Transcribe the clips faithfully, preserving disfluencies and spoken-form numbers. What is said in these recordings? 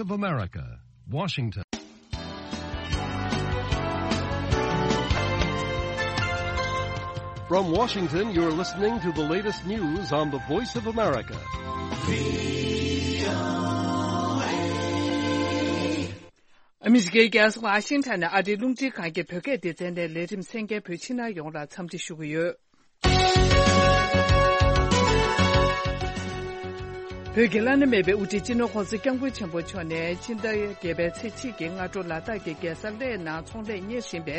of America, Washington. From Washington, you're listening to the latest news on the Voice of America. ཨ་མི་རི་ཀའི་རྒྱལ་ས་ཝ་ཤིང་ཊོན་ནས་ཨ་རིའི་རླུང་འཕྲིན་ཁང་གི་བོད་སྐད་སྡེ་ཚན་ནས་ལས་རིམ་གསན་མཁན་བོད་ཕྱི་ནང་ཡོངས་ལ་འཚམས་འདྲི་ཞུ་གི་ཡོད། བོད་ཀྱི་བླ་ན་མེད་པའི་དབུ་ཁྲིད་སྤྱི་ནོར་༸གོང་ས་༸སྐྱབས་མགོན་ཆེན་པོ་མཆོག་ནས་སྤྱི་ཟླ་བརྒྱད་པའི་ཚེས་གཅིག་གི་སྔ་དྲོ་ལ་དྭགས་ཀྱི་རྒྱལ་ས་གླེ་ནང་ཚོང་ལས་གཉེར་བཞིན་པའི་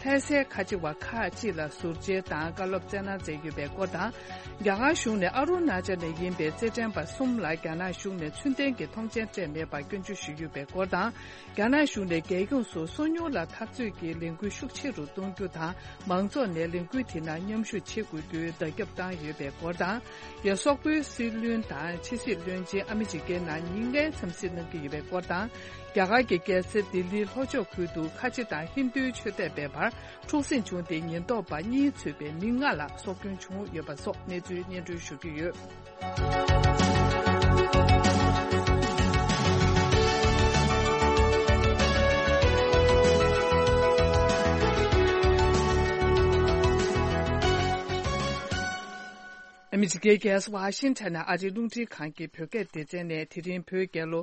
ལྷ་སའི་ཁ་ཆེ་བ་ཁག་ཅིག་ལ་ཟུར་མཇལ་དང་བཀའ་སློབ་སྩལ་གནང་མཛད་ཡོད་པའི་སྐོར་དང་། རྒྱ་གར་གཞུང་ནས་ཨ་རུ་ན་ཅལ་ནས་ཡིན་པའི་རྩེད་འགྲན་པ་གསུམ་ལ་རྒྱ་ནག་གཞུང་ནས་ཚུལ་ལྡན་གྱི་མཐོང་མཆན་སྤྲད་མེད་པར་སྐྱོན་བརྗོད་ཞུས་ཡོད་པའི་སྐོར་དང་། རྒྱ་ནག་གཞུང་ནས་རྒྱལ་ཡོངས་སུ་སོ་ཉུལ་ལ་འཐབ་རྩོད་ཀྱི་ལས་འགུལ་ཤུགས་ཆེ་རུ་གཏོང་རྒྱུ་དང་། མང་ཚོགས་ནས་ལས་འགུལ་དེ་ནང་མཉམ་ཞུགས་བྱེད་དགོས་རྒྱུའི་བརྡ་ཁྱབ་བཏང་ཡོད་པའི་སྐོར་དང་། ཡ། སོག་པོའི་སྲིད་བློན་དང་ཕྱི་སྲིད་བློན་ཆེན་ཨ་མི་རི་ཀའི་ནང་ཉིན་ལྔའི་འཚམས་གཟིགས་གནང་གི་ཡོད་པའི་སྐོར་དང་། རྒྱ་གར་གྱི་རྒྱལ་ས་ལྡི་ལིའི་ལྷོ་ཕྱོགས་ཁུལ་དུ་ཁ་ཆེ་དང་ཧིན་རྡུའི་ཆོས་དད་པའི་བར་འཁྲུག་ཟིང་བྱུང་སྟེ་ཉེན་རྟོག་པ་གཉིས་གཙོས་པའི་མི་ལྔ་ལ་སྲོག་སྐྱོན་བྱུང་ཡོད་པ་སོགས་གནས་ཚུལ་སྙན་སྒྲོན་ཞུ་རྒྱུ་ཡོད། ཨ་མི་རི་ཀའི་རྒྱལ་ས་ཝ་ཤིང་ཊོན་ནས་ཨ་རིའི་རླུང་འཕྲིན་ཁང་གི་བོད་སྐད་སྡེ་ཚན་ནས་དེ་རིང་བོད་རྒྱལ་ལོ་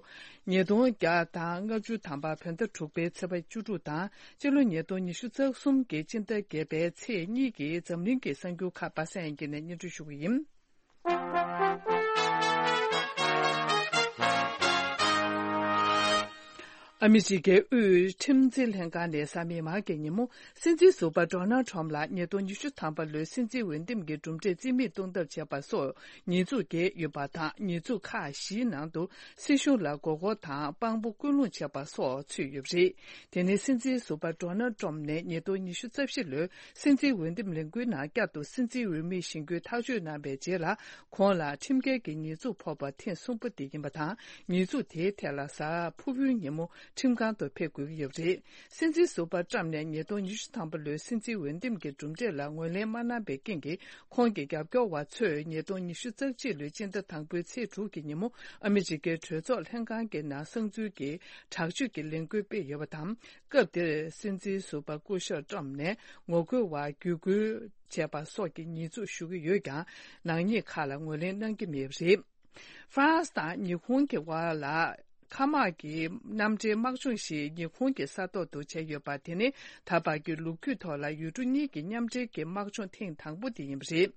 ཉིས་སྟོང་བརྒྱ་དང་ལྔ་བཅུ་ཐམ་པ་བོད་ཟླ་དྲུག་པའི་ཚེས་པ་བཅུ་དྲུག་དང་སྤྱི་ལོ་ཉིས་སྟོང་ཉི་ཤུ་རྩ་གསུམ་གྱི་སྤྱི་ཟླ་བརྒྱད་པའི་ཚེས་གཉིས་ཀྱི་འཛམ་གླིང་གི་གསར་འགྱུར་ཁག་པ་སངས་ཡང་གིས་ནས་སྙན་སྒྲོན་ཞུ་གི་ཡིན། ཨ་མི་རི་ཀའི་དབུས་ཁྲིམས་འཛིན་ལྷན་ཁང་ནས་གཟའ་མིག་དམར་གྱི་ཉིན་མོ་སྲིད་འཛིན་ཟུར་པ་ཌོ་ནལ་ཊམ་ལ་ཉིས་སྟོང་ཉི་ཤུ་ཐམ་པ་ལོའི་སྲིད་འཛིན་འོས་འདེམས་ཀྱི་གྲུབ་འབྲས་རྩིས་མེད་གཏོང་ཐབས་བྱས་པ་སོགས་ཉེས་འཛུགས་བཀལ་ཡོད་པ་དང་། ཉེས་འཛུགས་ཁག་བཞིའི་ནང་དུ་སྲིད་གཞུང་ལ་མགོ་སྐོར་དང་དཔང་པོ་སྐུལ་སློང་བྱས་པ་སོགས་ཚུད་ཡོད་པ་རེད། དེ་ནི་སྲིད་འཛིན་ཟུར་པ་ཌོ་ནལ་ཊམ་ནས་ཉིས་སྟོང་ཉི་ཤུ་རྩ་བཞི་ལོའི་སྲིད་འཛིན་འོས་འདེམས་ལས་འགུལ་ནང་བསྐྱར་དུ་སྲིད་འཛིན་འོས་མི་བཞེངས་རྒྱུའི་ཐག་གཅོད་གནང་བའི་རྗེས་ལ། ཁོང་ལ་ཁྲིམས་འགལ་གྱི་ཉེས་འཛུགས་ཕོག་པ་ཐེངས་གསུམ་པ་དེ་ཡིན་པ་དང་། ཉེས་འཛུགས་དེའི་ཐད་ལ་གཟའ་ཕུར་བུའི་ཉིན་མོ་ཁྲིམས་ཁང་དུ་ཕེབས་དགོས་ཀྱི་ཡོད་པ་རེད། སྲིད་འཛིན་ཟུར་པ་ཊམ་ནས་ཉིས་སྟོང་ཉི་ཤུ་ཐམ་པ་ལོའི་སྲིད་འཛིན་འོས་འདེམས་ཀྱི་གྲུབ་འབྲས་ལ་ངོས་ལེན་མ་གནང་པའི་རྐྱེན་གྱིས། ཁོང་གི་རྒྱབ་སྐྱོར་བ་ཚོས་ཉིས་སྟོང་ཉི་ཤུ་རྩ་གཅིག་ལོའི་སྤྱི་ཟླ་དང་པོའི་ཚེས་དྲུག་གི་ཉིན་མོ་ཨ་མི་རི་ཀའི་གྲོས་ཚོགས་ལྷན་ཁང་གི་ནང་གསང་འཛུལ་གྱི་དྲག་སྤྱོད་ཀྱི་ལས་འགུལ་སྤེལ་ཡོད་པ་དང་། སྐབས་དེར་སྲིད་འཛིན་ཟུར་པ་སྐུ་ཞབས་ཊམ་ནས་ངོ་རྒོལ་བར་བརྒྱུད་སྐུལ་བྱས་པ་སོགས་ཀྱི་ཉེས་འཛུགས་ཞུ་གི་ཡོད་ཀྱང་། ནག་ཉེས་ཁག་ལ་ངོས་ལེན་གནང་གི་མེད་པ་རེད། ཧྥ་རན་སི་དང་ཉི་ཧོང་གི་དབར་ལ་མཁའ་དམག་གི་མཉམ་འབྲེལ་དམག་སྦྱོང་ཞིག་ཉི་ཧོང་གི་ས་ཐོག་ཏུ་བྱས་ཡོད་པ་དེ་ནི་ད་བར་གྱི་ལོ་རྒྱུས་ཐོག་ལ་ཡུལ་གྲུ་གཉིས་ཀྱི་མཉམ་འབྲེལ་གྱི་དམག་སྦྱོང་ཐེངས་དང་པོ་དེ་ཡིན་པ་རེད།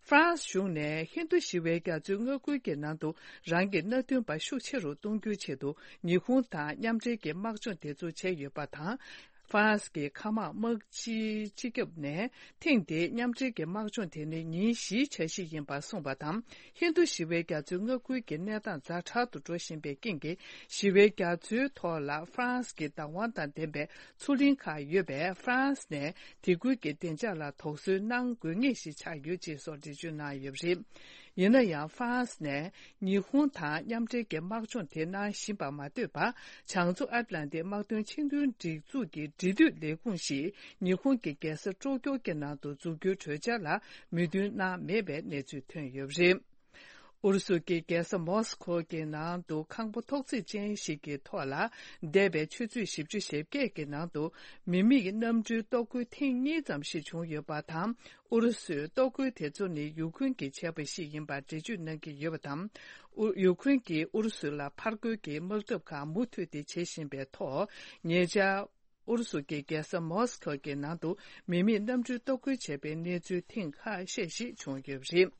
ཧྥ་རན་སི་གཞུང་ནས་ཧིན་རྡུ་ཞི་བའི་རྒྱ་མཚོའི་མངའ་ཁུལ་གྱི་ནང་དུ་རང་གི་མནའ་མཐུན་པ་ཤུགས་ཆེ་རུ་གཏོང་རྒྱུའི་ཆེད་དུ་ཉི་ཧོང་དང་མཉམ་འབྲེལ་གྱི་དམག་སྦྱོང་དེ་ཚོ་བྱས་ཡོད་པ་དང་། ཧྥ་རན་སི་གི་མཁའ་དམག་དམག་སྤྱིའི་སྤྱི་ཁྱབ་ནས་ཐེངས་འདིའི་མཉམ་འབྲེལ་གྱི་དམག་སྦྱོང་དེ་ནི་ཉིན་བཞིའི་འཆར་གཞི་ཡིན་པར་གསུངས་པ་དང་། ཧིན་རྡུ་ཞི་བའི་རྒྱ་མཚོའི་མངའ་ཁུལ་གྱི་གནས་སྟངས་ཛ་དྲག་ཏུ་འགྲོ་བཞིན་པའི་རྐྱེན་གྱིས། ཞི་བའི་རྒྱ་མཚོའི་ཐོག་ལ་ཧྥ་རན་སི་གི་བདག་དབང་དང་ལྡན་པའི་མཚོ་གླིང་ཁག་ཡོད་པས། ཧྥ་རན་སི་ནས་དེ་ཁུལ་གྱི་བདེ་འཇགས་ལ་དོགས་ཟོན་གནང་དགོས་ངེས་ཤིག་ཆགས་ཡོད་ཅེས་སོགས་འགྲེལ་བརྗོད་གནང་ཡོད་པ་རེད། ཡིན་ན་ཡང་། ཧྥ་རན་སི་ནས་ཉི་ཧོང་དང་མཉམ་འབྲེལ་གྱི་དམག་སྦྱོང་དེ་གནང་བཞིན་པར་མ་ལྟོས་པར། བྱང་མཚོ་ཨེཊ་ལན་ཊིག་དམག་དོན་ཆིངས་དོན་སྒྲིག་འཛུགས་ཀྱི་འབྲེལ་མཐུད་ལས་ཁུངས་ཤིག་ཉི་ཧོང་གི་རྒྱལ་ས་ཀྲོ་ཀྱོ་གི་ནང་དུ་འཛུགས་རྒྱུའི་གྲོས་འཆར་ལ་མོས་མཐུན་གནང་མེད་པའི་གནས་ཚུལ་ཐོན་ཡོད་པ་རེད། ཨུ་རུ་སུ་གི་རྒྱལ་ས་མོ་སི་ཁོ་གི་ནང་དུ་ཁང་པ་ཐོག་བརྩེགས་ཅན་ཞིག་གི་ཐོག་ལ། འདས་པའི་ཆུ་ཚོད་བཞི་བཅུ་ཞེ་བརྒྱད་ཀྱི་ནང་དུ་མི་མེད་གནམ་གྲུའི་གཏོར་རྒོལ་ཐེངས་གཉིས་ཙམ་ཞིག་བྱུང་ཡོད་པ་དང་། ཨུ་རུ་སུའི་གཏོར་རྒོལ་དེ་ཚོ་ནི་ཡུ་ཁུན་གྱིས་བྱས་པ་ཞིག་ཡིན་པར་འགྲེལ་བརྗོད་གནང་གི་ཡོད་པ་དང་། ཨུ། ཡུ་ཁུན་གྱིས་ཨུ་རུ་སུ་ལ་ཕར་རྒོལ་གྱི་དམག་འཐབ་ཁག་མུ་མཐུད་དེ་བྱེད་བཞིན་པའི་ཐོག་ཉེ་ཆར། ཨུ་རུ་སུ་གི་རྒྱལ་ས་མོ་སི་ཁོ་གི་ནང་དུ་མི་མེད་གནམ་གྲུའི་གཏོར་རྒོལ་བྱས་པའི་གནས་ཚུལ་ཐེངས་ཁ་ཤས་ཤིག་བྱུང་ཡོད་པ་རེད།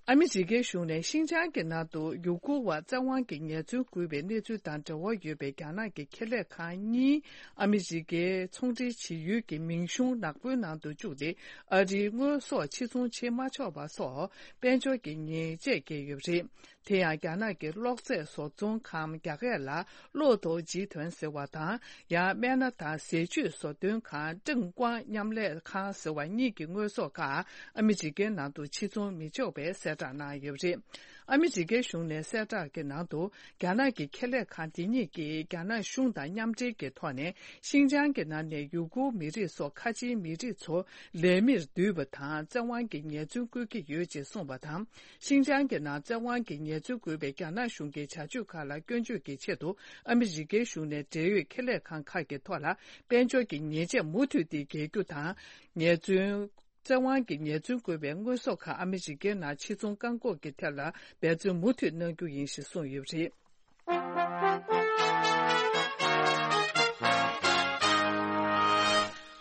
ཨ་མི་རི་ཀའི་གཞུང་ནས་ཤིན་ཅང་གི་ནང་དུ་ཡུ་གུར་བ་བཙན་དབང་གིས་ཉེས་ཚབས་བཀོད་པའི་གནས་ཚུལ་དང་འབྲེལ་བ་ཡོད་པའི་རྒྱ་ནག་གི་ཁེ་ལས་ཁང་གཉིས་ཨ་མི་རི་ཀའི་ཚོང་འབྲེལ་བྱེད་ཡུལ་གྱི་མིང་གཞུང་ནག་པོའི་ནང་དུ་བཅུག་སྟེ། ཨ་རིའི་དངོས་ཟོག་ཕྱིར་ཚོང་བྱེད་མ་ཆོག་པ་སོགས་དཔལ་འབྱོར་གྱི་ཉེས་ཆད་བཀལ་ཡོད་པ་རེད། དེ་ཡང་རྒྱ་ནག་གི་གློག་རྫས་བཟོ་ཚོང་ཁང་རྒྱ་སྐད་ལ་གློག་ཏོ་ཇི་ཐོན་ཟེར་བ་དང་། ཡང་སྨན་སྣ་དང་ཟས་བཅུད་བཟོ་སྟོན་ཁང་ཀྲེང་ཀོང་མཉམ་ལས་ཁང་ཟེར་བ་གཉིས་ཀྱི་དངོས་ཟོག་ཁག་ཨ་མི་རི་ཀའི་ནང་དུ་ཕྱིར་ཚོང་མི་ཆོག་པའི་གསལ་བསྒྲགས་གནང་ཡོད་པ་རེད། ཨ་མི་རི་ཀའི་གཞུང་ནས་གསལ་བསྒྲགས་ཀྱི་ནང་དུ། རྒྱ་ནག་གི་ཁེ་ལས་ཁང་དེ་གཉིས་ཀྱིས་རྒྱ་ནག་གཞུང་དང་མཉམ་འབྲེལ་གྱི་ཐོག་ནས། ཤིན་ཅང་གི་ནང་ནས་ཡུ་གུར་མི་རིགས་སོགས་ཁ་ཆེའི་མི་རིགས་ཚོ་ལས་མིར་བསྡུས་པ་དང་། བཙན་དབང་གི་ཉེས་འཛུགས་བཀོད་ཀྱི་ཡོད་ཅེས་གསུངས་པ་དང་། ཤིན་ཅང་གི་ནང་བཙན་དབང་གི་ཉེས་འཛུགས་བཀོད་པའི་རྒྱ་ནག་གཞུང་གི་བྱ་སྤྱོད་ཁག་ལ་སྐྱོན་བརྗོད་ཀྱི་ཆེད་དུ། ཨ་མི་རི་ཀའི་གཞུང་ནས་འབྲེལ་ཡོད་ཁེ་ལས་ཁང་ཁག་གི་ཐོག་ལ། དཔལ་འབྱོར་གྱི་ཉེས་ཆད་མུ་མཐུད་དེ་འགེལ་རྒྱུ་དང་། ཉེས་འཛུགས། བཙན་དབང་གི་ཉེས་འཛུགས་བཀོད་པའི་དངོས་ཟོག་ཁག་ཨ་མི་རི་ཀའི་ནང་ཕྱིར་ཚོང་བཀག་འགོག་གི་ཐད་ལ་འབད་བརྩོན་མུ་མཐུད་གནང་རྒྱུ་ཡིན་ཞེས་གསུངས་ཡོད་པ་རེད།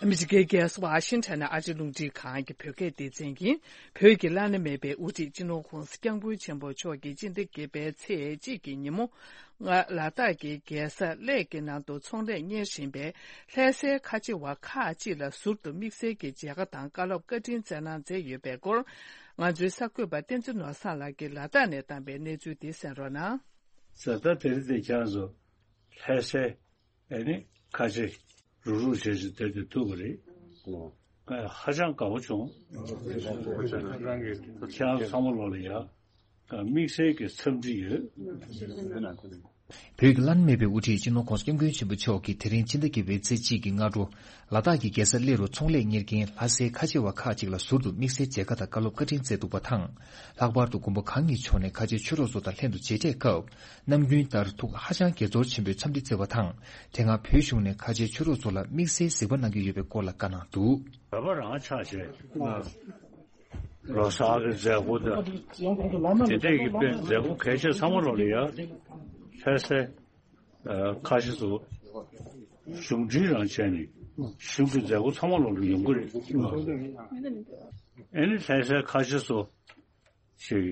ཨ་མི་རི་ཀའི་རྒྱལ་ས་ཝ་ཤིང་ཊོན་ནས་ཨ་རིའི་རླུང་འཕྲིན་ཁང་གི་བོད་སྐད་སྡེ་ཚན་ཡིན། བོད་ཀྱི་བླ་ན་མེད་པའི་དབུ་ཁྲིད་སྤྱི་ནོར་༸གོང་ས་༸སྐྱབས་མགོན་ཆེན་པོ་མཆོག་གིས་སྤྱི་ཟླ་བརྒྱད་པའི་ཚེས་གཅིག་གི་ཉིན་མོ། ལ་དྭགས་ཀྱི་རྒྱལ་ས་གླེ་གི་ནང་དུ་ཚོང་ལས་གཉེར་བཞིན་པའི་ལྷ་སའི་ཁ་ཆེ་བ་ཁག་ཅིག་ལ་ཟུར་དུ་དམིགས་བསལ་གྱི་མཇལ་ཁ་དང་བཀའ་སློབ་བཀའ་དྲིན་སྩལ་གནང་མཛད་ཡོད་པའི་སྐོར། ང་ཚོའི་གསར་འགོད་པ་བསྟན་འཛིན་ནོར་བཟང་ལགས་ཀྱིས་ལ་དྭགས་ནས་བཏང་པའི་གནས་ཚུལ་དེ་གསན་རོགས་གནང་། ད་ལྟ་དེ་རིང་དེ་ཁྱེད་རང་ཚོ་ལྷ་སའི་ཨ་ནི་ཁ་ཆེ་རུག་རུག་བྱས་བྱས་དེ་དེ་ཐུག་པ་རེད། ཧ་ཅང་དགའ་པོ་བྱུང་། ཁྱེད་རང་ཚང་མ་ལོག་ལ་ཡ། དམིགས་བསལ་གྱི་འཚམས་འདྲི་ཡོད། བོད་ཀྱི་བླ་ན་མེད་པའི་དབུ་ཁྲིད་སྤྱི་ནོར་༸གོང་ས་༸སྐྱབས་མགོན་ཆེན་པོ་མཆོག་གིས་དེ་རིང་ཕྱི་ཟླ་བརྒྱད་པའི་ཚེས་གཅིག་གི་སྔ་དྲོ། ལ་དྭགས་ཀྱི་རྒྱལ་ས་གླེ་རུ་ཚོང་ལས་གཉེར་མཁན་ལྷ་སའི་ཁ་ཆེ་བ་ཁག་ཅིག་ལ་ཟུར་དུ་དམིགས་བསལ་མཇལ་ཁ་དང་བཀའ་སློབ་བཀའ་དྲིན་སྩལ་འདུག་པ་དང་། ལྷག་པར་དུ་མགོན་པོ་གང་ཉིད་མཆོག་ནས་ཁ་ཆེ་ཆོས་གྲོགས་ཚོ་དང་ལྷན་དུ་མཇལ་འཕྲད་སྐབས། ནམ་རྒྱུན་ལྟར་ཐུགས་ཧ་ཅང་དགྱེས་ཚོར་ཆེན་པོས་འཚམས་འདྲི་བསྩལ་བ་དང་། དེ་སྔ་བོད་གཞུང་ནས་ཁ་ཆེ་ཆོས་གྲོགས་ཚོ་ལ་དམིགས་བསལ་གཟིགས་པ་གནང་གི་ཡོད་པའི་སྐོར་ལ་བཀའ་གནང་འདུག་བོད་པ་རང་ཆགས་བྱས། ལོ་གསར་གྱི་མཛད་སྒོ་དང་། དེ་འདྲས་ཀྱི་དཔེ་མཛད་སྒོ་གལ་ཆེ་ཚང་མ་ལོག་ལ་ཡ། ལྷ་སའི་ཁ་ཆེ་ཚོ་གཞུང་འབྲེལ་རང་བྱས་ནས་གཞུང་གི་མཛད་སྒོ་ཚང་མ་ལོག་ལ་ཡོང་གི་རེད། ཨ་ནི་ལྷ་སའི་ཁ་ཆེ་ཚོ་ཞིག་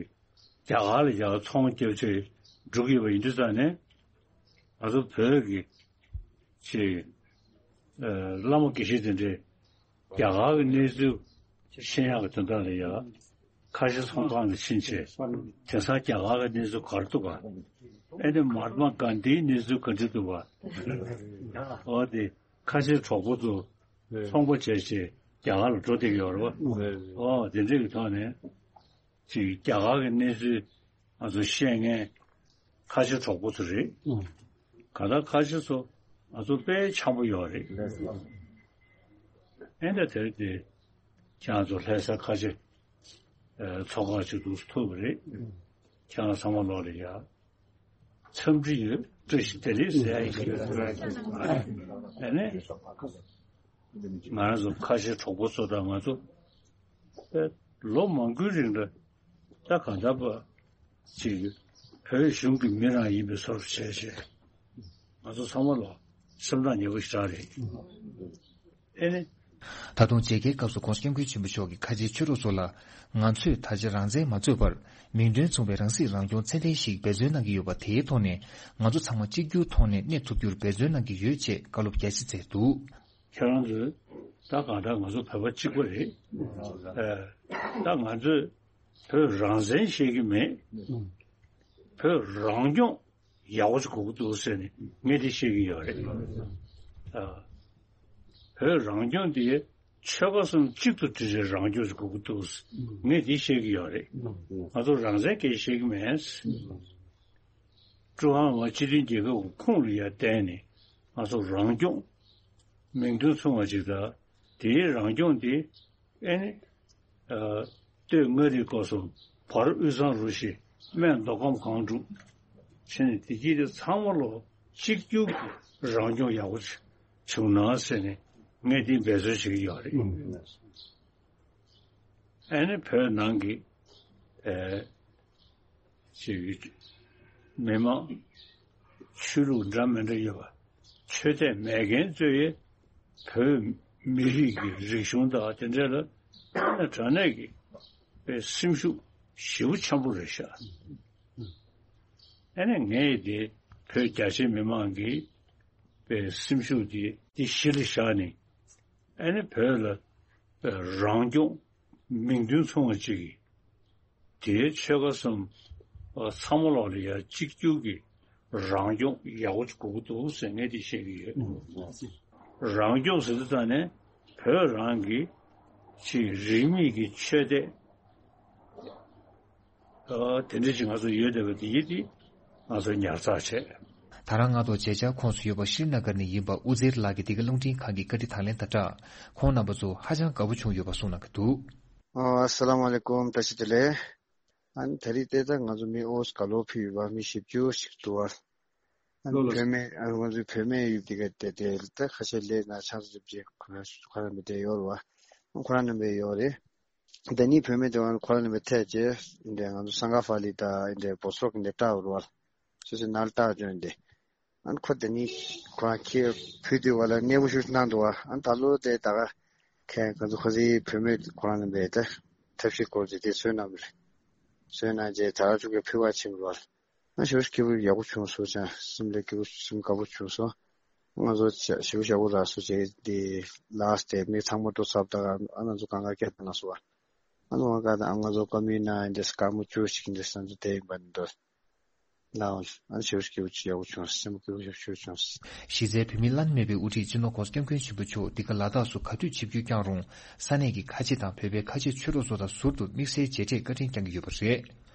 རྒྱ་གར་ལ་ཡ་ཚོང་རྒྱབ་ཆེད་འགྲོ་གི་ཡོད་པ་ཡིན་དུས་ཙང་ནས། ང་ཚོ་བོད་ཀྱི་ཅིག་ཨ། བླ་མ་དགེ་བཤེས་དེ་འདྲས་རྒྱ་གར་གྱི་གནས་ཚུལ་ཤེས་ཡག་གི་དོན་དག་ལ་ཡ། ཁ་ཆེ་ཚོང་ཁང་ལ་ཕྱིན་བྱས་དེང་སང་རྒྱ་གར་གྱི་གནས་ཚུལ་ག་རེ་འདུག་ག་ཨེ་ནི་མ་ཧཱ་ཏྨ་གྷན་དྷིའི་གནས་ཚུལ་ག་འདྲ་འདུག་ག་འོ་དེ་ཁ་ཆེ་གྲོགས་པོ་ཚོ་ཚོང་པ་བྱས་བྱས་རྒྱ་གར་ལ་འགྲོ་བསྡད་ཀྱི་ཡོད་རེད་བ། འོ་དེ་འདྲ་གི་ཐོག་ནས། ཅིག་རྒྱ་གར་གྱི་གནས་ཚུལ་ང་ཚོ་ཤེས་མཁན་ཁ་ཆེ་གྲོགས་པོ་ཚོ་རེད། ཨང་། ག་ད་ཁ་ཆེ་ཚོ་ང་ཚོ་དཔེ་འཆམ་པོ་ཡོད་རེད། ལགས་སོ། ཨེ་འདྲ་དེར་དེ་ཁྱེད་རང་ཚོ་ལྷ་ས་ཁ་ཆེ་ཨ། ཚོགས་ཁག་ཅིག་འདུག་ཐུག་པ་རེད། ཁྱེད་རང་ཚང་མ་ལོག་ལ་ཡ། འཚམས་འདྲི་ཡོད། བཀྲ་ཤིས་བདེ་ལེགས་ཟེར་ཡ་ཡིན། ཨ་ནི། ང་རང་ཚོ་ཁ་ཆེ་གྲོགས་པོ་ཚོ་དང་ང་ཚོ་ལོ་མང་པོའི་རིང་ལ་ད་གང་ལྟར་བ་ཅིག་བོད་གཞུང་གི་མི་རང་ཡིན་པའི་བཟོ་འདྲ་བྱས་བྱས་ང་ཚོ་ཚང་མ་ལ་སེམས་ཐག་ཉེ་པོ་ཞེ་དྲག་རེད། ཨེ་ནི། ད་དུང་མཇལ་ཁའི་སྐབས་སུ་༸གོང་ས་༸སྐྱབས་མགོན་ཆེན་པོ་མཆོག་གིས་ཁ་ཆེའི་ཆོས་གྲོགས་ཚོ་ལ། ང་ཚོས་ད་ཆ་རང་བཙན་མ་རྩོད་པར་མིང་དོན་མཚུངས་པའི་རང་སྲིད་རང་སྐྱོང་ཚད་ལྡན་ཞིག་འབད་བརྩོན་གནང་གི་ཡོད་པ་དེའི་ཐོག་ནས་ང་ཚོ་ཚང་མ་གཅིག་གྱུར་ཐོག་ནས་གནས་ཐུབ་རྒྱུར་འབད་བརྩོན་གནང་གི་ཡོད་ཅེས་བཀའ་སློབ་རྒྱ་ཆེ་སྩལ་འདུག་ཁྱེད་རང་ཚོས་ད་གང་ལྟར་ང་ཚོ་བོད་པ་གཅིག་པ་རེད། ཨ། ད་ང་ཚོས་བོད་རང་བཙན་བཤད་ཀྱི་མེད། བོད་རང་སྐྱོང་ཡག་པོ་ཞིག་དགོས་ཀྱི་འདུག་ཟེར་ནས་ངས་འདི་བཤད་ཀྱི་ཡོད་རེད། ཨ། བོད་རང་སྐྱོང་འདི་ཆོལ་ཁ་གསུམ་གཅིག་ཏུ་སྒྲིལ་བའི་རང་སྐྱོང་ཞིག་དགོས་ཀྱི་འདུག་ངས་འདི་བཤད་ཀྱི་ཡོད་རེད། ང་ཚོ་རང་བཙན་སྐད་བཤད་ཀྱི་མེད། ཀྲུང་ཧྭ་མི་དམངས་སྤྱི་མཐུན་རྒྱལ་ཁབ་ཀྱི་ཁོངས་ལ་ཡར་བསྡད་ནས་ང་ཚོ་རང་སྐྱོང་མིང་དོན་མཚུངས་པ་ཅིག་དང་དེའི་རང་སྐྱོང་འདི་ཨེ་ནི། ཨ། སྟོད་མངའ་རིས་སྐོར་གསུམ། བར་དབུས་གཙང་རུ་བཞི། སྨད་མདོ་ཁམས་སྒང་དྲུག་བྱས་ནས་དེ་དཀྱིལ་དེ་ཚང་མ་ལོ་གཅིག་གྱུར་གྱི་རང་སྐྱོང་ཡག་པོ་བྱུང་ན་ཟེར་ནས་ངས་འདི་འབད་རྩོལ་བྱེད་ཀྱི་ཡོད་རེད། ཨ་ནི་བོད་ནང་གི་ཨེ། ཅིག་མི་མང་ཆོས་ལུགས་འདྲ་མི་འདྲ་ཡོད་པ། ཆོས་དད་མེད་མཁན་ཚོས་བོད་མི་རིགས་ཀྱི་རིག་གཞུང་དང་དེ་འདྲ་ལ་དངོས་གནས་དྲང་གནས་ཀྱི་པའི་སེམས་ཤུགས་ཞེ་པོ་ཆེན་པོ་རེད་ཤག་ཨ་ནི་ངས་དེ་བོད་རྒྱ་ཆེ་མི་མང་གི་པའི་སེམས་ཤུགས་དེ་དེ་གཞི་ལ་བཞག་ནས་ཨ་ནི་བོད་ལ་པའི་རང་སྐྱོང་མིང་དོན་མཚུངས་པ་ཅིག་གིས། དེའི་ཆོལ་ཁ་གསུམ་ཚང་མ་ལོག་ལ་ཡ་གཅིག་གྱུར་གྱི་རང་སྐྱོང་ཡག་པོ་ཅིག་དགོས་ཀྱི་འདུག་ཟེར་ངས་འདི་བཤད་ཀྱི་ཡོད། རང་སྐྱོང་ཟེར་དུས་ཙང་ནས་བོད་རང་གི་ཅིག་རིས་མེད་ཀྱི་ཆོས་དད་ ཨ། དེ་འདྲ་ཞིག་ང་ཚོ་ཡོད་བསྡད་པ་དེ་ཡིན་དེ་ང་ཚོ་ཉར་ཚགས་བྱས། ད་རང་སྔ་ཐོག་མཇལ་བཅར་ཁོངས་སུ་ཡོད་པ་ཤྲི་ན་གར་ནས་ཡིན་པ་ཨུ་ཛེར་ལགས་ཀྱིས་འདི་ག་རླུང་འཕྲིན་ཁང་གི་བཀའ་འདྲི་དང་ལེན་དང་སྦྲགས། ཁོང་རྣམ་པ་ཚོ་ཧ་ཅང་དགའ་པོ་བྱུང་ཡོད་པ་གསུངས་གནང་གི་འདུག། ཨ། ཨ་སཱ་ལམ་ཨ་ལེ་ཀུམ། བཀྲ་ཤིས་བདེ་ལེགས། ཨ་ནི་ད་རེས་ཏེ་ད་ང་ཚོ་མི་ཨོ་སི་ག་ལོ་ཕུད་ཡོད་པ་མི་བཞི་བཅུ་ཞིག་འདུག་བ། ཨ་ནི་ལོ་ལོ། བུད་མེད། ཨ། ང་ཚོའི་བུད་མེད་ཡོད་དེ་ག་དེ་དེ་ད་ཁ་ཤས་སླེབས་ན་ཆང་ས་ཅིག་ཅིག་ཁོ་རང་ཁོ་རང་མི་དེ་ཡོད་རེད་བ། ཁོ་རང་རྣམ་པའི་ཡོད་རེད། ད་ནི་བུད་མེད་དེ་བ་ཁོ་རང་རྣམ་པའི་ཐད་ཅེ་འདི་ང་ཚོ་སང་ག་ཧྥ་ལི་ད་འདི་བོ་སོག་འདི་སྐྲག་རུ་བ། སོ་སོའི་ནང་ལ་སྐྲག་བྱོན་ཏེ། ཨ་ནི་ཁོ་དེ་ནི་ཁོ་རང་ཁྱེད་བུད་དུས་བ་ལ་གནས་མོ་ཤུགས་གནང་འདུག་བ། ཨ་ནི་ད་ལོ་དེ་ད་ག་ཁྱེད་ང་ཚོ་ཁོ་ཚོའི་བུད་མེད་ཁོ་རང་རྣམ་པའི་ད་ཐབས་ཤེས་སྐོར་དེ་དེ་བཟོས་གནང་བ་རེད། བཟོས་གནང་རྗེས་ད་ག་ཅུ་གི་ཕུལ་བ་ཕྱིན་རུ་བ། ང་ཞེ་པོ་སྐྱིད་པོ་ཡག་པོ་བྱུང་སོང་ཅང་སེམས་ལ་སྐྱིད་པོ་སེམས་དགའ་པོ་བྱུང་སོང་། ང་ཚོ་ཞེ་པོ་ཞེ་པོ་རག་སོང་ཅེས་དེ་ལགས་ཏེ་མི་ཚང་མ་འགྲོ་ཚར་ད་ག་ང་ཚོ་གང་ག་སྐད་བཏང་སོང་བ། ང་ཚོ་གང་ག་ད་ང་ཚོ་བཀའ་མོལ་གནང་ཡིན་དེ་སྐར་མོ་བཅུ་ཞིག་འདི་ས་འདི་དེ་ཡིན་པ་འདི་འདྲ་ལའོ་ཨ་ཞེ་པོ་སྐྱིད་པོ་ཡག་པོ་བྱུང་སེམས་སྐྱིད་པོ་ཞེ་པོ་བྱུང་། གཞི་རྩའི་བོད་མིའི་བླ་ན་མེད་པའི་དབུ་ཁྲིད་སྤྱི་ནོར་༸གོང་ས་༸སྐྱབས་མགོན་ཆེན་པོ་མཆོག་འདི་ག་ལ་དྭགས་སུ་ག་དུས་ཆིབས་བསྒྱུར་བསྐྱངས་རུང་ས་གནས་ཀྱི་ཁ་ཆེ་དང་བོད་པའི་ཁ་ཆེ་ཆོས་གྲོགས་ཚོ་དང་ཟུར་དུ་དམིགས་བསལ་མཇལ་འཕྲད་བཀའ་དྲིན་བསྐྱངས་ཀྱི་ཡོད་པ་རེད།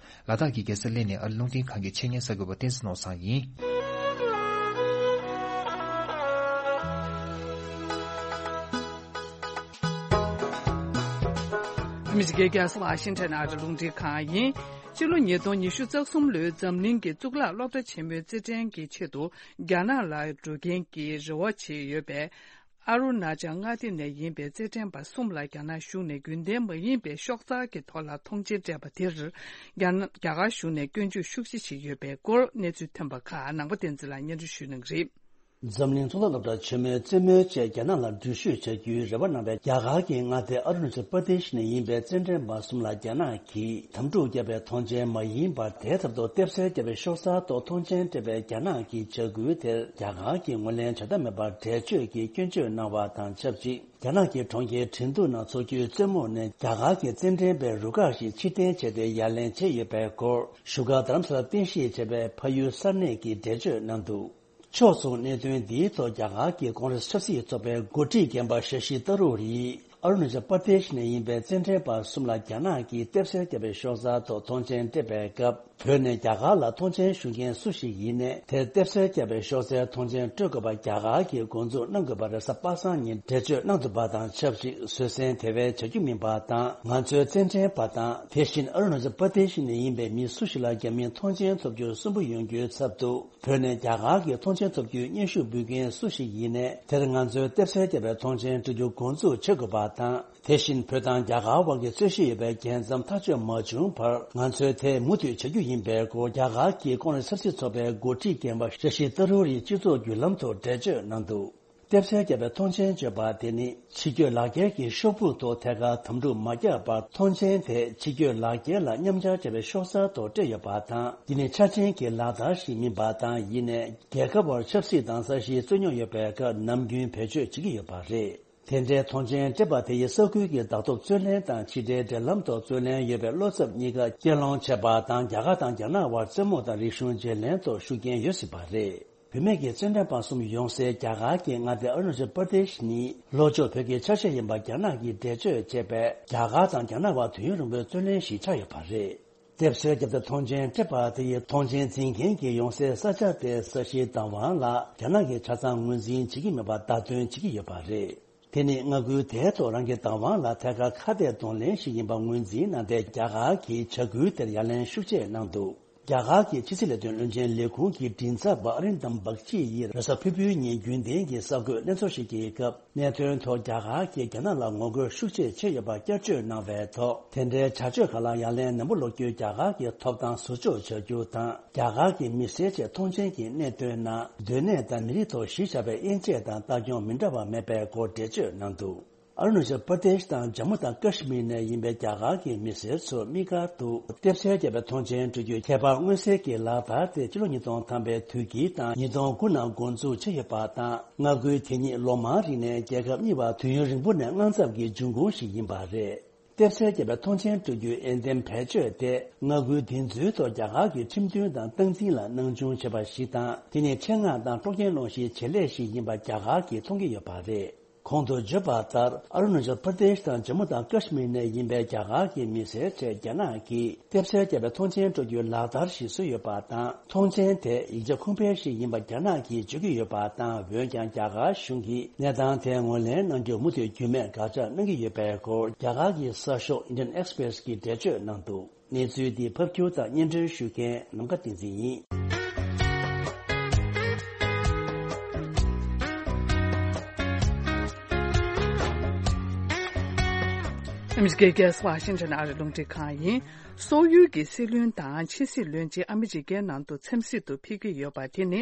ལ་དྭགས་ཀྱི་རྒྱལ་ས་གླེ་ནས་ཨ་རི་རླུང་འཕྲིན་ཁང་གི་ཆེད་གཉེར་གསར་འགོད་པ་བསྟན་འཛིན་ནོར་བཟང་ཡིན། ཨ་མི་རི་ཀའི་རྒྱལ་ས་ཝ་ཤིང་ཊོན་ཨ་རི་རླུང་འཕྲིན་ཁང་ཡིན། ཕྱི་ལོ་ཉིས་སྟོང་ཉི་ཤུ་རྩ་གསུམ་ལོའི་འཛམ་གླིང་གི་གཙུག་ལག་སློབ་གྲྭ་ཆེན་མོའི་རྩེད་འགྲན་གྱི་ཆེད་དུ་རྒྱ་ནག་ལ་འགྲོ་མཁན་གྱི་རེ་བ་བྱེད་ཡོད་པའི། ཨ་རུ་ན་ཅལ་མངའ་སྡེ་ནས་ཡིན་པའི་རྩེད་འགྲན་པ་གསུམ་ལ་རྒྱ་ནག་གཞུང་ནས་རྒྱུན་ལྡན་མ་ཡིན་པའི་ཤོག་འཛར་གྱི་ཐོག་ལ་མཐོང་མཆན་སྤྲད་པ་དེར། རྒྱ་ནག་རྒྱ་གར་གཞུང་ནས་སྐྱོན་བརྗོད་ཤུགས་ཆེ་བྱེད་ཀྱི་ཡོད་པའི་སྐོར་གནས་ཚུལ་ཐོན་པ་ཁག་ནང་པ་བསྟན་འཛིན་ལགས་སྙན་སྒྲོན་ཞུ་གནང་གི་རེད། འཛམ་གླིང་གཙུག་ལག་སློབ་གྲྭ་ཆེན་མོའི་རྩེད་མོའི་ཆེད་རྒྱ་ནག་ལ་འགྲུལ་བཞུད་བྱ་རྒྱུའི་རེ་བ་གནང་བའི་རྒྱ་གར་གྱི་མངའ་སྡེ་ཨ་རུ་ན་ཅལ་པར་དེ་ཤི་ནས་ཡིན་པའི་རྩེད་འགྲན་པ་གསུམ་ལ་རྒྱ་ནག་གིས་དམ་ཕྲུག་བརྒྱབ་པའི་མཐོང་མཆན་མ་ཡིན་པར་དེའི་ཐབ་ཏུ་ལྟེབ་གསལ་བརྒྱབ་པའི་ཤོག་གསར་ཐོག་མཐོང་མཆན་སྤྲད་པའི་རྒྱ་ནག་གི་བྱ་འགུལ་དེར་རྒྱ་གར་གྱིས་ངོས་ལེན་བྱ་ཐབས་མེད་པར་འགྲེལ་བརྗོད་ཀྱིས་སྐྱོན་བརྗོད་གནང་བ་དང་ཆབས་ཅིག་རྒྱ་ནག་གི་གྲོང་ཁྱེར་ཁྲིན་ཏུ་ན་འཚོགས་རྒྱུའི་རྩེད་མོ་ནས་རྒྱ་གར་གྱི་རྩེད་འགྲན་པའི་རུ་ཁག་ཞིག་ཕྱིར་འཐེན་བྱས་ཏེ་ཡ་ལན་བྱས་ཡོད་པའི་སྐོར་བཞུགས་སྒར་རྡ་རམ་ས་ལར་རྟེན་གཞི་བྱས་པའི་ཕ་ཡུལ་གསར་གནས་ཀྱིས་འགྲེལ་བརྗོད་གནང་འདུག་ཕྱོགས་མཚུངས་གནད་དོན་འདིའི་ཐོག་རྒྱ་གར་གྱི་ཀོང་རེས་ཆབ་སྲིད་ཚོགས་པའི་འགོ་ཁྲིད་རྒན་པ་ཤ་ཤི་ཏ་རུར་ཡིས་ཨ་རུ་ན་ཅལ་པར་དེ་ཤི་ནས་ཡིན་པའི་རྩེད་འགྲན་པ་གསུམ་ལ་རྒྱ་ནག་གིས་ལྟེབ་གསལ་བརྒྱབ་པའི་ཤོག་གསར་ཐོག་མཐོང་མཆན་སྤྲད་པའི་སྐབས། བོད་ནས་རྒྱ་གར་ལ་མཐོང་མཆན་ཞུ་མཁན་སུ་ཞིག་ཡིན་ནའི་དེར་ལྟེབ་གསལ་བརྒྱབ་པའི་ཤོག་གསར་མཐོང་མཆན་སྤྲོད་དགོས་པ་རྒྱ་གར་གྱིས་འགོ་འཛུགས་གནང་དགོས་པར་རེས་གཟའ་པ་སངས་ཉིན་འགྲེལ་བརྗོད་གནང་ཐུབ་པ་དང་ཆབས་ཅིག་བཟོད་བསྲན་དེ་བས་བྱ་རྒྱུ་མིན་པ་དང་། ང་ཚོའི་རྩེད་འགྲན་པ་དང་དེ་བཞིན་ཨ་རུ་ན་ཅལ་པར་དེ་ཤི་ནས་ཡིན་པའི་མི་སུ་ཞིག་ལ་རྒྱ་མིས་མཐོང་མཆན་ཐོབ་རྒྱུར་སུན་པོ་ཡོང་རྒྱུའི་ཚབ་ཏུ། བོད་ནས་རྒྱ་གར་གྱི་མཐོང་མཆན་ཐོབ་རྒྱུའི་སྙན་ཞུ་འབུལ་མཁན་སུ་ཞིག་ཡིན་ནའི་དེར་ང་ཚོའི་ལྟེབ་གསལ་བརྒྱབ་པའི་མཐོང་མཆན་སྤྲོད་རྒྱུ་འགོ་འཛུགས་བྱེད་དགོས་པ་དང་། དེ་བཞིན་བོད་དང་རྒྱ་གར་དབར་གྱི་རྩོད་གཞི་ཡོད་པའི་རྒྱལ་མཚམས་ཐག་གཅོད་མ་བྱུང་བར་ང་ཚོས་དེ་མུ་མཐུད་བྱ་རྒྱུ་ཡིན་པའི་སྐོར་རྒྱ་གར་གྱི་ཀོང་རེས་ཆབ་སྲིད་ཚོགས་པའི་འགོ་ཁྲིད་རྒན་པ་ཤ་ཤི་ཏ་རུར་ཡིས་སྤྱི་ཚོགས་བརྒྱུད་ལམ་ཐོག་འགྲེལ་བརྗོད་གནང་འདུག་ལྟེབ་གསལ་བརྒྱབ་པའི་མཐོང་མཆན་བརྗོད་པ་དེ་ནི་ཕྱི་སྐྱོད་ལག་འཁྱེར་གྱི་ཤོག་བུ་ཐོག་ཐད་ཀར་དམ་ཕྲུག་མ་བརྒྱབ་པར་མཐོང་མཆན་དེ་ཕྱི་སྐྱོད་ལག་འཁྱེར་ལ་མཉམ་སྦྱར་བྱས་པའི་ཤོག་གསར་ཐོག་སྤྲད་ཡོད་པ་དང་། འདི་ནི་ཆ་འཕྲིན་གྱི་ལག་བསྟར་ཞིག་མིན་པ་དང་། ཡིན་ནའི་རྒྱལ་ཁབ་དབར་ཆབ་སྲིད་དང་ས་གཞིའི་རྩོད་རྙོག་ཡོད་པའི་སྐབས་ནམ་རྒྱུན་བེད་སྤྱོད་བྱེད་ཀྱི་ཡོད་པ་རེད། དེ་འདྲའི་མཐོང་མཆན་སྤྲད་པ་དེ་ཡིས་ས་ཁུལ་གྱི་བདག་ཐོབ་རྩོད་ལེན་དང་ཕྱི་འབྲེལ་འབྲེལ་ལམ་ཐོག་རྩོད་ལེན་ཡོད་པའི་བློ་འཚབ་གཉིས་ཀ་གྱེན་སློང་བྱས་པ་དང་། རྒྱ་གར་དང་རྒྱ་ནག་དབར་རྩེད་མོ་དང་རིག་གཞུང་བརྗེ་ལེན་ཐོག་ཤུགས་རྐྱེན་ཡོད་སྲིད་པ་རེད། བུད་མེད་ཀྱི་རྩེད་འགྲན་པ་གསུམ་ཡོང་སའི་རྒྱ་གར་གྱི་མངའ་སྡེ་ཨ་རུ་ན་ཅལ་པར་དེ་ཤི་ནི་ལྷོ་ཕྱོགས་བོད་ཀྱི་ཆ་ཤས་ཡིན་པ་རྒྱ་ནག་གིས་འགྲེལ་བརྗོད་བྱས་པས། རྒྱ་གར་དང་རྒྱ་ནག་དབར་དུས་ཡུན་རིང་པོའི་རྩོད་ལེན་ཞིག་ཆགས་ཡོད་པ་རེད། ལྟེབ་གསལ་བརྒྱབ་སྟེ་མཐོང་མཆན་སྤྲད་པ་དེ་ཡིས་མཐོང་མཆན་འཛིན་མཁན་གྱི་ཡོང་སའི་ས་ཆ་དེ་ས་གཞིའི་བདག་དབང་ལ་རྒྱ་ནག་གིས་ཆ་ཚང་ངོས་འཛིན་བྱེད་ཀྱི་མེད་པ་བརྡ་སྟོན་བྱེད་ཀྱི་ཡོད་པ་རེད། དེ་ནི་མངའ་ཁུལ་དེའི་ཐོག་རང་གི་བདག་དབང་ལ་ཐད་ཀར་ཁ་གཏད་གདོང་ལེན་ཞིག་ཡིན་པ་ངོས་འཛིན་གནང་སྟེ། རྒྱ་གར་གྱིས་བྱ་འགུལ་དེར་ཡ་ལན་ཤུགས་ཆེ་གནང་འདུག་རྒྱ་གར་གྱི་ཕྱི་སྲིད་ལས་དོན་བློན་ཆེན་ལས་ཁུངས་ཀྱི་མགྲིན་ཚབ་པ་ཨ་རིན་དམ་བག་ཅི་ཡིས་རེས་གཟའ་ཕུར་བུའི་ཉིན་རྒྱུན་ལྡན་གྱི་གསར་འགོད་ལྷན་ཚོགས་ཤིག་གི་སྐབས། གནད་དོན་ཐོག་རྒྱ་གར་གྱིས་རྒྱ་ནག་ལ་ངོ་རྒོལ་ཤུགས་ཆེ་བྱས་ཡོད་པར་བསྐྱར་བརྗོད་གནང་བའི་ཐོག་དེ་འདྲའི་བྱ་སྤྱོད་ཁག་ལ་ཡ་ལན་ནན་པོ་སློག་རྒྱུའི་རྒྱ་གར་གྱི་ཐོབ་ཐང་ཟུར་འཇོག་བྱ་རྒྱུ་དང་། རྒྱ་གར་གྱི་མི་སེར་ཆེད་མཐོང་མཆན་གྱི་གནད་དོན་ནང་སྡོད་གནས་དང་མི་རིགས་ཐོག་གཞི་བཞག་པའི་དབྱེ་འབྱེད་དང་ལྟ་སྐྱོང་མི་འདྲ་བ་མེད་པའི་སྐོར་འགྲེལ་བརྗོད་གནང་འདུག་ཨ་རུ་ན་ཅལ་པར་དེ་ཤི་དང་ཇམ་མུ་དང་ཀ་ཤི་མིར་ནས་ཡིན་པའི་རྒྱ་གར་གྱི་མི་སེར་ཚོ་དམིགས་བཀར་དུ་ལྟེབ་གསལ་བརྒྱབ་པའི་མཐོང་མཆན་སྤྲོད་རྒྱུའི་ཁྱད་པར་མངོན་གསལ་གྱི་ལག་བསྟར་དེ་ཕྱི་ལོ་ཉིས་སྟོང་ཐམ་པའི་དུས་དཀྱིལ་དང་ཉིས་སྟོང་དགུ་ནང་འགོ་འཛུགས་བྱས་ཡོད་པ་དང་། མངའ་ཁུལ་དེ་ཉིད་ལོ་མང་རིང་ནས་རྒྱལ་ཁབ་གཉིས་བར་དུས་ཡུན་རིང་པོ་ནས་དངངས་འཚབ་ཀྱི་འབྱུང་ཁུངས་ཤིག་ཡིན་པ་རེད། ལྟེབ་གསལ་བརྒྱབ་པའི་མཐོང་མཆན་སྤྲོད་རྒྱུའི་འོས་འདེམས་བེད་སྤྱོད་དེ། མངའ་ཁུལ་འདི་ཚོའི་ཐོག་རྒྱ་གར་གྱི་ཁྲིམས་མཐུན་དང་སྟངས་འཛིན་ལ་སྣང་ཆུང་བྱས་པ་ཞིག་དང་། དེ་ནི་ཆེད་མངགས་དང་སྲོག་སྐྱོན་སློང་གཞིའི་བྱེད་ལས་ཤིག་ཡིན་པ་རྒྱ་གར་གྱིས་མཐོང་གི་ཡོད་པ་རེད། གོང་དུ་བརྗོད་པ་ལྟར། ཨ་རུ་ན་ཅལ་པར་དེཤ་དང་ཇམ་མུ་དང་ཀཤ་མིར་ནས་ཡིན་པའི་རྒྱ་གར་གྱི་མི་སེར་ཚོས་རྒྱ་ནག་གིས་ཐེབས་རྩ་བརྒྱབ་པའི་ཐོངས་མཆན་སྤྲོད་རྒྱུའི་ལག་བསྟར་ཞིག་བཟོས་ཡོད་པ་དང་། ཐོངས་མཆན་དེ་ཡིག་ཆ་ཁུངས་ཕན་ཞིག་ཡིན་པ་རྒྱ་ནག་གིས་བརྗོད་ཀྱི་ཡོད་པ་དང་། འོན་ཀྱང་རྒྱ་གར་གཞུང་གིས་གནས་སྟངས་དེ་ངོས་ལེན་གནང་རྒྱུར་མུ་མཐུད་རྒྱུས་མེད་དགག་བྱ་གནང་གི་ཡོད་པའི་སྐོར། རྒྱ་གར་གྱི་གསར་ཤོག་Indian Express གྱིས་འགྲེལ་བརྗོད་གནང་འདུག་གནས་ཚུལ་འདི་ཕབ་སྒྱུར་དང་སྙན་སྒྲོན་ཞུ་མཁན་ནམ་མཁའ་བསྟན་འཛིན་ཡིན། ཨ་མི་རི་ཀའི་རྒྱལ་ས་ཝ་ཤིང་ཊོན་ཨ་རིའི་རླུང་འཕྲིན་ཁང་ཡིན། སོག་ཡུལ་གྱི་སྲིད་བློན་དང་ཕྱི་སྲིད་བློན་ཆེན་ཨ་མི་རི་ཀའི་ནང་དུ་འཚམས་གཟིགས་དུ་ཕེབས་ཀྱི་ཡོད་པ་དེ་ནི་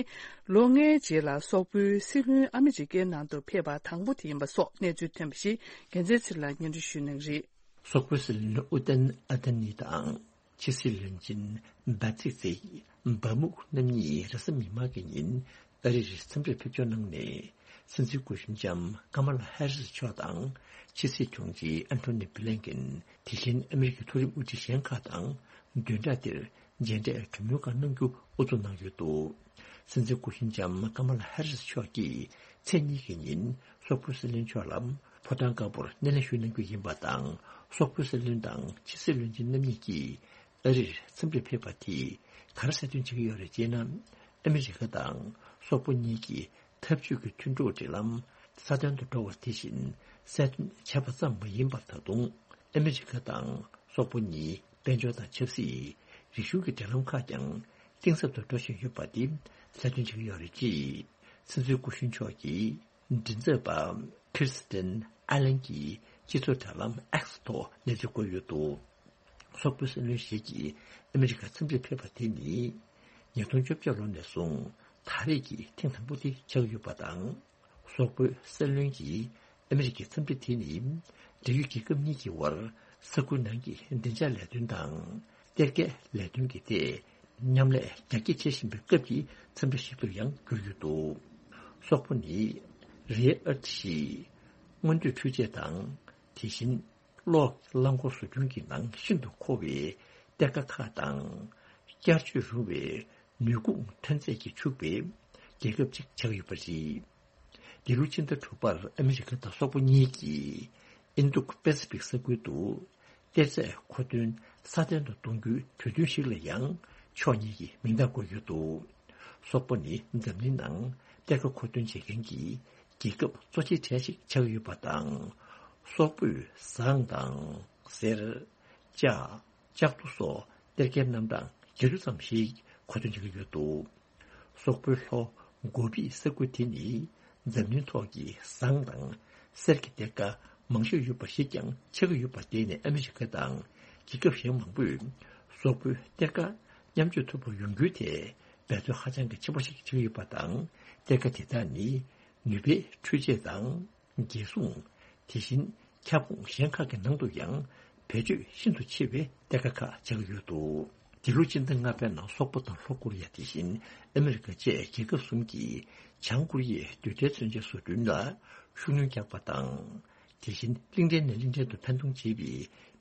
ལོ་ལྔའི་རྗེས་ལ་སོག་པོའི་སྲིད་བློན་ཨ་མི་རི་ཀའི་ནང་དུ་ཕེབས་པ་དང་པོ་དེ་ཡིན་པ་སོགས་གནས་ཚུལ་ཐོན་པ་ཞིག་རྒྱལ་མཚན་ཚེ་རིང་ལགས་སྙན་སྒྲོན་ཞུ་གནང་གི་རེད། སོག་པོའི་སྲིད་བློན་ཨུ་ཏན་ཨ་ཏན་ནི་དང་། ཕྱི་སྲིད་བློན་ཆེན་སྦ་ཚིག་ཚིག་སྦ་མུག་རྣམ་གཉིས་རེས་གཟའ་མིག་དམར་གྱི་ཉིན་ཨ་རིར་འཚམས་འདྲིར་ཕེབས་འབྱོར་གནང་ནས། སྲིད་འཛིན་སྐུ་གཞོན་ལྕམ་ཀ་མ་ལ་ཧེ་རི་སི་མཆོག་དང་། ཕྱི་སྲིད་དྲུང་ཆེ་ཨན་ཐོ་ནི་བྷི་ལན་ཀིན། དེ་བཞིན་ཨ་མི་རི་ཀའི་མཐོ་རིམ་དབུ་ཁྲིད་གཞན་ཁག་དང་བདུན་ཕྲག་འདིར་མཇལ་འཕྲད་གྲོས་མོལ་ཁག་གནང་རྒྱུ་དབུ་འཛུགས་གནང་ཡོད་འདུག་སྲིད་འཛིན་སྐུ་གཞོན་ལྕམ་ཀ་མ་ལ་ཧེ་རི་སི་མཆོག་གིས་ཚེས་གཉིས་ཀྱི་ཉིན་སོག་པོའི་སྲིད་བློན་མཆོག་ལ་ཕོ་བྲང་དཀར་པོར་སྣེ་ལེན་ཞུས་གནང་རྒྱུ་ཡིན་པ་དང་། སོག་པོའི་སྲིད་བློན་དང་ཕྱི་སྲིད་བློན་ཆེན་རྣམ་གཉིས་ཀྱིས་ཨ་རིར་འཚམས་འདྲིར་ཕེབས་པ་དེས་ག་རེ་གསལ་སྟོན་བྱེད་ཀྱི་ཡོད་རེད་ཅེ་ན། ཨ་མི་རི་ཀ་དང་སོག་པོ་གཉིས་ཀྱི་འཐབ་ཇུས་ཀྱི་མཐུན་གྲོགས་འབྲེལ་ལམ་སྲ་བརྟན་དུ་འགྲོ་བ་དེ་བཞིན་གསལ་སྟོན་བྱས་པ་ཙམ་མ་ཡིན་པར། ད་དུང་ཨ་མི་རི་ཀ་དང་སོག་པོ་གཉིས་དཔལ་འབྱོར་དང་ཆབ་སྲིད། རིག་གཞུང་གི་འབྲེལ་ལམ་ཁག་ཀྱང་གཏིང་ཟབ་ཏུ་འགྲོ་བཞིན་ཡོད་པ་འདི་གསལ་སྟོན་བྱེད་ཀྱི་ཡོད་རེད་ཅེས་སྲིད་འཛིན་སྐུ་གཞོན་མཆོག་གིས་མགྲིན་ཚབ་པ་ཁིར་སི་ཏན་ཨ་ལན་གྱིས་སྤྱི་ཚོགས་དྲ་ལམ་X་ཐོག་གནས་ཚུལ་བཀོད་ཡོད་འདུག་སོག་པོའི་སྲིད་བློན་ཞིག་གིས་ཨ་མི་རི་ཀར་འཚམས་འདྲིར་ཕེབས་པ་དེ་ནི་ཉིས་སྟོང་བཅོ་བརྒྱད་ལོ་ནས་བཟུང་ད་རེས་ཀྱི་ཐེངས་དང་པོ་དེ་ཆགས་ཡོད་པ་དང་། སོག་པོའི་སྲིད་བློན་གྱིས་ཨ་མི་རི་ཀའི་འཚམས་འདྲི་དེ་ནི་འབྲེལ་ཡོད་རྒྱལ་ཁབ་གཉིས་ཀྱི་དབར་ས་ཁུལ་ནང་གི་བདེ་འཇགས་ལས་དོན་དང་། གཏེར་ཁའི་ལས་དོན་གྱི་ཐད་མཉམ་ལས་རྒྱ་སྐྱེད་བྱེད་བཞིན་པའི་སྐབས་ཀྱི་འཚམས་འདྲི་ཞིག་ཏུ་ཡང་གྱུར་ཡོད་འདུག་སོག་པོ་ནི་རེ་ཨར་ཊི་ཞེས་སྔོན་སྡོད་འཕྲུལ་ཆས་དང་། དེ་བཞིན་གློག་རླངས་འཁོར་བཟོ་སྐྲུན་གྱི་ནང་ཤིན་ཏུ་མཁོ་བའི་གཏེར་ཁ་ཁག་དང་། བསྐྱར་བཅོས་རུང་བའི་ནུས་ཁུངས་ཐོན་རྫས་ཀྱིས་ཕྱུག་པའི་རྒྱལ་ཁབ་ཅིག་ཆགས་ཡོད་པ་རེད། འདི་ལོ་ཕྱི་ཟླ་དྲུག་པར་ཨ་མི་རི་ཀ་དང་སོག་པོ་གཉིས་ཀྱིས་ཨིན་རྡུག་པེ་སི་ཕིག་ས་ཁུལ་དུ་གཏེར་རྫས་མཁོ་འདོན་སྲ་བརྟན་དུ་གཏོང་རྒྱུའི་གྲོས་མཐུན་ཞིག་ལ་ཡང་ཕྱོགས་གཉིས་ཀྱིས་མིང་རྟགས་བཀོད་ཡོད་འདུག་སོག་པོ་ནི་འཛམ་གླིང་ནང་གཏེར་ཁ་མཁོ་འདོན་བྱེད་མཁན་གྱི་རྒྱལ་ཁབ་གཙོ་ཆེ་གྲས་ཤིག་ཆགས་ཡོད་པ་དང་། སོག་པོས་ཟངས་དང་། གསེར། ལྕགས། ལྕགས་རྡོ་སོགས་གཏེར་ཁའི་རྣམ་གྲངས་བརྒྱད་ཅུ་ཙམ་ཞིག་མཁོ་འདོན་བྱེད་ཀྱི་ཡོད་འདུག་སོག་པོའི་ལྷོ་གོ་པི་ས་ཁུལ་དེ་ནི་འཛམ་གླིང་ཐོག་གི་ཟངས་དང་གསེར་གྱི་གཏེར་ཁ་མང་ཤོས་ཡོད་པ་ཞིག་ཀྱང་ཆགས་ཀྱི་ཡོད་པ། དེ་ནི་ཨ་མི་རི་ཀ་དང་རྒྱལ་ཁབ་གཞན་མང་པོས་སོག་པོའི་གཏེར་ཁ་མཉམ་སྤྱོད་ཐུབ་པ་ཡོང་རྒྱུའི་ཐད་འབད་བརྩོན་ཧ་ཅང་གི་ཆེན་པོ་ཞིག་བྱེད་ཀྱི་ཡོད་པ་དང་། གཏེར་ཁ་དེ་དག་ནི་ནུས་པའི་འཕྲུལ་ཆས་དང་། རྒྱལ་སྲུང་། དེ་བཞིན་ཁྱབ་ཁོངས་གཞན་ཁག་གི་ནང་དུ་ཡང་བེད་སྤྱོད་ཤིན་ཏུ་ཆེ་བའི་གཏེར་ཁ་ཁག་ཆགས་ཀྱི་ཡོད་འདུག་འདི་ལོ་ཕྱི་ཟླ་ལྔ་པའི་ནང་སོག་པོ་དང་ལྷོ་ཀོ་རི་ཡ། དེ་བཞིན་ཨ་མི་རི་ཀ་བཅས་རྒྱལ་ཁབ་གསུམ་གྱིས་བྱང་ཀོ་རི་ཡའི་རྡུལ་ཕྲན་མཚོན་ཆའི་བཟོ་སྐྲུན་ལ་ཤུགས་སྣོན་བརྒྱབ་པ་དང་། དེ་བཞིན་གླིང་ཕྲན་ནས་གླིང་ཕྲན་དུ་འཕེན་གཏོང་བྱེད་པའི་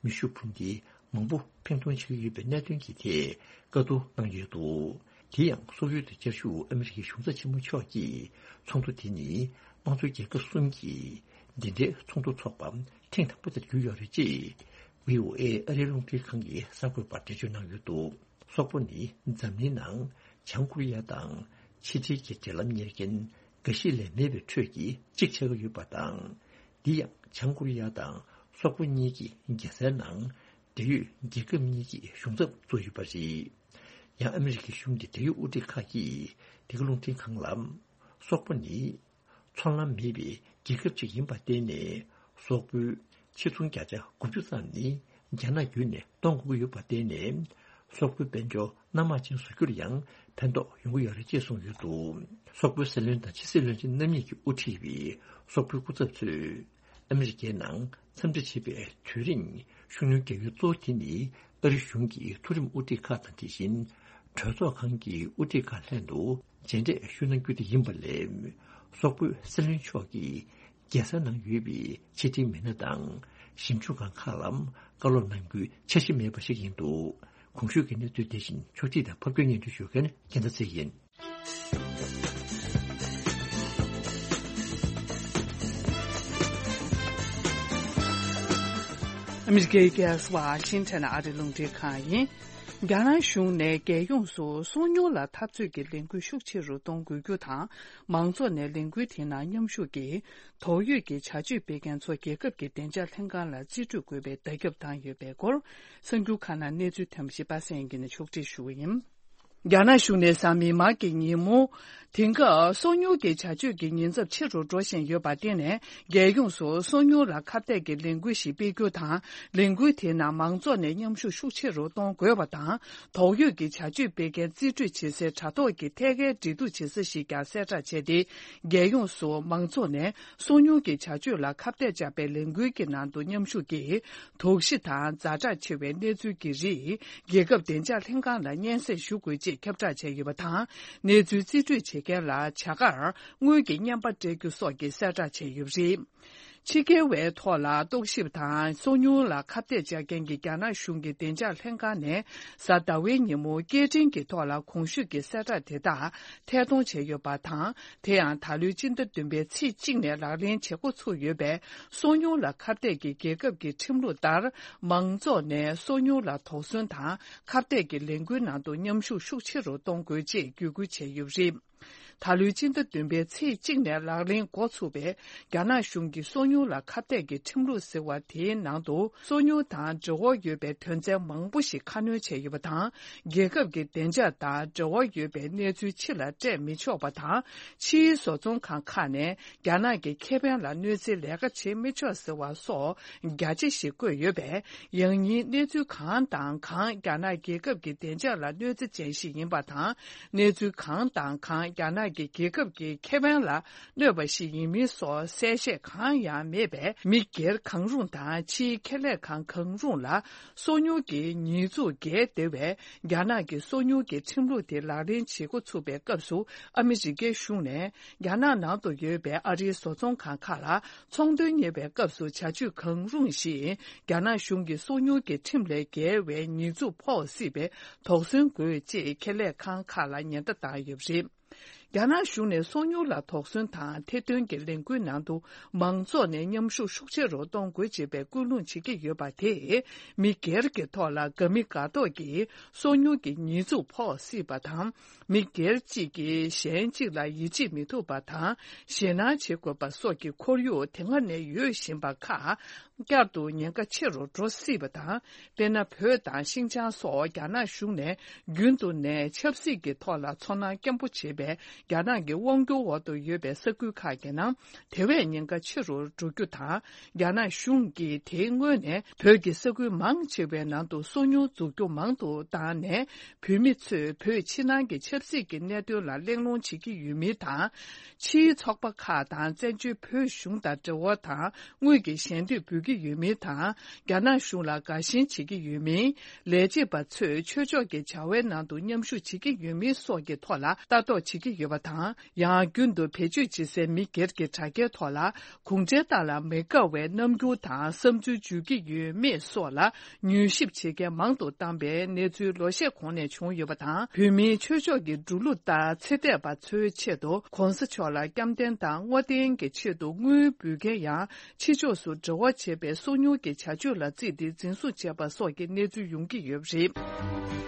མེ་ཤུགས་འཕུར་མདེལ་མང་པོ་འཕེན་གཏོང་བྱེད་ཀྱི་ཡོད་པའི་གནད་དོན་གྱི་ཐད་བཀའ་བསྡུར་གནང་ཡོད་འདུག་དེ་ཡང་སོག་ཡུལ་དུ་བཅའ་བཞུགས་ཨ་མི་རི་ཀའི་གཞུང་ཚབ་ཆེན་མོ་མཆོག་གིས་ཚོགས་འདུ་དེ་ནི་དམངས་གཙོའི་རྒྱལ་ཁབ་གསུམ་གྱིས་འདི་འདྲའི་ཚོགས་འདུ་འཚོགས་པ་ཐེངས་དང་པོ་དེར་གྱུར་ཡོད་རེད་ཅེས་བྷི་ཨོ་ཨེ་ཨ་རིའི་རླུང་འཕྲིན་ཁང་གི་གསར་འགོད་པར་འགྲེལ་བརྗོད་གནང་ཡོད་འདུག་སོག་པོ་ནི་འཛམ་གླིང་ནང་བྱང་ཀོ་རི་ཡ་དང་ཕྱི་འབྲེལ་གྱི་འབྲེལ་ལམ་གཉེར་མཁན་འགའ་ཤས་ལས་མེད་པའི་ཁྲོད་ཀྱི་གཅིག་ཆགས་ཀྱི་ཡོད་པ་དང་། འདི་ཡང་བྱང་ཀོ་རི་ཡ་དང་སོག་པོ་གཉིས་ཀྱི་རྒྱལ་སའི་ནང་འབྲེལ་ཡོད་རྒྱལ་ཁབ་གཉིས་ཀྱི་གཞུང་ཚབ་བཙུགས་ཡོད་པ་རེད། ཡང་ཨ་མི་རི་ཀའི་གཞུང་གི་འབྲེལ་ཡོད་དབུ་ཁྲིད་ཁག་གིས་འདི་ག་རླུང་འཕྲིན་ཁང་ལ། སོག་པོ་ནི་ཚོང་ལམ་མེད་པའི་རྒྱལ་ཁབ་ཅིག་ཡིན་པར་བརྟེན་ནས། སོག་པོའི་ཕྱི་ཚོང་བརྒྱ་ཆ་དགུ་བཅུ་ཙམ་ནི་རྒྱ་ནག་བརྒྱུད་ནས་གཏོང་དགོས་ཀྱི་ཡོད་པར་བརྟེན་ནས། སོག་པོའི་དཔལ་འབྱོར་སྣ་མང་ཅན་བཟོ་རྒྱུར་ཡང་ཕན་ཐོགས་ཡོང་གི་ཡོད་རེད་ཅེས་གསུངས་ཡོད་འདུག་སོག་པོའི་སྲིད་བློན་དང་ཕྱི་སྲིད་བློན་ཆེན་རྣམ་གཉིས་ཀྱིས་དབུ་ཁྲིད་པའི་སོག་པོའི་སྐུ་ཚབ་ཚོས་ཨ་མི་རི་ཀའི་ནང་འཚམས་འདྲི་བྱེད་པའི་དུས་རིང་། ཤུགས་སྣོན་རྒྱག་ཡུལ་གཙོ་བོ་དེ་ནི་ཨ་རི་གཞུང་གི་མཐོ་རིམ་དབུ་ཁྲིད་ཁག་དང་། དེ་བཞིན་གྲོས་ཚོགས་ཁང་གི་དབུ་ཁྲིད་ཁག་ལྷན་དུ་མཇལ་འཕྲད་ཞུ་གནང་རྒྱུ་དེ་ཡིན་པ་ལས། སོག་པོའི་སྲིད་བློན་མཆོག་གིས་རྒྱལ་ས་ནང་ཡོད་པའི་ཕྱི་དྲིལ་མི་སྣ་དང་ཞིབ་འཇུག་ཁང་ཁག་ལ་བཀའ་སློབ་གནང་རྒྱུའི་འཆར་གཞི་མེད་པ་ཞིག་ཡིན་འདུག་གོང་ཞུས་ཀྱི་གནས་ཚུལ་དེ་བཞིན་ཕྱོགས་སྒྲིག་དང་ཕབ་སྒྱུར་སྙན་སྒྲོན་ཞུ་མཁན་རྒྱལ་མཚན་ཚེ་ཡིན། ཨ་མི་རི་ཀའི་རྒྱལ་ས་ཝ་ཤིང་ཊོན་ཨ་རི་རླུང་འཕྲིན་ཁང་ཡིན། རྒྱ་ནག་གཞུང་ནས་རྒྱལ་ཡོངས་སུ་སོ་ཉུལ་ལ་འཐབ་རྩོད་ཀྱི་ལས་འགུལ་ཤུགས་ཆེ་རུ་གཏོང་དགོས་རྒྱུ་དང་། མང་ཚོགས་ནས་ལས་འགུལ་དེའི་ནང་མཉམ་ཞུགས་ཀྱིས། དོགས་ཡོད་ཀྱི་བྱ་སྤྱོད་སྤེལ་མཁན་ཚོ་རྒྱལ་ཁབ་ཀྱི་བདེ་འཇགས་ལྷན་ཁང་ལ་རྩིས་སྤྲོད་དགོས་པའི་བརྡ་ཁྱབ་བཏང་ཡོད་པའི་སྐོར། གསར་འགྱུར་ཁག་ནང་གནས་ཚུལ་ཐོན་པ་ཞིག་པ་སངས་སྐྱིད་ནས་ཕྱོགས་སྒྲིག་ཞུ་བ་ཡིན། རྒྱ་ནག་གཞུང་ནས་གཟའ་མིག་དམར་གྱི་ཉིན་མོ། དེང་སྐབས་སོ་ཉུལ་གྱི་བྱ་སྤྱོད་ཀྱི་ཉེན་ཚབས་ཆེ་རུ་འགྲོ་བཞིན་ཡོད་པར་བརྟེན་ནས། རྒྱལ་ཡོངས་སུ་སོ་ཉུལ་ལ་ཁ་གཏད་ཀྱི་ལས་འགུལ་ཞིག་སྤེལ་རྒྱུ་དང་། ལས་འགུལ་དེའི་ནང་མང་ཚོགས་ནས་མཉམ་ཞུགས་ཤུགས་ཆེ་རུ་གཏོང་དགོས་པ་དང་། དོགས་ཡོད་ཀྱི་བྱ་སྤྱོད་སྤེལ་མཁན་རྩིས་སྤྲོད་བྱེད་སའི་དྲ་ཐོག་གི་ཐད་ཀའི་འབྲེལ་གཏུག་བྱེད་ས་ཞིག་ཀྱང་གསལ་བསྒྲགས་བྱས་ཏེ། རྒྱལ་ཡོངས་སུ་མང་ཚོགས་ནས་སོ་ཉུལ་གྱི་བྱ་སྤྱོད་ལ་ཁ་གཏད་བཅག་པའི་ལས་འགུལ་གྱི་ནང་དུ་མཉམ་ཞུགས་ཀྱིས། དོགས་གཞི་དང་ཛ་དྲག་ཆེ་བའི་གནས་ཚུལ་གྱི་རིགས་རྒྱལ་ཁབ་བདེ་འཇགས་ལྷན་ཁང་ལ་སྙན་སེང་ཞུ་དགོས་ཅེས་ཁྱབ་བསྒྲགས་བྱས་ཡོད་པ་དང་། གནས་ཚུལ་རྩིས་སྤྲོད་བྱེད་མཁན་ལ་བྱ་དགར་དངུལ་གྱི་རྔན་པ་སྤྲད་རྒྱུ་སོགས་ཀྱི་གསལ་བསྒྲགས་བྱས་ཡོད་པ་རེད། ཕྱི་རྒྱལ་བའི་ཐོག་ལ་རྟོག་ཞིབ་དང་སོ་ཉུལ་ལ་ཁ་གཏད་བཅག་མཁན་གྱི་རྒྱ་ནག་གཞུང་གི་བདེ་འཇགས་ལྷན་ཁང་ནས་གཟའ་ཟླ་བའི་ཉིན་མོ་སྐད་འཕྲིན་གྱི་ཐོག་ལ་གོང་ཞུས་ཀྱི་གསལ་བསྒྲགས་དེ་དག་ཐད་གཏོང་བྱས་ཡོད་པ་དང་། དེ་ཡང་ད་ལོའི་སྤྱི་ཟླ་བདུན་པའི་ཚེས་གཅིག་ནས་ལག་ལེན་བྱེད་འགོ་ཚུགས་ཡོད་པའི་སོ་ཉུལ་ལ་ཁ་གཏད་ཀྱི་རྒྱལ་ཁབ་ཀྱི་ཁྲིམས་ལུགས་ལྟར། མང་ཚོགས་ནས་སོ་ཉུལ་ལ་དོགས་ཟོན་དང་ཁ་གཏད་ཀྱི་ལས་འགུལ་ནང་དུ་མཉམ་ཞུགས་ཤུགས་ཆེ་རུ་གཏོང་དགོས་ཅེས་བརྒྱུད་སྐུལ་བྱས་ཡོད་པ་རེད། ད་ལོའི་སྤྱི་ཟླ་བདུན་པའི་ཚེས་གཅིག་ནས་ལག་ལེན་འགོ་ཚུགས་པའི་རྒྱ་ནག་གཞུང་གི་སོ་ཉུལ་ལ་ཁ་གཏད་ཀྱི་ཁྲིམས་ལུགས་ཟེར་བ་དེའི་ནང་དུ་སོ་ཉུལ་དང་འབྲེལ་བ་ཡོད་པའི་དོན་ཚན་མང་པོ་ཞིག་ཁ་སྣོན་བྱས་ཡོད་པ་དང་། རྒྱལ་ཁབ་ཀྱི་བདེ་འཇགས་དང་འབྲེལ་བ་ཡོད་པའི་གནས་ཚུལ་ཕྱི་ལ་སྤྲད་མི་ཆོག་པ་དང་། ཕྱིའི་བཟོ་ཚོང་ཁང་ཁག་ནས་རྒྱ་ནག་གི་ཁེ་ཕན་ལ་གནོད་འཚེའི་ལས་ཀ་བྱེད་མི་ཆོག་ཟེར་བ་སོགས་རྒྱ་ཆེ་ཞིག་བཀོད་ཡོད་པས། ཡང་སྙིང་གནས་ཚུལ་གང་དང་གང་རྒྱ་ནག་རྒྱལ་ཁབ་ཀྱི་བདེ་འཇགས་ལ་གནོད་འཚེ་ཅན་ཞིག་ཡིན་པ་དང་། གནས་ཚུལ་གང་དང་གང་རྒྱ་ནག་གི་རྒྱལ་ཁབ་ཀྱི་ཁེ་ཕན་ལ་གནོད་པ་ཞིག་ཡིན་མིན་སོགས་གསལ་བཤད་གང་ཡང་མེད་པས། མི་སྒེར་གང་རུང་དང་ཕྱིའི་ཁེ་ལས་ཁང་གང་རུང་ལ་སོ་ཉུལ་གྱི་ཉེས་འཛུགས་འགེལ་བདེ་བས། རྒྱ་ནག་གི་སོ་ཉུལ་གྱི་ཁྲིམས་ལུགས་དེ་ལག་ལེན་བྱེད་འགོ་ཚུགས་པའི་སྐབས་སུ། ཨ་མི་རི་ཀའི་གཞུང་ནས་རྒྱ་ནག་ནང་དུ་ཡོད་པའི་ཨ་རིའི་བཟོ་ཚོང་ཁང་ཁག་ལ་ཚོང་དོན་གཉེར་བའི་སྐབས་སུ་བྱ་སྤྱོད་གང་རུང་ཞིག་རྒྱ་ནག་གཞུང་གི་སོ་ཉུལ་གྱི་ཁྲིམས་ལས་འགལ་བའི་ཉེས་འཛུགས་ཕོག་སྲིད་པས་དོགས་ཟོན་དགོས་ཅེས་ཁེ་ལས་ཁང་ཁག་ལ་ཉེན་བརྡ་བཏང་ཡོད་པ་རེད། རྒྱ་ནག་གཞུང་ནས་སོ་ཉུལ་ལ་དོགས་ཟོན་དང་ཐེར་འདོན་གྱི་ལས་འགུལ་ནང་དུ་མང་ཚོགས་ནས་མཉམ་ཞུགས་ཤུགས་ཆེ་རུ་གཏོང་དགོས་ཅེས་པའི་སྐུལ་སློང་བྱེད་ཀྱི་ཡོད་པ་དེས་མི་སྒེར་གྱི་ཐོག་ལ་དགའ་མི་དགའ་མདོག་གིས་སོ་ཉུལ་གྱི་ཉེས་འཛུགས་ཕོག་སྲིད་པ་དང་། མི་སྒེར་གཅིག་གིས་གཞན་གཅིག་ལ་ཡིད་ཆེས་མི་ཐུབ་པ་དང་ཞེད་སྣང་བྱེད་དགོས་པ་སོགས་ཀྱི་ཁོར་ཡུག་དེ་སྔ་ནས་ཡོད་བཞིན་པ་ཁག་བསྐྱར་དུ་ཉེན་ཁ་ཆེ་རུ་འགྲོ་སྲིད་པ་དང་། དཔེར་ན། བོད་དང་ཤིན་ཅང་སོགས་རྒྱ་ནག་གཞུང་ནས་རྒྱུན་དུ་ནས་ཆབ་སྲིད་ཀྱི་ཐོག་ལ་ཚོར་སྣང་སྐྱེན་པོ་བྱེད་པའི་རྒྱ་ནག་གི་དབང་སྒྱུར་འོག་ཏུ་ཡོད་པའི་ས་ཁུལ་ཁག་གི་ནང་དེ་བས་ཉེན་ཁ་ཆེ་རུ་འགྲོ་རྒྱུ་དང་། རྒྱ་ནག་གཞུང་གིས་དེའི་སྔོན་ནས་བོད་ཀྱི་ས་ཁུལ་མང་ཆེ་བའི་ནང་དུ་སོ་ཉུལ་འཛུགས་རྒྱུ་མང་དུ་བཏང་ནས། བོད་མི་ཚོས་བོད་ཕྱི་ནང་གི་ཆབ་སྲིད་ཀྱི་གནད་དོན་ལ་གླེང་སློང་བྱེད་ཀྱི་ཡོད་མིན་དང་། ཕྱིའི་ཚོགས་པ་ཁག་དང་བཙན་བྱོལ་བོད་གཞུང་དང་འབྲེལ་བ་དང་དངུལ་གྱི་ཞལ་འདེབས་འབུལ་གྱི་ཡོད་མིན་དང་། རྒྱ་ནག་གཞུང་ལ་དགའ་ཞེན་བྱེད་ཀྱི་ཡོད་མིན། ལས་བྱེད་པ་ཚོས་ཆོས་ཕྱོགས་ཀྱི་བྱ་བའི་ནང་དུ་མཉམ་ཞུགས་བྱེད་ཀྱི་ཡོད་མིན་སོགས་ཀྱི་ཐོག་ལ་ལྟ་རྟོག་བྱེད་ཀྱི་ཡོད་པ་དང་། ཡང་རྒྱུན་དུ་བེད་སྤྱོད་བྱེད་སའི་མི་སྒེར་གྱི་དྲ་རྒྱའི་ཐོག་ལ་གུང་ཁྲན་ཏང་ལ་མི་དགའ་བའི་རྣམ་འགྱུར་དང་བསམ་ཚུལ་བརྗོད་ཀྱི་ཡོད་མེད་སོགས་ལ་མྱུལ་ཞིབ་བྱེད་མཁན་མང་དུ་བཏང་པའི་གནས་ཚུལ་ལོ་ཤས་གོང་ནས་བྱུང་ཡོད་པ་དང་། བོད་མིའི་ཆོས་ཕྱོགས་ཀྱི་འགྲོ་ལུགས་ལྟར་ཚེ་འདས་པ་ཚོའི་ཆེད་དུ་གོང་ས་མཆོག་ལ་བསྐྱར་དྲན་དང་བསྔོ་རྟེན་གྱི་ཆེད་དུ་དངུལ་འབུལ་མཁན་ཡང་། ཕྱི་ཕྱོགས་སུ་འབྲེལ་བ་བྱེད་པའི་སོ་ཉུལ་གྱི་བྱ་སྤྱོད་ལ་བརྩིས་ཏེ་འཛིན་བཟུང་བྱས་པ་སོགས་ཀྱི་གནས་ཚུལ་ཡོང་གི་ཡོད་པ་རེད།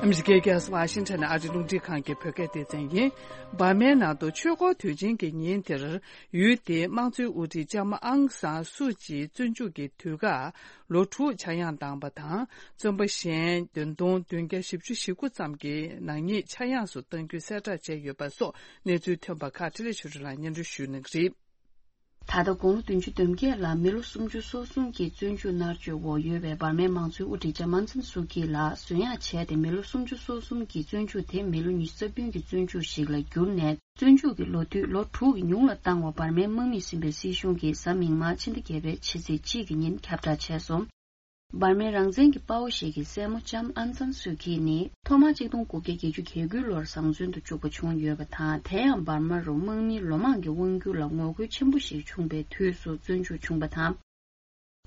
ཨ་མི་རི་ཀའི་རྒྱལ་ས་ཝ་ཤིང་ཊོན་ཨ་རི་རླུང་འཕྲིན་ཁང་གི་བོད་སྐད་སྡེ་ཚན་ཡིན། འབར་མའི་ནང་དུ་ཆོས་འཁོར་དུས་ཆེན་གྱི་ཉིན་དེར། ཡུལ་དེའི་དམངས་གཙོའི་དབུ་ཁྲིད་ལྕམ་ཨང་སང་སུ་ཅིའི་བཙོན་འཇུག་གི་དུས་བཀག་ལོ་དྲུག་ཆག་ཡང་བཏང་བ་དང་། བཙོན་པ་གཞན་བདུན་སྟོང་བདུན་བརྒྱ་བཞི་བཅུ་ཞེ་དགུ་ཙམ་གྱི་ནག་ཉེས་ཆག་ཡང་སུ་གཏང་རྒྱུའི་གསལ་བསྒྲགས་བྱས་ཡོད་པ་སོགས་གནས་ཚུལ་ཐོན་པ་ཁག་འཕྲིན་ལས་ཆོས་སྒྲོན་ལགས་སྙན་སྒྲོན་ཞུ་གནང་གི་རེད། ད་ལྟ་དགུང་ལོ་བདུན་ཅུ་དོན་བརྒྱད་ལ་མི་ལོ་སུམ་ཅུ་སོ་གསུམ་གྱི་བཙོན་འཇུག་མནར་གཅོད་འོག་ཡོད་པའི་འབར་མའི་དམངས་གཙོའི་དབུ་ཁྲིད་ལྕམ་ཨང་སང་སུ་ཀི་ལགས་གསོན་ཡག་བྱས་ཏེ། མི་ལོ་སུམ་ཅུ་སོ་གསུམ་གྱི་བཙོན་འཇུག་དེ་མི་ལོ་ཉི་ཤུ་རྩ་བདུན་གྱི་བཙོན་འཇུག་ཞིག་ལ་བསྒྱུར་ནས། བཙོན་འཇུག་གི་ལོ་དུས་ལོ་དྲུག་གི་ཉུང་ལ་བཏང་བ་འབར་མའི་དམག་མིས་ཟིན་པའི་སྲིད་གཞུང་གིས་གཟའ་མིག་དམར་ཕྱི་ཟླ་བརྒྱད་པའི་ཕྱི་ཚེས་གཅིག་གི་ཉིན་ཁྱབ་བསྒྲགས་བྱས་སོང་། འབར་མའི་རང་བཙན་གྱི་དཔའ་བོ་ཞིག་གི་སྲས་མོ་ལྕམ་ཨང་སང་སུའུ་ཀི་ནི་ཐོག་མར་གཅིག་སྟོང་དགུ་བརྒྱ་བརྒྱད་ཅུ་གྱ་དགུའི་ལོར་བཟང་བཙོན་དུ་བཅུག་པ་བྱུང་ཡོད་པ་དང་། དེ་ཡང་འབར་མ་རུ་དམག་མིའི་ལོ་མང་གི་དབང་སྒྱུར་ལ་ངོ་རྒོལ་ཆེན་པོ་ཞིག་བྱུང་བའི་དུས་སུ་བཙོན་འཇུག་བྱུང་བ་དང་།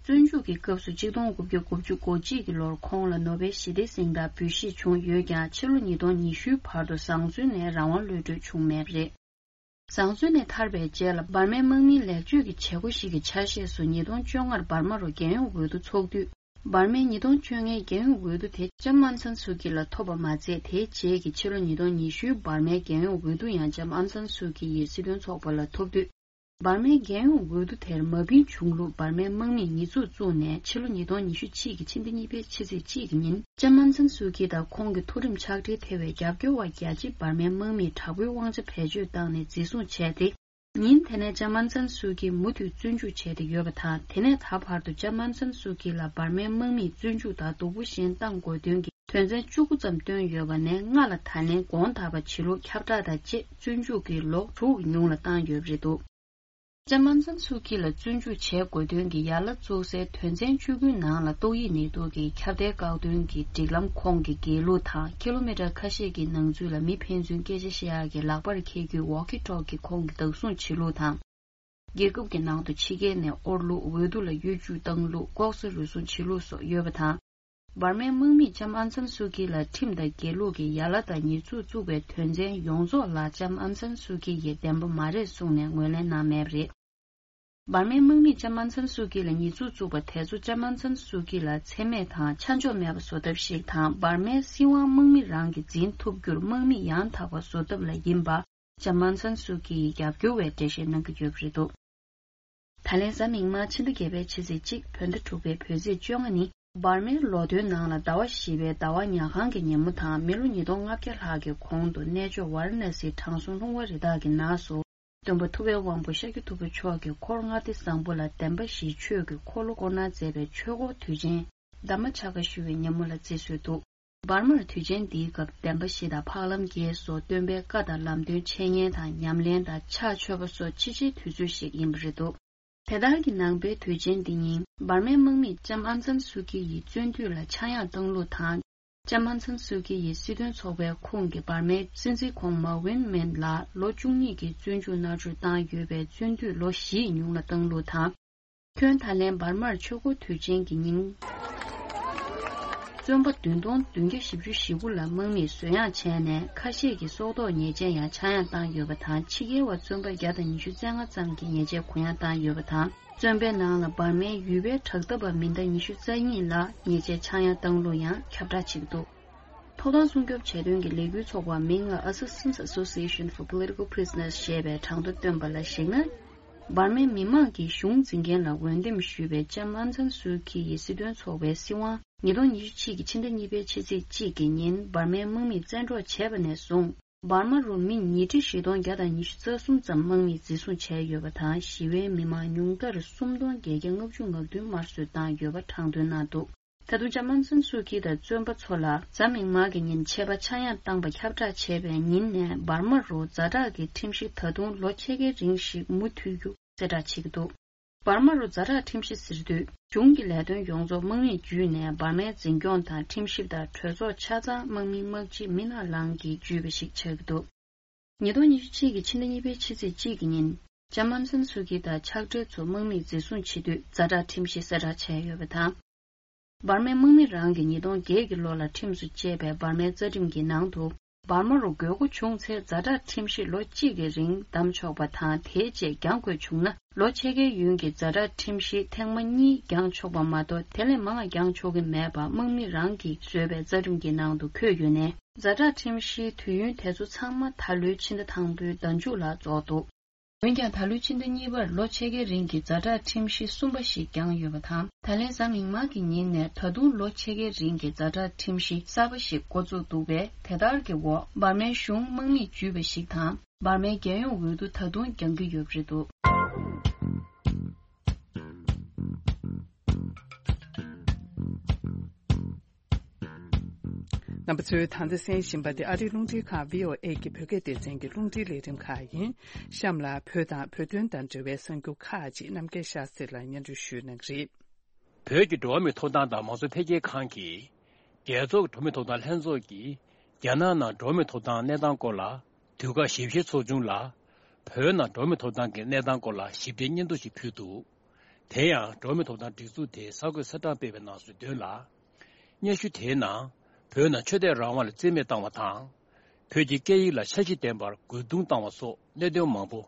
བཙོན་འཇུག་གི་སྐབས་སུ་གཅིག་སྟོང་དགུ་བརྒྱ་དགུ་བཅུ་གོ་གཅིག་གི་ལོར་ཁོང་ལ་ནོ་བེལ་ཞི་བདེའི་གཟེངས་རྟགས་འབུལ་བཞེས་བྱུང་ཡོད་ཀྱང་ཕྱི་ལོ་ཉིས་སྟོང་ཉི་ཤུའི་བར་དུ་བཟང་བཙོན་ནས་རང་དབང་གློད་གྲོལ་བྱུང་མེད་པ་རེད། བཟང་བཙོན་ནས་ཐར་བའི་རྗེས་ལ་འབར་མའི་དམག་མིའི་ལེགས་བཅོས་ཀྱི་བྱེད་སྒོ་ཞིག་གི་ཆ་ཤས་སུ་ཉིས་སྟོང་བཅོ་ལྔར་འབར་མ་རུ་རྒྱལ་ཡོངས་འོས་བསྡུ་ཚོགས་དུས། འབར་མའི་ཉིས་སྟོང་བཅོ་ལྔའི་རྒྱལ་ཡོངས་འོས་བསྡུ་དེ་ལྕམ་ཨང་སན་སུའུ་ཀི་ལ་ཐོབ་པ་མ་ཚད། དེའི་རྗེས་ཀྱི་ཕྱི་ལོ་ཉིས་སྟོང་ཉི་ཤུའི་འབར་མའི་རྒྱལ་ཡོངས་འོས་བསྡུ་ཡང་ལྕམ་ཨང་སན་སུའུ་ཀི་ཡིས་སྲིད་དོན་ཚོགས་པ་ལ་ཐོབ་དུས། འབར་མའི་རྒྱལ་ཡོངས་འོས་བསྡུ་དེར་མ་བིན་བྱུང་ལུགས་འབར་མའི་དམག་མིས་ཉེས་འཛུགས་བཙུགས་ནས་ཕྱི་ལོ་ཉིས་སྟོང་ཉི་ཤུ་གཅིག་གི་ཕྱི་ཟླ་གཉིས་པའི་ཕྱི་ཚེས་གཅིག་གི་ཉིན་ལྕམ་ཨང་སན་སུའུ་ཀི་དང་ཁོང་གི་མཐོ་རིམ་ཕྱག་སྦྲེལ་ཐེ་བའི་རྒྱབ་སྐྱོར་བ་བརྒྱ་ཆ་འབར་མའི་དམག་མིས་དྲག་པོའི་དབང་ཆ་བེད་སྤྱོད་བཏང་ནས་འཛིན་བཟུང་བྱས་ཏེ། ཉིན་དེ་ནས་ལྕམ་ཨང་སན་སུའུ་ཀི་མུ་མཐུད་བཙོན་འཇུག་བྱས་ཏེ་ཡོད་པ་དང་། དེ་ནས་ད་བར་དུ་ལྕམ་ཨང་སན་སུའུ་ཀི་ལ་འབར་མའི་དམག་མིས་བཙོན་འཇུག་དང་སྡུག་པོ་གཞན་བཏང་དགོས་དོན་གྱི་དོན་ཚན་བཅུ་དགུ་ཙམ་བཏོན་ཡོད་པ་ནས་ལྔ་ལ་ད་ལན་དགོངས་དག་པ་བྱེད་ལུགས་ཁྱབ་བསྒྲགས་དང་བཅས་བཙོན་འཇུག་གི་ལོ་དྲུག་གི་ཉུང་ལ་བཏང་ཡོད་པ་རེད་འདུག་ལྕམ་ཨང་སན་སུའུ་ཀི་ལ་བཙོན་འཇུག་བྱེད་དགོས་དོན་གྱི་ཡ་ལ་བཙུགས་སའི་དོན་ཚན་བཅུ་དགུའི་ནང་ལ་ཏོག་དབྱིབས་ནད་དུག་གི་ཁྱབ་གདལ་བཀག་སྡོམ་གྱི་སྒྲིག་ལམ་ཁོངས་ཀྱི་འགལ་ལུགས་དང་། ཀི་ལོ་མི་ཊར་ཁ་ཤས་ཀྱི་ནང་ཚུད་ལ་མི་ཕན་ཚུན་སྐད་ཆ་བཤད་ཡག་གི་ལག་པར་འཁྱེར་རྒྱུའི་ཝོག་ཀི་ཊོག་གི་ཁོངས་ཀྱི་བདག་བཟུང་བྱེད་ལུགས་དང་། རྒྱལ་ཁབ་ཀྱི་ནང་དུ་ཕྱི་རྒྱལ་ནས་དབོར་ལུགས། འོས་བསྡུ་ལ་གཡོ་ཇུས་བཏང་ལུགས། ལྐོག་ཟ་རུལ་སུངས་བྱེད་ལུགས་སོགས་ཡོད་པ་དང་། འབར་མའི་དམག་མིས་ལྕམ་ཨང་སན་སུའུ་ཀི་ལ་ཁྲིམས་དང་འགལ་ལུགས་ཀྱི་ཡ་ལ་དང་ཉེས་འཛུགས་བཙུགས་པའི་དོན་ཚན་ཡོངས་རྫོགས་ལ་ལྕམ་ཨང་སན་སུའུ་ཀི་ཡིས་བདེན་པ་མ་རེད་གསུངས་ནས་ངོས་ལེན་གནང་མེད་པ་རེད། འབར་མའི་དམག་མིས་ལྕམ་ཨང་སན་སུའུ་ཀི་ལ་ཉེས་འཛུགས་བཙུགས་པ་དེ་ཚོ་ལྕམ་ཨང་སན་སུའུ་ཀི་ལ་འཚེ་མེད་དང་ཆ་འཇོག་མེད་པ་བཟོ་ཐབས་ཤིག་དང་། འབར་མའི་སྲིད་དབང་དམག་མི་རང་གིས་འཛིན་ཐུབ་རྒྱུར་དམག་མི་ཡང་དག་པ་བཟོ་ཐབས་ལ་ཡིན་པ། ལྕམ་ཨང་སན་སུའུ་ཀི་ཡི་རྒྱབ་སྐྱོར་བས་འགྲེལ་བཤད་གནང་གི་ཡོད་པ་རེད་འདུག་ད་ལན་གཟའ་མིག་དམར་ཕྱི་ཟླ་བརྒྱད་པའི་ཕྱི་ཚེས་གཅིག་བོད་ཟླ་དྲུག་པའི་བོད་ཚེས་བཅོ་ལྔ་ནི། འབར་མའི་ལོ་ཐོའི་ནང་ལ་ཟླ་བ་བཞི་པའི་ཟླ་བ་ཉལ་ཁང་གི་ཉིན་མོ་དང་། མི་ལོ་ཉིས་སྟོང་ལྔ་བརྒྱ་ལྷག་གི་གོང་དུ་གནས་མཆོག་ཝཱ་ར་ཎ་སིའི་དྲང་སྲོང་ལྷུང་བ་རི་དྭགས་ཀྱི་ནགས་སུ། སྟོན་པ་ཐུབ་པའི་དབང་པོ་ཤཱཀྱ་ཐུབ་པ་མཆོག་གིས་འཁོར་ལྔ་སྡེ་བཟང་པོ་ལ་བདེན་པ་བཞིའི་ཆོས་ཀྱི་འཁོར་ལོ་བསྐོར་གནང་མཛད་པའི་ཆོས་འཁོར་དུས་ཆེན་གདམས་པ་ཕྱག་བཀའ་ཞུ་བའི་ཉིན་མོ་ལ་བརྩི་སྲོལ་འདུག་འབར་མར་དུས་ཆེན་འདིའི་སྐབས་བདེན་པ་བཞི་དང་འཕགས་ལམ་བརྒྱད་སོགས་སྟོན་པའི་བཀའ་དང་ལམ་སྟོན་འཆད་ཉན་དང་ཉམས་ལེན་དང་ཕྱག་མཆོད་པ་སོགས་ཕྱི་ཕྱིའི་དུས་ཚོད་ཞིག་ཡིན་པ་རེད་འདུག་དེ་ལྟར་གྱི་ནང་པའི་དུས་ཆེན་འདི་ཉིན་འབར་མའི་དམག་མིས་ལྕམ་ཨང་སན་སུའུ་ཀི་ཡི་བཙོན་དུས་ལ་ཆག་ཡང་བཏང་ལུགས་དང་། ལྕམ་ཨང་སན་སུའུ་ཀི་ཡི་སྲིད་དོན་ཚོགས་པའི་ཁོངས་ཀྱི་འབར་མའི་སྲིད་འཛིན་ཁོང་མའོ་ཝིན་མེན་ལ་ལོ་བཅུ་གཉིས་ཀྱི་བཙོན་འཇུག་མནར་གཅོད་བཏང་ཡོད་པའི་བཙོན་དུས་ལོ་བཞི་ཡི་ཉུང་ལ་བཏང་ལུགས་དང་། ཁྱོན་ད་ལན་འབར་མར་ཆོས་འཁོར་དུས་ཆེན་གྱི་ཉིན། བཙོན་པ་བདུན་སྟོང་བདུན་བརྒྱ་བཞི་བཅུ་ཞེ་དགུ་ལ་དམག་མིས་བཟོད་ཡངས་བྱས་ནས། ཁ་ཤས་ཀྱིས་སྲོག་ཐོག་ཉེས་ཆད་ཡང་ཆག་ཡང་བཏང་ཡོད་པ་དང་། ཕྱི་རྒྱལ་བ་བཙོན་པ་བརྒྱ་དང་ཉི་ཤུ་རྩ་ལྔ་ཙམ་གྱིས་ཉེས་ཆད་གུ་ཡངས་བཏང་ཡོད་པ་དང་། བཙོན་པའི་ནང་ལ་འབར་མའི་ཡུལ་པའི་དྲག་འཐབ་པ་མི་ཟླ་ཉི་ཤུ་རྩ་གཉིས་ལ་ཉེས་ཆད་ཆག་ཡང་བཏང་ལུགས་ཡང་ཁྱབ་བསྒྲགས་བྱེད་ཀྱི་འདུག་ཐོབ་ཐང་སྲུང་སྐྱོབ་བྱེད་དོན་གྱི་ལས་འགུལ་ཚོགས་པ་མིང་ལ་Assistance Association for Political Prisoners ཞེས་པས་གྲངས་ཐོ་བཏོན་པ་ལ་གཞིགས་ན། འབར་མའི་མི་མང་གིས་གཞུང་འཛིན་མཁན་ལ་འོས་འདེམས་ཞུས་པའི་ལྕམ་ཨང་སན་སུའུ་ཀི་ཡི་སྲིད་དོན་ཚོགས་པའི་སྲིད་དབང་ཉིས་སྟོང་ཉི་ཤུ་གཅིག་གི་ཕྱི་ཟླ་གཉིས་པའི་ཕྱི་ཚེས་གཅིག་གི་ཉིན་འབར་མའི་དམག་མིས་བཙན་འཕྲོག་བྱས་པ་ནས་བཟུང་། འབར་མ་རུ་མི་ཉིས་ཁྲི་བཞི་སྟོང་བརྒྱ་དང་ཉི་ཤུ་རྩ་གསུམ་ཙམ་དམག་མིས་འཛིན་བཟུང་བྱས་ཡོད་པ་དང་། ཞི་བའི་མི་མང་ཉུང་མཐར་སུམ་སྟོང་བརྒྱད་བརྒྱ་ལྔ་བཅུ་ང་བདུན་དམར་གསོད་བཏང་ཡོད་པ་གྲངས་ཐོན་གནང་འདུག་ད་དུང་ལྕམ་ཨང་སན་སུའུ་ཀི་དང་བཙོན་པ་ཚོ་ལ་གཟའ་མིག་དམར་གྱི་ཉིན་ཆད་པ་ཆག་ཡང་བཏང་པ་ཁྱབ་བསྒྲགས་བྱས་པའི་ཉིན་ནས་འབར་མ་རུ་ཛ་དྲག་གི་ཁྲིམས་གཞི་ད་དུང་ལོ་ཕྱེད་ཀའི་རིང་ཞིག་མུ་མཐུད་རྒྱུ་གསལ་བསྒྲགས་བྱེད་ཀྱི་འདུག་འབར་མ་རུ་ཛ་དྲག་ཁྲིམས་གཞི་ཟེར་དུས། གཞུང་གི་ལས་དོན་ཡོངས་རྫོགས་དམག་མིས་བརྒྱུད་ནས་འབར་མའི་འཛིན་སྐྱོང་དང་ཁྲིམས་ཞིབ་དང་གྲོས་ཚོགས་ཆ་ཚང་དམག་མི་དམག་སྤྱི་མི་ནག་ལང་གིས་བརྒྱུད་པ་ཞིག་ཆགས་ཀྱི་འདུག་ཉིས་སྟོང་ཉི་ཤུ་གཅིག་གི་ཕྱི་ཟླ་གཉིས་པའི་ཕྱི་ཚེས་གཅིག་གི་ཉིན། ལྕམ་ཨང་སན་སུའུ་ཀི་དང་ཕྱག་སྦྲེལ་ཚོ་དམག་མིས་འཛིན་བཟུང་བྱེད་དུས་ཛ་དྲག་ཁྲིམས་གཞི་གསལ་བསྒྲགས་བྱས་ཡོད་པ་དང་། འབར་མའི་དམག་མི་རང་གིས་ཉིས་སྟོང་བརྒྱད་ཀྱི་ལོ་ལ་ཁྲིམས་སུ་བཅད་པའི་འབར་མའི་རྩ་ཁྲིམས་ཀྱི་ནང་དུ། འབར་མ་རུ་དགོས་མཁོ་བྱུང་ཚེ་ཛ་དྲག་ཁྲིམས་གཞི་ལོ་གཅིག་གི་རིང་བསྡམས་ཆོག་པ་དང་། དེའི་རྗེས་འགྱངས་དགོས་བྱུང་ན། ལོ་ཕྱེད་ཀའི་ཡུན་གྱི་ཛ་དྲག་ཁྲིམས་གཞི་ཐེངས་མ་གཉིས་འགྱངས་ཆོག་པ་མ་གཏོགས། དེ་ལས་མང་བ་འགྱངས་ཆོག་གི་མེད་པ་དམག་མི་རང་གིས་བཟོས་པའི་རྩ་ཁྲིམས་ཀྱི་ནང་དུ་འཁོད་ཡོད་ནས། ཛ་དྲག་ཁྲིམས་གཞིའི་དུས་ཡུན་དེ་ཚོ་ཚང་མ་ད་ལོའི་ཕྱི་ཟླ་དང་པོའི་ཟླ་མཇུག་ལ་རྫོགས་འདུག་འོན་ཀྱང་། ད་ལོའི་ཕྱི་ཟླ་གཉིས་པར་ལོ་ཕྱེད་ཀའི་རིང་གི་ཛ་དྲག་ཁྲིམས་གཞི་གསུམ་པ་ཞིག་བསྐྱངས་ཡོད་པ་དང་། ད་ལན་གཟའ་མིག་དམར་གྱི་ཉིན་ནས་ད་དུང་ལོ་ཕྱེད་ཀའི་རིང་གི་ཛ་དྲག་ཁྲིམས་གཞི་གསར་པ་ཞིག་འགོ་བཙུགས་འདུག་པས། དེ་ལྟར་གྱི་འོག་འབར་མའི་གཞུང་དམག་མིས་བརྒྱུད་པ་ཞིག་དང་། འབར་མའི་རྒྱལ་ཡོངས་འོས་བསྡུ་ད་དུང་འགྱངས་ཀྱི་ཡོད་པ་རེད་འདུག་རྣམ་པ་ཚོས་ད་ལྟ་གསན་བཞིན་པ་དེ་ཨ་རིའི་རླུང་འཕྲིན་ཁང་བྷི་ཨོ་ཨེ་གི་བོད་སྐད་སྡེ་ཚན་གྱི་རླུང་འཕྲིན་ལས་རིམ་ཁག་ཡིན། གཤམ་ལ་བོད་དང་བོད་དོན་དང་འབྲེལ་བའི་གསར་འགྱུར་ཁག་ཅིག་རྣམ་རྒྱལ་ཤཱ་སྟྲི་ལགས་སྙན་སྒྲོན་ཞུ་གནང་གི་རེད། བོད་ཀྱི་འགྲོ་བ་མིའི་ཐོབ་ཐང་དང་མང་གཙོ་འཕེལ་རྒྱས་ཁང་གིས། རྒྱལ་ཚོགས་ཀྱི་འགྲོ་བ་མིའི་ཐོབ་ཐང་ལྷན་ཚོགས་ཀྱིས། རྒྱ་ནག་ནང་འགྲོ་བ་མིའི་ཐོབ་ཐང་གནས་སྟངས་སྐོར་ལ། དུས་བཀག་ཞིབ་བཤེར་ཚོགས་ཆུང་ལ། བོད་ནང་འགྲོ་བ་མིའི་ཐོབ་ཐང་གི་གནས་སྟངས་སྐོར་ལ་ཞིབ་ཕྲའི་སྙན་ཐོ་ཞིག་ཕུལ་འདུག་དེ་ཡང་འགྲོ་བ་མིའི་ཐོབ་ཐང་སྒྲིག་འཛུགས་དེའི་གསར་འགོད་གསལ་བསྒྲགས་སྤེལ་བའི་ནང་གསལ་དོན་ལ། སྙན་ཞུ་དེའི་ནང་བོད་ནང་ཆོས་དད་རང་དབང་ལ་བརྩི་མེད་བཏང་བ་དང་། བོད་ཀྱི་སྐད་ཡིག་ལ་འཆར་གཞི་ལྡན་པར་རྒོལ་རྡུང་བཏང་བ་སོགས་གནད་དོན་མང་པོ་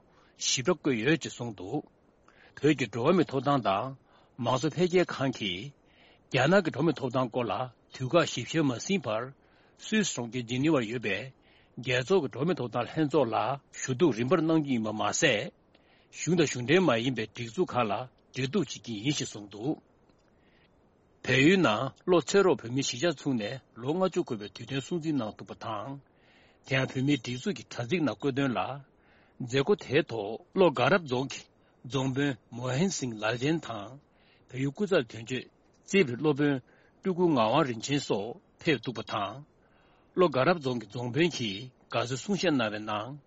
ཞིབ་ཕྲ་བཀོད་ཡོད་ཅེས་གསུངས་འདུག་བོད་ཀྱི་འགྲོ་བ་མིའི་ཐོབ་ཐང་དང་མང་གཙོ་འཕེལ་རྒྱས་ཁང་གིས། རྒྱ་ནག་གི་འགྲོ་བ་མིའི་ཐོབ་ཐང་སྐོར་ལ་དུས་བཀག་ཞིབ་བཤེར་མ་ཟིན་བར། སུད་སི་གྲོང་ཁྱེར་ཇི་ནི་ཝར་ཡོད་པའི་རྒྱལ་ཚོགས་ཀྱི་འགྲོ་བ་མིའི་ཐོབ་ཐང་ལྷན་ཚོགས་ལ་ཞུ་གཏུག་རིམ་པར་གནང་རྒྱུ་ཡིན་པ་མ་ཟད། གཞུང་དང་གཞུང་འབྲེལ་མ་ཡིན་པའི་སྒྲིག་འཛུགས་ཁག་ལ་འབྲེལ་གཏུག་བྱེད་ཀྱི་ཡིན་ཞེས་གསུངས་འདུག་བལ་ཡུལ་ནང་བློ་ཚེ་རོགས་བོད་མིའི་གཞིས་ཆགས་ཚུགས་ནས་ལོ་ལྔ་བཅུ་འཁོར་བའི་དུས་སྟོན་སྲུང་བརྩི་གནང་ཐུབ་པ་དང་། དེ་ཡང་བོད་མིའི་སྒྲིག་འཛུགས་ཀྱི་དྲ་ཚིགས་ནང་བཀོད་དོན་ལ། མཛད་སྒོ་དེའི་ཐོག་བློ་དགའ་རབ་རྫོང་གི་རྫོང་དཔོན་མོ་ཧན་སིང་ལལ་ཅན་དང་། བལ་ཡུལ་སྐུ་ཚབ་དོན་གཅོད་རྩིས་པའི་སློབ་དཔོན་སྤྲུལ་སྐུ་ངག་དབང་རིན་ཆེན་སོགས་ཕེབས་འདུག་པ་དང་། བློ་དགའ་རབ་རྫོང་གི་རྫོང་དཔོན་གྱིས་དགའ་བསུའི་གསུང་བཤད་གནང་བའི་ནང་།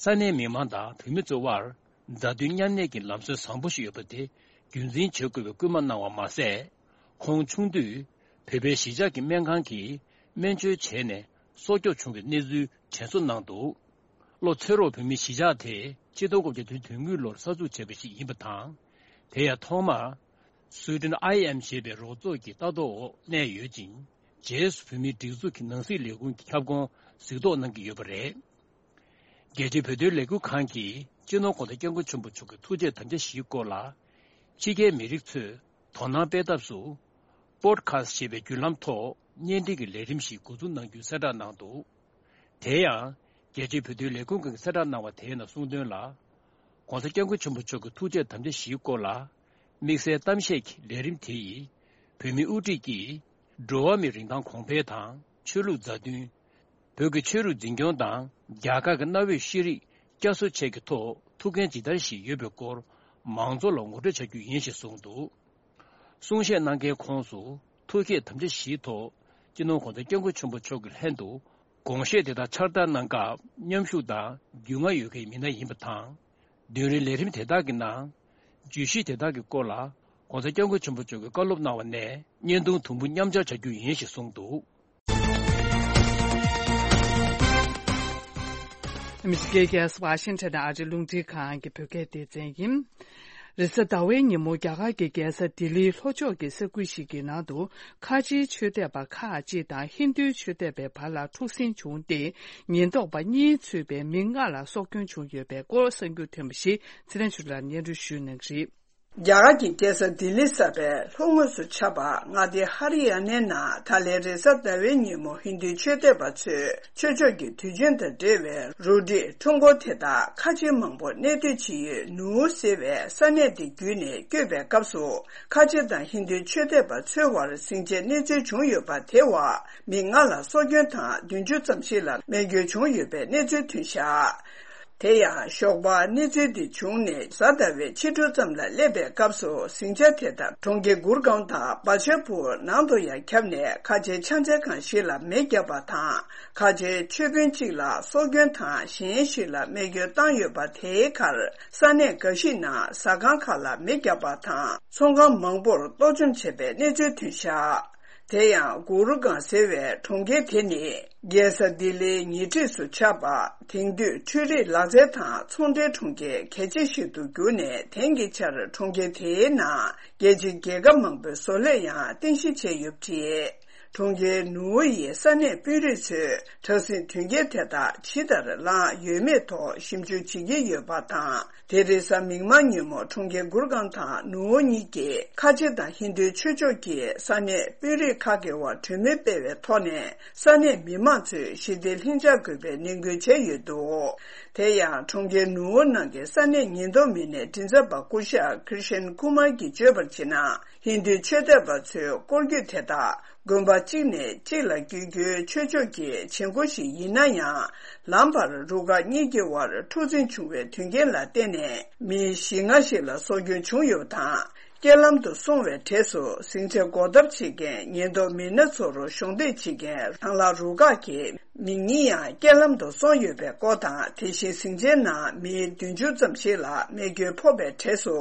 ས་གནས་མི་མང་དང་བོད་མི་ཚོའི་དབར་མཛའ་མཐུན་མཉམ་གནས་ཀྱི་ལམ་སྲོལ་བཟང་པོ་ཞིག་ཡོད་པ་དེ་རྒྱུན་འཛིན་བྱེད་དགོས་པའི་སྐུལ་མ་གནང་བ་མ་ཟད། ཁོང་ཆུང་དུས་བོད་པའི་གཞིས་ཆགས་ཀྱི་སྨན་ཁང་གིས་སྨན་བཅོས་བྱས་ནས་སྲོག་སྐྱོབ་བྱུང་བའི་གནས་ཚུལ་དྲན་གསོ་གནང་འདུག་བློ་ཚེ་རོགས་བོད་མིའི་གཞིས་ཆགས་དེ་ཆིག་སྟོང་དགུ་བརྒྱ་དོན་དོན་དགུ་ལོར་གསར་འཛུགས་བྱས་པ་ཞིག་ཡིན་པ་དང་། དེ་ཡང་ཐོག་མར་སུའེ་ཏེན་ཨའི་ཨེམ་ཞེས་པའི་རོགས་ཚོགས་ཀྱི་ལྟ་རྟོག་འོག་གནས་ཡོད་ཅིང་། རྗེས་སུ་བོད་མིའི་སྒྲིག་འཛུགས་ཀྱི་ནང་སྲིད་ལས་ཁུངས་ཀྱི་ཁྱབ་ཁོངས་གཟིགས་རྟོག་གནང་གི་ཡོད་པ་རེད། རྒྱལ་སྤྱིའི་བོད་དོན་ལས་འགུལ་ཁང་གིས་སྤྱི་ནོར་༧གོང་ས་༧སྐྱབས་མགོན་ཆེན་པོ་མཆོག་གི་ཐུགས་བསྐྱེད་དམ་བཅའ་བཞིའི་སྐོར་ལ། ཕྱི་རྒྱལ་མི་རིགས་ཚོས་དོ་སྣང་སྤེལ་ཐབས་སུ། པོ་ཌི་ཁ་སི་ཊི་ཞེས་པའི་བརྒྱུད་ལམ་ཐོག་བརྙན་འཕྲིན་གྱི་ལས་རིམ་ཞིག་འགོ་འཛུགས་གནང་རྒྱུའི་གསལ་བསྒྲགས་གནང་འདུག་དེ་ཡང་། རྒྱལ་སྤྱིའི་བོད་དོན་ལས་ཁུངས་ཀྱིས་གསལ་བསྒྲགས་གནང་བ་དེའི་ནང་གསུངས་དོན་ལ། ༸གོང་ས་༸སྐྱབས་མགོན་ཆེན་པོ་མཆོག་གི་ཐུགས་བསྐྱེད་དམ་བཅའ་བཞིའི་སྐོར་ལ། དམིགས་བསལ་གཏམ་བཤད་ཀྱི་ལས་རིམ་དེ་ཡིས། བོད་མིའི་དབུ་ཁྲིད་ཀྱིས། འགྲོ་བ་མིའི་རིན་ཐང་གོང་འཕེལ་དང་། ཆོས་ལུགས་མཛའ་མཐུན། བོད་ཀྱི་ཆོས་རིག་འཛིན་སྐྱོང་དང་། རྒྱ་གར་གྱི་གནའ་བོའི་ཤེས་རིག་བསྐྱར་གསོ་བཅས་ཀྱི་ཐོག་ཐུགས་འགན་ཇི་ལྟར་བཞེས་ཡོད་པའི་སྐོར། མང་ཚོགས་ལ་ངོ་སྤྲོད་བྱ་རྒྱུ་ཡིན་ཞེས་གསུངས་འདུག་གསུང་བཤད་གནང་མཁན་ཁོངས་སུ། ཐུགས་བསྐྱེད་དམ་བཅའ་བཞིའི་ཐོག་སྤྱི་ནོར་༸གོང་ས་༸སྐྱབས་མགོན་ཆེན་པོ་མཆོག་གི་ལྷན་དུ། དགོངས་བཞེས་དེ་དག་ཕྱག་བསྟར་གནང་སྐབས་མཉམ་ཞུགས་དང་རྒྱུས་མངའ་ཡོད་མཁན་མི་སྣ་ཡིན་པ་དང་། མདུན་རིང་ལས་རིམ་དེ་དག་གི་ནང་། བརྗོད་གཞི་དེ་དག་གི་སྐོར་ལ་༸གོང་ས་༸སྐྱབས་མགོན་ཆེན་པོ་མཆོག་གིས་བཀའ་སློབ་གནང་བ་ནས་བརྙན་ཐུང་དུམ་བུ་མཉམ་སྦྱར་བྱ་རྒྱུ་ཡིན་ཞེས་གསུངས་འདུག་ཨ་མི་རི་ཀའི་རྒྱལ་ས་ཝ་ཤིང་ཊོན་ཨ་རིའི་རླུང་འཕྲིན་ཁང་གི་བོད་སྐད་སྡེ་ཚན་ཡིན། རེས་གཟའ་ཟླ་བའི་ཉིན་མོ་རྒྱ་གར་གྱི་རྒྱལ་ས་ལྡི་ལིའི་ལྷོ་ཕྱོགས་ཀྱི་ས་ཁུལ་ཞིག་གི་ནང་དུ་ཁ་ཆེའི་ཆོས་དད་པ་ཁག་ཅིག་དང་ཧིན་རྡུའི་ཆོས་དད་པའི་བར་ལ་འཁྲུག་ཟིང་བྱུང་སྟེ། ཉེན་རྟོག་པ་གཉིས་ཚུད་པའི་མི་ལྔ་ལ་སྲོག་སྐྱོན་བྱུང་ཡོད་པའི་སྐོར་གསར་འགྱུར་ཐོན་པ་ཞིག་ཚེ་རིང་ཆོས་ལ་སྙན་སྒྲོན་ཞུ་གནང་གི་རེད། རྒྱ་གར་གྱི་རྒྱལ་ས་ལྡི་ལི་གསར་པའི་ལྷོ་ངོས་སུ་ཆགས་པ་མངའ་སྡེ་ཧ་རི་ཡ་ནའི་ནང་ད་ལན་རེས་གཟའ་ཟླ་བའི་ཉིན་མོ་ཧིན་རྡུའི་ཆོས་དད་པ་ཚོས་ཆོས་ཕྱོགས་ཀྱི་དུས་ཆེན་དང་འབྲེལ་བའི་རུ་སྒྲིག་ཁྲོམ་སྐོར་དེ་དག་ཁ་ཆེ་མང་པོ་གནས་སྡོད་བྱེད་ཡུལ་ནུའུ་ཟེར་བའི་ས་གནས་དེ་བརྒྱུད་ནས་བསྐྱོད་པའི་སྐབས་སུ། ཁ་ཆེ་དང་ཧིན་རྡུའི་ཆོས་དད་པ་ཚོའི་བར་ཟིང་ཆའི་གནས་ཚུལ་བྱུང་ཡོད་པ། དེ་བར་མི་ལྔ་ལ་སྲོག་སྐྱོན་དང་བདུན་ཅུ་ཙམ་ཞིག་ལ་རྨས་སྐྱོན་བྱུང་ཡོད་པའི་གནས་ཚུལ་ཐོན་བཞག་དེ་ཡང་ཞོགས་པ་གནས་ཚུལ་འདི་བྱུང་ནས་གཟའ་ཟླ་བའི་ཕྱི་དྲོ་ཙམ་ལ་སླེབས་པའི་སྐབས་སུ་ཟིང་ཆ་དེ་དག་གྲོང་ཁྱེར་གུར་གང་དང་བ་ཆ་པུར་ནང་དུ་ཡང་ཁྱབ་ནས་ཁ་ཆེའི་ཆང་ས་ཁང་ཞིག་ལ་མེ་བརྒྱབ་པ་དང་། ཁ་ཆེའི་ཆོས་དཔོན་གཅིག་ལ་སྲོག་སྐྱོན་དང་གཞན་ཞིག་ལ་རྨས་སྐྱོན་བཏང་ཡོད་པ། དེའི་ཁར་ས་གནས་འགའ་ཞིག་ནང་ཟ་ཁང་ཁག་ལ་མེ་བརྒྱབ་པ་དང་ཚོང་ཁང་མང་པོར་གཏོར་བཅོམ་བྱས་པའི་གནས་ཚུལ་ཐོན་བཞག་དེ་ཡང་གུ་རུ་གང་ཟེར་བའི་གྲོང་ཁྱེར་དེ་ནི་རྒྱལ་ས་ལྡི་ལིའི་ཉེ་འཁྲིས་སུ་ཆགས་པ། དེང་དུས་འཕྲུལ་རིག་ལག་རྩལ་དང་ཚོང་འབྲེལ་གྲོང་ཁྱེར་གལ་ཆེ་ཞིག་ཏུ་གྱུར་ནས། དེང་གི་ཆར་གྲོང་ཁྱེར་དེའི་ནང་རྒྱལ་སྤྱིའི་རྒྱལ་ཁབ་མང་པོའི་བཟོ་ལས་ཡང་རྟེན་གཞི་བྱས་ཡོད་པ་རེད། གྲོང་ཁྱེར་ནུའུ་ཡི་ས་གནས་དཔོན་རིགས་ཚོས་དྲག་ཟིང་དོན་རྐྱེན་དེ་དག་ཇི་ལྟར་བསླངས་ཡོད་མེད་ཐོག་ཞིབ་འཇུག་བྱེད་ཀྱི་ཡོད་པ་དང་། དེ་རེས་གཟའ་མིག་དམར་ཉིན་མོ་གྲོང་ཁྱེར་གུར་གང་དང་ནུའུ་གཉིས་ཀྱི་ཁ་ཆེ་དང་ཧིན་རྡུའི་ཆོས་ཕྱོགས་ཀྱི་ས་གནས་དཔོན་རིགས་ཁག་གི་བར་གྲོས་མོལ་སྤེལ་བའི་ཐོག་ནས། ས་གནས་མི་མང་ཚོས་ཞི་བདེ་ལྷིང་འཇགས་དགོས་པའི་ནན་སྐུལ་བྱས་ཡོད་འདུག་དེ་ཡང་གྲོང་ཁྱེར་ནུའུ་ནང་གི་ས་གནས་ཉེན་རྟོག་མི་སྣའི་མགྲིན་ཚབ་པ་སྐུ་ཞབས་ཀྲི་ཤན་ཀུ་མར་གྱིས་བརྗོད་པར་བྱས་ན། ཧིན་རྡུའི་ཆོས་དད་པ་ཚོའི་སྐོར་སྐྱོད་དེ་དག་དགོན་པ་གཅིག་ནས་གཅིག་ལ་བསྐྱོད་རྒྱུའི་ཆོས་ཕྱོགས་ཀྱི་བྱེད་སྒོ་ཞིག་ཡིན་ན་ཡང་། ལམ་བར་རུ་ཁག་གཉིས་ཀྱི་བར་འཁྲུག་འཛིང་བྱུང་བའི་དོན་རྐྱེན་ལ་བརྟེན་ནས་མི་བཞི་ལྔ་ཞིག་ལ་སྲོག་སྐྱོན་བྱུང་ཡོད་པ་དང་། རྐྱེན་ལམ་དུ་སོང་བའི་གྲས་སུ་ཟིང་ཆ་འགོག་ཐབས་བྱེད་མཁན་ཉེན་རྟོག་མི་སྣ་ཚོར་གཞོགས་འདེགས་བྱེད་མཁན་ཐང་ལྷ་རུ་ཁག་གི་མི་གཉིས་ཡང་རྐྱེན་ལམ་དུ་སོང་ཡོད་པའི་སྐོར་དང་། དེ་བཞིན་ཟིང་ཆའི་ནང་མི་བདུན་ཅུ་ཙམ་ཞིག་ལ་རྨས་སྐྱོན་ཕོག་པའི་གྲས་སུ་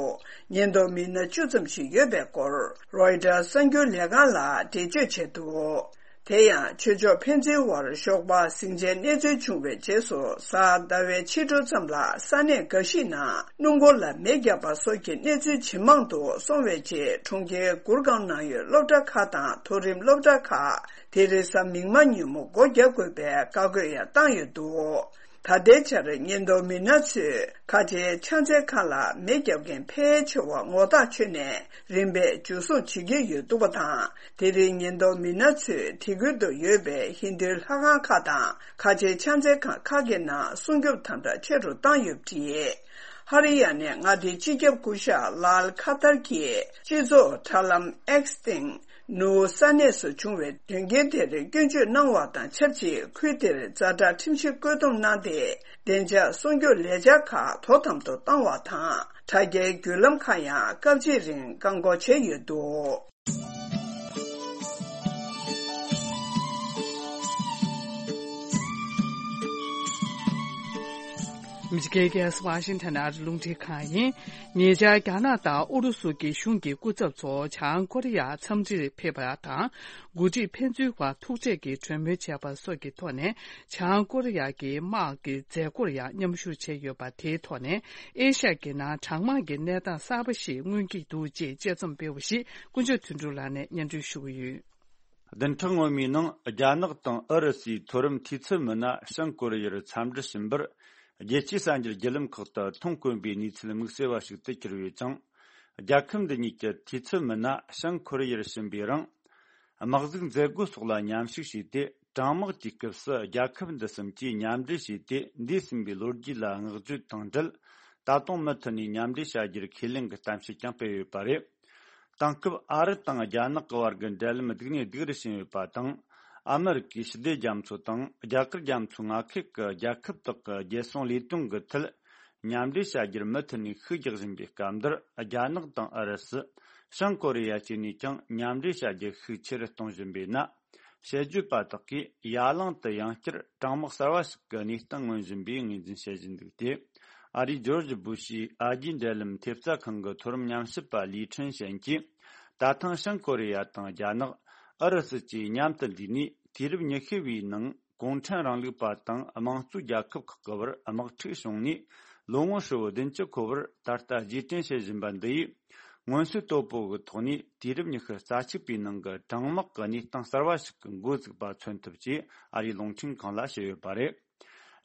ཉེན་རྟོག་མི་སྣ་བཅུ་ཙམ་ཞིག་ཡོད་པའི་སྐོར་རོའི་ཊར་གསར་འགྱུར་ལས་ཁང་ལ་འགྲེལ་བརྗོད་བྱས་འདུག་དེ་ཡང་ཆོས་ཕྱོགས་ཕན་ཚུན་དབར་ཞོགས་པ་ཟིང་ཆའི་གནས་ཚུལ་བྱུང་བའི་རྗེས་སུ། གཟའ་ཟླ་བའི་ཕྱི་དྲོ་ཙམ་ལ་ས་གནས་འགའ་ཞིག་ནང་སྣུམ་འཁོར་ལ་མེ་བརྒྱབ་པ་སོགས་ཀྱི་གནས་ཚུལ་ཇེ་མང་དུ་སོང་བའི་རྗེས། གྲོང་ཁྱེར་གུར་གང་ནང་ཡོད་སློབ་གྲྭ་ཁག་དང་མཐོ་རིམ་སློབ་གྲྭ་ཁག་དེ་རིང་གཟའ་མིག་དམར་ཉིན་མོ་སྒོ་རྒྱག་དགོས་པའི་བཀའ་བཀོད་ཡང་བཏང་ཡོད་འདུག་ད་ལྟའི་ཆར་ཉེན་རྟོག་མི་སྣ་ཚོས་ཁ་ཆེའི་ཕྱག་འཚལ་ཁང་ལ་མེ་བརྒྱབ་མཁན་ཕལ་ཆེ་བ་ངོ་ཐག་ཆོད་ནས། རིམ་པས་འཇུ་བཟུང་བྱེད་ཀྱི་ཡོད་འདུག་པ་དང་། དེ་རིང་ཉེན་རྟོག་མི་སྣ་ཚོས་དེ་ཁུལ་དུ་ཡོད་པའི་ཧིན་རྡུའི་ལྷ་ཁང་ཁག་དང་ཁ་ཆེའི་ཕྱག་འཚལ་ཁང་ཁག་གི་ནང་སྲུང་སྐྱོབ་དམ་དྲག་ཆེ་རུ་བཏང་ཡོད་པ་རེད། ཧ་རི་ཡ་ནའི་མངའ་སྡེའི་སྤྱི་ཁྱབ་སྐུ་ཞབས་ལཱལ་ཁ་ཐར་གྱིས་སྤྱི་ཚོགས་དྲ་ལམ་X་སྟེང་ནུའུ་ས་གནས་སུ་བྱུང་བའི་དོན་རྐྱེན་དེར་སྐྱོན་བརྗོད་གནང་བ་དང་ཆབས་ཅིག་ཁུལ་དེར་ཛ་དྲག་ཁྲིམས་གཞི་བཀོད་འདོམས་གནང་སྟེ། བདེ་འཇགས་སྲུང་སྐྱོབ་ལས་འཆར་ཁག་དོ་དམ་དུ་བཏང་བ་དང་། དྲ་རྒྱའི་བརྒྱུད་ལམ་ཁག་ཡང་སྐབས་གཅིག་རིང་བཀག་འགོག་བྱས་ཡོད་འདུག་ཨ་མི་རི་ཀའི་རྒྱལ་ས་ཝ་ཤིང་ཊོན་ཨ་རི་རླུང་འཕྲིན་ཁང་ཡིན། ཉེ་ཆར་རྒྱ་ནག་དང་ཨུ་རུ་སུ་གྱི་གཞུང་གི་སྐུ་ཚབ་ཚོ་བྱང་ཀོ་རི་ཡར་འཚམས་འདྲིར་ཕེབས་པ་དང་། འགོ་ཁྲིད་ཕན་ཚུན་བར་ཐུག་འཕྲད་ཀྱིས་གྲོས་མོལ་བྱས་པ་སོགས་ཀྱི་ཐོག་ནས། བྱང་ཀོ་རི་ཡ་གི་དམག་གི་མཛད་སྒོར་ཡང་མཉམ་ཞུགས་བྱས་ཡོད་པ། དེའི་ཐོག་ནས་ཨེ་ཤ་ཡ་གི་ནང་གྲང་དམག་གི་གནས་སྟངས་གསར་པ་ཞིག་མངོན་གྱི་འདུག་ཅེས་དཔྱད་རྩོམ་སྤེལ་བ་ཞིག་དཀོན་མཆོག་དོན་གྲུབ་ལགས་ནས་སྙན་སྒྲོན་ཞུ་གི་ཡོད། བདུན་ཕྲག་སྔོན་མའི་ནང་རྒྱ་ནག་དང་ཨུ་རུ་སུའི་མཐོ་རིམ་འཐུས་ཚབ་མི་སྣ་བྱང་ཀོ་རི་ཡར་འཚམས་འདྲི་ཕྱིན་པར། རྒྱལ་སྤྱིའི་གསར་འགྱུར་བརྒྱུད་ལམ་ཁག་ཏུ་མཐོང་དཀོན་པའི་གནས་ཚུལ་དམིགས་བསལ་བ་ཞིག་ཏུ་གྱུར་ཡོད་ཅིང་། རྒྱལ་ཁབ་འདི་གཉིས་ཀྱི་འཐུས་ཚབ་མི་སྣ་བྱང་ཀོ་རི་ཡར་ཕྱིན་པའི་རིང་། དམག་འཛུགས་མཛད་སྒོ་སོགས་ལ་མཉམ་ཞུགས་བྱས་ཏེ། གྲང་དམག་གི་སྐབས་སུ་རྒྱལ་ཁབ་འདི་གསུམ་གྱིས་མཉམ་འབྲེལ་བྱས་ཏེ། འདས་ཟིན་པའི་ལོ་རྒྱུས་ལ་བསྔགས་བརྗོད་དང་འབྲེལ། ད་དུང་མུ་མཐུད་ནས་མཉམ་འབྲེལ་བྱ་རྒྱུར་ཁས་ལེན་གྱི་གཏམ་བཤད་ཀྱང་སྤེལ་ཡོད་པ་རེད། དེང་སྐབས་ཨ་རི་དང་རྒྱ་ནག་གི་བར་གྱི་འབྲེལ་ལམ་སྡུག་ནས་སྡུག་རུ་ཕྱིན་ཡོད་པ་དང་། ཨ་མི་རི་ཀའི་ཞི་བདེ་རྒྱ་མཚོ་དང་རྒྱ་གར་རྒྱ་མཚོའི་མངའ་ཁུལ་གྱི་རྒྱལ་ཁབ་དག་གི་རྒྱལ་སྲུང་ལས་དོན་གྱི་ཐད། མཉམ་འབྲེལ་བྱ་རྒྱུར་མུ་མཐུད་ནས་ཤུགས་རྒྱག་བཞིན་པའི་སྐབས་འདིར། རྒྱ་ནག་དང་ཨུ་རུ་སུ། བྱང་ཀོ་རི་ཡ་བཅས་ནས་ཀྱང་མཉམ་འབྲེལ་བྱ་རྒྱུར་ཤུགས་ཆེ་རུ་གཏོང་བཞིན་པས་ན། དཔྱད་བརྗོད་པ་དག་གིས་ཡ་གླིང་དུ་ཡང་བསྐྱར་གྲང་དམག་གསར་བ་ཞིག་གི་གནས་སྟངས་མངོན་བཞིན་པའི་ངོས་འཛིན་བྱེད་བཞིན་འདུག་སྟེ། ཨ་རིའི་ཇོར་ཇི་བུ་ཤིའི་ཨ་རྒྱའི་འབྲེལ་ལམ་ཐེབས་རྩ་ཁང་གི་མཐོ་རིམ་ཉམས་ཞིབ་པ་ལི་ཁྲིན་ཞན་གྱིས། ད་ཐེངས་བྱང་ཀོ་རི་ཡ་དང་རྒྱ་ནག་ཨུ་རུ་སུ་བཅས་མཉམ་དུ་འདུས་ནས། དུས་རབས་ཉི་ཤུ་བའི་ནང་གུང་ཁྲན་རིང་ལུགས་པ་དང་དམངས་གཙོའི་རྒྱལ་ཁབ་ཁག་གི་བར་དམག་འཁྲུག་བྱུང་ནས། ལོ་ངོ་ཧྲིལ་བོ་བདུན་ཅུ་འཁོར་བར་ད་ལྟ་རྗེས་དྲན་བྱེད་བཞིན་པ་འདི་ཡིས། མངོན་གསལ་དོད་པོ་གི་ཐོག་ནས་དུས་རབས་ཉི་ཤུ་རྩ་གཅིག་པའི་ནང་གི་གྲང་དམག་གི་གནས་སྟངས་གསར་བ་ཞིག་གི་འགོ་བཙུགས་པ་མཚོན་ཐུབ་ཅེས་ཨ་རིའི་རླུང་འཕྲིན་ཁང་ལ་བཤད་ཡོད་པ་རེད།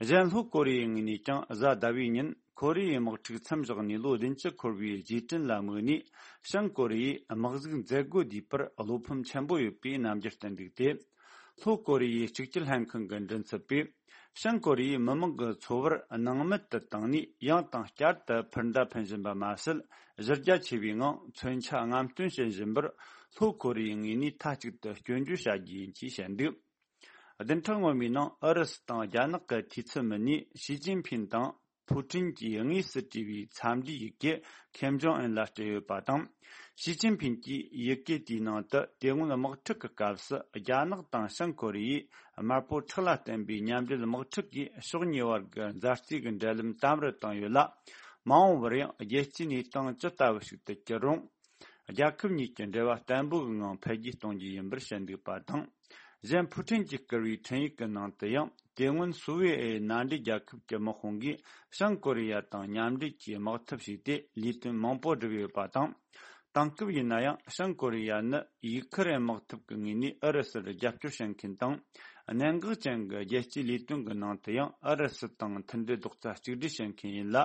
གཞན་ལྷོ་ཀོ་རི་ཡའི་ངོས་ནས་ཀྱང་གཟའ་ཟླ་བའི་ཉིན་ཁོ་རེ་ཡའི་དམག་འཁྲུག་མཚམས་བཞག་ནས་ལོ་བདུན་ཅུ་འཁོར་བའི་རྗེས་དྲན་ལ་དམིགས་ནས། བྱང་ཀོ་རི་ཡས་དམག་འཛུགས་མཛད་སྒོ་བསྡུས་པར་བློ་ཕམ་ཆེན་པོ་ཡོད་པའི་རྣམ་འགྱུར་བསྟན་འདུག་སྟེ། ལྷོ་ཀོ་རི་ཡའི་གཅིག་གྱུར་ལྷན་ཁང་གི་མགྲིན་ཚབ་པས། བྱང་ཀོ་རི་ཡའི་མི་དམངས་ཀྱི་འཚོ་བར་སྣང་མེད་དུ་བཏང་ནས། ཡང་དང་བསྐྱར་དུ་འཕུར་མདའ་འཕེན་བཞིན་པ་མ་ཟད། གཞི་རྒྱ་ཆེ་བའི་ངང་མཚོན་ཆ་རྔམ་སྟོན་བྱེད་བཞིན་པར། ལྷོ་ཀོ་རི་ཡའི་ངོས་ནས་མཐའ་གཅིག་ཏུ་སྐྱོན་བརྗོད་བྱ་རྒྱུ་ཡིན་ཅེས་བཤད་འདུག་བདུན་ཕྲག་སྔོན་མའི་ནང་ཨུ་རུ་སུ་དང་རྒྱ་ནག་གི་འཐུས་ཚབ་མི་སྣས་ཞི་ཅིན་ཕིན་དང་ཕུ་ཀྲིན་གྱིས་དངོས་སུ་བྲིས་པའི་འཚམས་འདྲིའི་ཡི་གེ་ཁེམ་ཇོང་ཨུན་ལ་སྤྲད་ཡོད་པ་དང་། ཞི་ཅིན་ཕིན་གྱིས་ཡི་གེ་དེའི་ནང་དུ། དེ་སྔོན་དམག་འཁྲུག་གི་སྐབས་སུ་རྒྱ་ནག་དང་བྱང་ཀོ་རི་ཡས་དམར་པོ་ཁྲག་ལ་བརྟེན་པའི་མཉམ་འབྲེལ་དམག་འཁྲུག་གིས་ཕྱོགས་གཉིས་བར་གྱི་མཛའ་བརྩེ་གི་འབྲེལ་ལམ་དམ་རུ་བཏང་ཡོད་ལ། མ་འོངས་པར་ཡང་རྒྱལ་སྤྱིའི་གནས་སྟངས་ཇི་ལྟ་བུ་ཞིག་ཏུ་གྱུར་རུང་། རྒྱལ་ཁབ་གཉིས་ཀྱི་འབྲེལ་བ་བརྟན་པོ་གི་ངང་འཕེལ་རྒྱས་གཏོང་རྒྱུ་ཡིན་པར་བཤད་འདུག་པ་དང་། གཞན་ཕུ་ཀྲིན་གྱིས་བསྐུར་བའི་འཕྲིན་ཡིག་གི་ནང་དུ་ཡང་། དེ་སྔོན་སུ་ཝེ་ཨེ་མནའ་འབྲེལ་རྒྱལ་ཁབ་ཀྱི་དམག་དཔུང་གིས་བྱང་ཀོ་རི་ཡ་དང་མཉམ་འབྲེལ་གྱིས་དམག་འཐབ་བྱས་ཏེ། ལས་དོན་མང་པོ་བསྒྲུབས་ཡོད་པ་དང་། དེང་སྐབས་ཡིན་ན་ཡང་། བྱང་ཀོ་རི་ཡ་ནི་ཡུ་ཁུ་རེན་དམག་འཐབ་ཀྱི་ངོས་ནས་ཨུ་རུ་སུར་རྒྱབ་སྐྱོར་བྱེད་མཁན་དང་། གནད་འགག་ཅན་གྱི་རྒྱལ་སྤྱིའི་ལས་དོན་གྱི་ནང་དུ་ཡང་ཨུ་རུ་སུ་དང་མཐུན་སྒྲིལ་རྡོག་རྩ་གཅིག་སྒྲིལ་བྱེད་མཁན་ཡིན་ལ།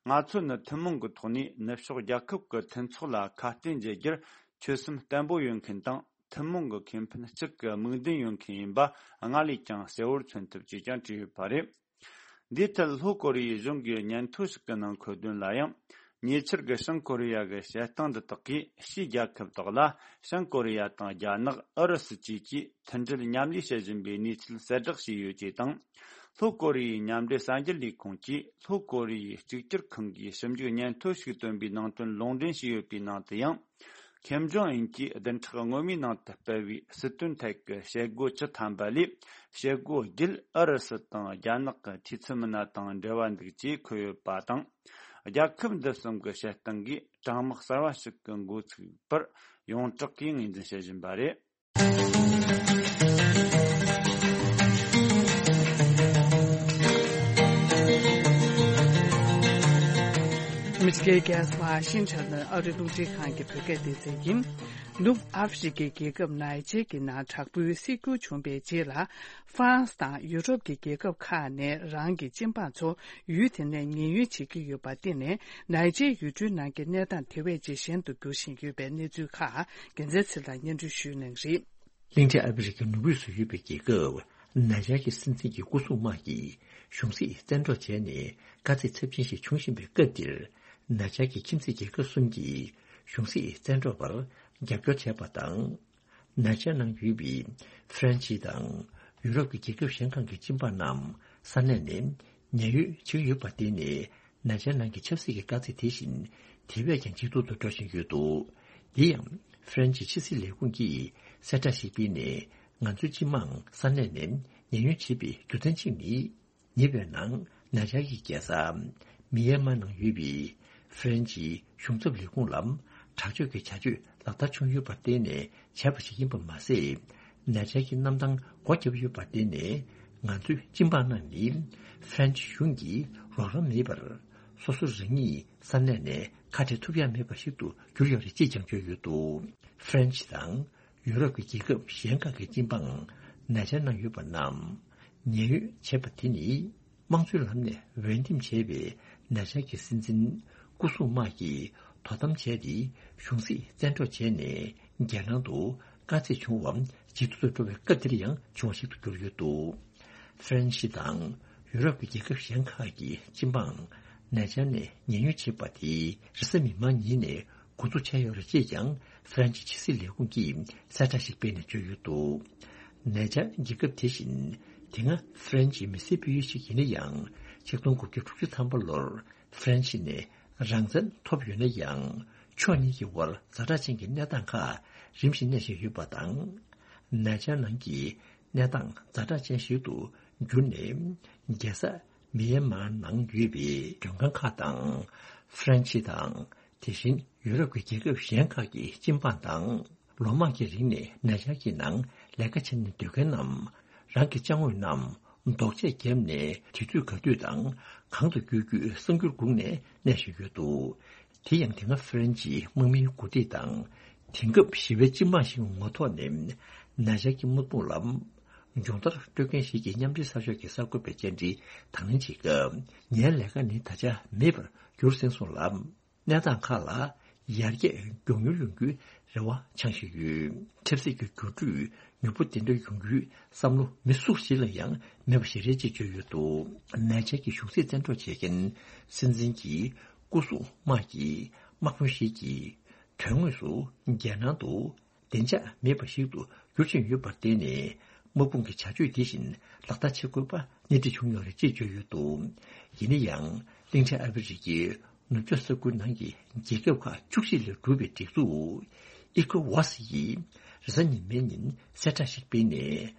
ང་ཚོ་ནི་ཐུན་མོང་གི་ཐོག་ནས་ནུབ་ཕྱོགས་རྒྱལ་ཁབ་ཀྱི་མཐུན་ཚོགས་ལ་ཁ་གཏད་འཇལ་རྒྱུར་ཆོད་སེམས་བརྟན་པོ་ཡོད་མཁན་དང་། ཐུན་མོང་གི་ཁེ་ཕན་གཅིག་གི་དམིགས་འདུན་ཡོད་མཁན་ཡིན་པ་སྔར་ལས་ཀྱང་གསལ་བོར་མཚོན་ཐུབ་ཅེས་ཀྱང་བྲིས་ཡོད་པ་རེད། འདིའི་ཐད་ལྷོ་ཀོ་རི་ཡའི་གཞུང་གི་སྙན་ཐོ་ཞིག་གི་ནང་འཁོད་དོན་ལ་ཡང་། ཉེ་ཆར་གྱི་བྱང་ཀོ་རི་ཡ་གི་བཤད་སྟངས་འདི་དག་གིས། ཕྱིའི་རྒྱལ་ཁབ་དག་ལ་བྱང་ཀོ་རི་ཡ་དང་རྒྱ་ནག་ཨུ་རུ་སུ་བཅས་ཀྱིས་མཐུན་སྒྲིལ་མཉམ་ལས་བྱེད་བཞིན་པའི་གནས་ཚུལ་གསལ་བསྒྲགས་བྱས་ཡོད་ཅེས་དང་། ལྷོ་ཀོ་རི་ཡའི་མཉམ་འབྲེལ་གསར་འགྱུར་ལས་ཁུངས་ཀྱིས་ལྷོ་ཀོ་རི་ཡའི་གཅིག་གྱུར་ཁང་གིས་ཞིབ་འཇུག་སྙན་ཐོ་ཞིག་བཏོན་པའི་ནང་དོན་ལུང་འདྲེན་བྱས་ཡོད་པའི་ནང་དུ་ཡང་། ཁེམ་ཇོང་ཨུན་གྱིས་བདུན་ཕྲག་སྔོན་མའི་ནང་དུ་སྤེལ་བའི་སྲིད་དོན་ཐད་ཀྱི་བྱེད་སྒོ་བཅུ་ཐམ་པ་ལས། བྱེད་སྒོ་བརྒྱད་ཨུ་རུ་སུ་དང་རྒྱ་ནག་གི་འཐུས་ཚབ་མི་སྣ་དང་འབྲེལ་བ་འདུག་ཅེས་འཁོད་ཡོད་པ་དང་། རྒྱལ་ཁབ་འདི་གསུམ་གྱི་བྱེད་སྟངས་ཀྱིས་གྲང་དམག་གསར་བ་ཞིག་གི་འགོ་ཚུགས་པར་ཡོངས་གྲགས་ཀྱིས་ངོས་འཛིན་བྱེད་བཞིན་པ་རེད། ཨ་མི་རི་ཀའི་རྒྱལ་ས་ཝ་ཤིང་ཊོན་ནས་ཨ་རིའི་རླུང་འཕྲིན་ཁང་གི་བོད་སྐད་སྡེ་ཚན་ཡིན། ནུབ་ཨ་ཧྥེ་རི་ཀའི་རྒྱལ་ཁབ་ནཱི་ཇེར་གྱི་ནང་དྲག་པོའི་སྲིད་འགྱུར་བྱུང་བའི་རྗེས་ལ། ཧྥ་རན་སི་དང་ཡུ་རོབ་ཀྱི་རྒྱལ་ཁབ་ཁག་ནས་རང་གི་སྤྱི་འབངས་ཚོ་ཡུལ་དེ་ནས་ཉེན་གཡོལ་བྱེད་ཀྱི་ཡོད་པར་བརྟེན་ནས། ནཱི་ཇེར་ཡུལ་གྲུའི་ནང་གི་གནས་སྟངས་དེ་བས་ཇེ་ཞན་དུ་འགྱུར་བཞིན་ཡོད་པའི་གནས་ཚུལ་ཁག་རྒྱལ་མཚན་ཚེ་ལ་སྙན་སྒྲོན་ཞུ་གནང་རེད། གླིང་ཕྲན་ཨ་ཧྥེ་རི་ཁའི་ནུབ་རིའི་སུ་ཡོད་པའི་རྒྱལ་ཁབ་ནཱི་ཇར་གྱི་སྲིད་འཛིན་གྱི་སྐུ་སྲུང་དམག་གིས་གཞུང་སྲིད་བཙན་འཕྲོག་བྱས་ནས་དཀའ་ཚེགས་ཚབས་ཆེན་ཞིག་བྱུང་བཞིན་པའི་སྐབས་འདིར། ནཱི་ཇར་གྱི་ཁྱིམ་མཚེས་རྒྱལ་ཁབ་གསུམ་གྱིས་གཞུང་སྲིད་བཙན་འཕྲོག་པར་རྒྱབ་སྐྱོར་བྱས་པ་དང་། ནཱི་ཇར་ནང་ཡོད་པའི་ཧྥ་རན་ཇི་དང་ཡུ་རོབ་ཀྱི་རྒྱལ་ཁབ་གཞན་ཁག་གི་སྤྱི་འབངས་རྣམས་ས་གནས་ནས་ཉེན་གཡོལ་བྱེད་ཀྱི་ཡོད་པར་བརྟེན་ནས། ནཱི་ཇར་ནང་གི་ཆབ་སྲིད་ཀྱི་དཀའ་ཚེགས་དེ་བཞིན་དེ་བས་ཀྱང་ཇེ་སྡུག་ཏུ་འགྲོ་བཞིན་ཡོད་འདུག་དེ་ཡང་ཧྥ་རན་ཇིའི་ཕྱི་སྲིད་ལས་ཁུངས་ཀྱིས་གསལ་བསྒྲགས་ཤིག་སྤེལ་ནས། ང་ཚོའི་སྤྱི་དམངས་ས་གནས་ནས་ཉེན་གཡོལ་བྱེད་པའི་རྒྱུ་མཚན་གཅིག་ནི། ཉེ་བའི་ནང་ནཱི་ཇར་གྱི་རྒྱལ་ས་མི་ཡན་མར་ནང་ཡོད་པའི་ཧྥ་རན་ཇིའི་གཞུང་ཚབ་ལས་ཁུངས་ལ་དྲག་སྤྱོད་ཀྱི་བྱ་སྤྱོད་ལག་བསྟར་བྱུང་ཡོད་པར་བརྟེན་ནས་བྱས་པ་ཞིག་ཡིན་པ་མ་ཟད། ནཱི་ཇར་གྱི་གནམ་ཐང་སྒོ་བརྒྱབ་ཡོད་པར་བརྟེན་ནས། ང་ཚོའི་སྤྱི་འབངས་རྣམས་ནི་ཧྥ་རན་ཇི་གཞུང་གི་རོགས་རམ་མེད་པར། སོ་སོ་རང་ཉིད་ས་གནས་ནས་ཁ་བྲལ་ཐུབ་ཡ་མེད་པ་ཞིག་ཏུ་གྱུར་ཡོད་རེད་ཅེས་ཀྱང་བརྗོད་ཡོད་འདུག་ཧྥ་རན་ཇི་དང་ཡུ་རོབ་ཀྱི་རྒྱལ་ཁབ་གཞན་ཁག་གི་སྤྱི་འབངས་ནཱི་ཇར་ནང་ཡོད་པ་རྣམས་ཉེན་གཡོལ་བྱས་པ་དེ་ནི། དམངས་གཙོའི་ལམ་ནས་འོས་འདེམས་བྱས་པའི་ནཱི་ཇར་གྱི་སྲིད་འཛིན་སྐུ་སྲུང་དམག་གིས་དོ་དམ་བྱས་ཏེ། གཞུང་སྲིད་བཙན་འཕྲོག་བྱས་ནས། རྒྱལ་ནང་དུ་དཀའ་ཚེགས་བྱུང་བ་ཇེ་སྡུག་ཏུ་འགྲོ་བའི་སྐབས་འདིར་ཡང་བྱུང་བ་ཞིག་ཏུ་གྱུར་ཡོད་འདུག་ཧྥ་རན་ཇི་དང་ཡུ་རོབ་ཀྱི་རྒྱལ་ཁབ་གཞན་ཁག་གི་སྤྱི་འབངས་ནཱི་ཇར་ནས་ཉེན་གཡོལ་བྱེད་པ་དེ་རེས་གཟའ་མིག་དམར་ཉིན་ནས་འགོ་འཛུགས་བྱས་ཡོད་རེད་ཅེས་ཀྱང་ཧྥ་རན་ཇིའི་ཕྱི་སྲིད་ལས་ཁུངས་ཀྱིས་གསལ་བསྒྲགས་ཤིག་སྤེལ་ནས་བརྗོད་ཡོད་འདུག་ནཱི་ཇར་རྒྱལ་ཁབ་དེ་བཞིན་དེ་སྔ་ཧྥ་རན་ཇིའི་མི་སེར་སྤེལ་ཡུལ་ཞིག་ཡིན་ན་ཡང་། ཆིག་སྟོང་དགུ་བརྒྱ་དྲུག་ཅུ་ཐམ་པ་ལོར་ཧྥ་རན་ཇི་ནས་རང་བཙན་ཐོབ་ཡོད་ན་ཡང་། ཕྱོགས་གཉིས་ཀྱི་དབར་ཛ་དྲག་ཅན་གྱི་གནས་སྟངས་ཁག་རིམ་བཞིན་གནས་བཞིན་ཡོད་པ་དང་། ནཱི་ཇར་ནང་གི་གནས་སྟངས་ཛ་དྲག་ཅན་ཞིག་ཏུ་གྱུར་ནས། རྒྱལ་ས་མི་ཡན་མར་ནང་ཡོད་པའི་མགྲོན་ཁང་ཁག་དང་། ཧྥ་རན་ཇི་དང་། དེ་བཞིན་ཡུ་རོབ་ཀྱི་རྒྱལ་ཁབ་གཞན་ཁག་གི་སྤྱི་འབངས་དང་། ལོ་མང་གི་རིང་ནས་ནཱི་ཇར་གྱི་ནང་ལས་ཀ་བྱེད་ནས་སྡོད་མཁན་རྣམས། རང་གི་ཅ་དངོས་རྣམས་རྡོག་ཆས་བརྒྱབ་ནས། དུས་ཚོད་ག་དུས་དང་གང་དུ་བསྐྱོད་རྒྱུའི་གསར་འགྱུར་སྒུག་ནས་གནས་བཞིན་ཡོད་འདུག་དེ་ཡང་དེ་སྔ་ཧྥ་རན་ཇིའི་དམག་མིའི་འགོ་ཁྲིད་དང་། དེང་སྐབས་ཞི་བའི་སྤྱི་དམངས་ཤིག་ངོ་ཐོག་ནས་ནཱི་ཇར་གྱི་དམག་དཔུང་ལ་སྦྱོང་བརྡར་སྤྲོད་མཁན་ཞིག་གིས་མཉམ་འབྲེལ་ཚགས་ཤོག་གི་གསར་འགོད་པའི་བཅར་འདྲི་དང་ལེན་བྱེད་སྐབས། ངའི་ལས་ཀ་ནི་ད་ཆ་མེད་པར་གྱུར་ཟིན་སོང་ལ། གནས་སྟངས་ཁག་ལ་ཡར་རྒྱས་མགྱོགས་མྱུར་ཡོང་རྒྱུའི་རེ་བ་འཆང་བཞིན་ཡོད། ཆབ་སྲིད་ཀྱི་འགྱུར་འགྲོས་མྱུར་པོ་དེ་འདྲ་ཡོང་རྒྱུའི་བསམ་བློ་མི་སུ་ཞིག་ལ་ཡང་མེད་པ་ཞིག་རེད་ཅེས་བརྗོད་ཡོད་འདུག་ནཱི་ཇར་གྱི་གཞུང་སྲིད་བཙན་འཕྲོག་བྱེད་མཁན་སྲིད་འཛིན་གྱི་སྐུ་སྲུང་དམག་གི་དམག་དཔོན་ཞིག་གིས། དོན་དངོས་སུ་རྒྱལ་ནང་དུ་བདེ་འཇགས་མེད་པ་ཞིག་ཏུ་འགྱུར་བཞིན་ཡོད་པར་བརྟེན་ནས། དམག་དཔུང་གི་བྱ་སྤྱོད་དེ་བཞིན་ལག་བསྟར་བྱེད་དགོས་པ་སྣེ་ཁྲིད་བྱུང་ཡོད་རེད་ཅེས་བརྗོད་ཡོད་འདུག་ཡིན་ན་ཡང་། གླིང་ཕྲན་ཨ་ཧྥེ་རི་ཁའི་ནུབ་ཕྱོགས་ས་ཁུལ་ནང་གི་རྒྱལ་ཁབ་ཁག་བཅུ་གཅིག་ལས་གྲུབ་པའི་སྒྲིག་འཛུགས་ཨི་ཀོ་ཝཱ་སི་ཡིས་རེས་གཟའ་ཉི་མའི་ཉིན་གསལ་བསྒྲགས་ཤིག་སྤེལ་ནས།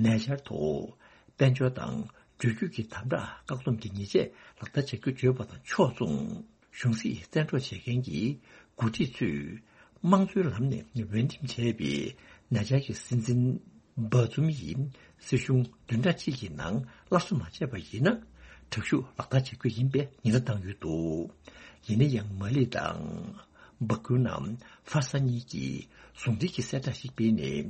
ནཱི་ཇར་ཐོག་དཔལ་འབྱོར་དང་འགྲུལ་སྐྱོད་ཀྱི་དམ་དྲག་བཀག་སྡོམ་གྱི་ཉེས་ཆད་ལག་བསྟར་བྱ་རྒྱུ་བརྗོད་པ་དང་ཕྱོགས་མཚུངས། གཞུང་སྲིད་བཙན་འཕྲོག་བྱེད་མཁན་གྱི་འགོ་ཁྲིད་ཚོས་དམངས་གཙོའི་ལམ་ནས་འོས་འདེམས་བྱས་པའི་ནཱི་ཇར་གྱི་སྲིད་འཛིན་སྦ་ཛུམ་ཡིས་སྲིད་གཞུང་བདུན་ཕྲག་གཅིག་གི་ནང་སླར་གསོ་མ་བྱས་པ་ཡིན་ན། དྲག་ཤུགས་ལག་བསྟར་བྱེད་རྒྱུ་ཡིན་པའི་ཉེན་བརྡ་བཏང་ཡོད་འདུག་ཡིན་ན་ཡང་། མ་ལི་དང་སྦ་ཀུ་ནམ་ཧྥ་ས་གཉིས་ཀྱིས་ཟུང་འབྲེལ་གྱི་གསལ་བསྒྲགས་ཤིག་སྤེལ་ནས།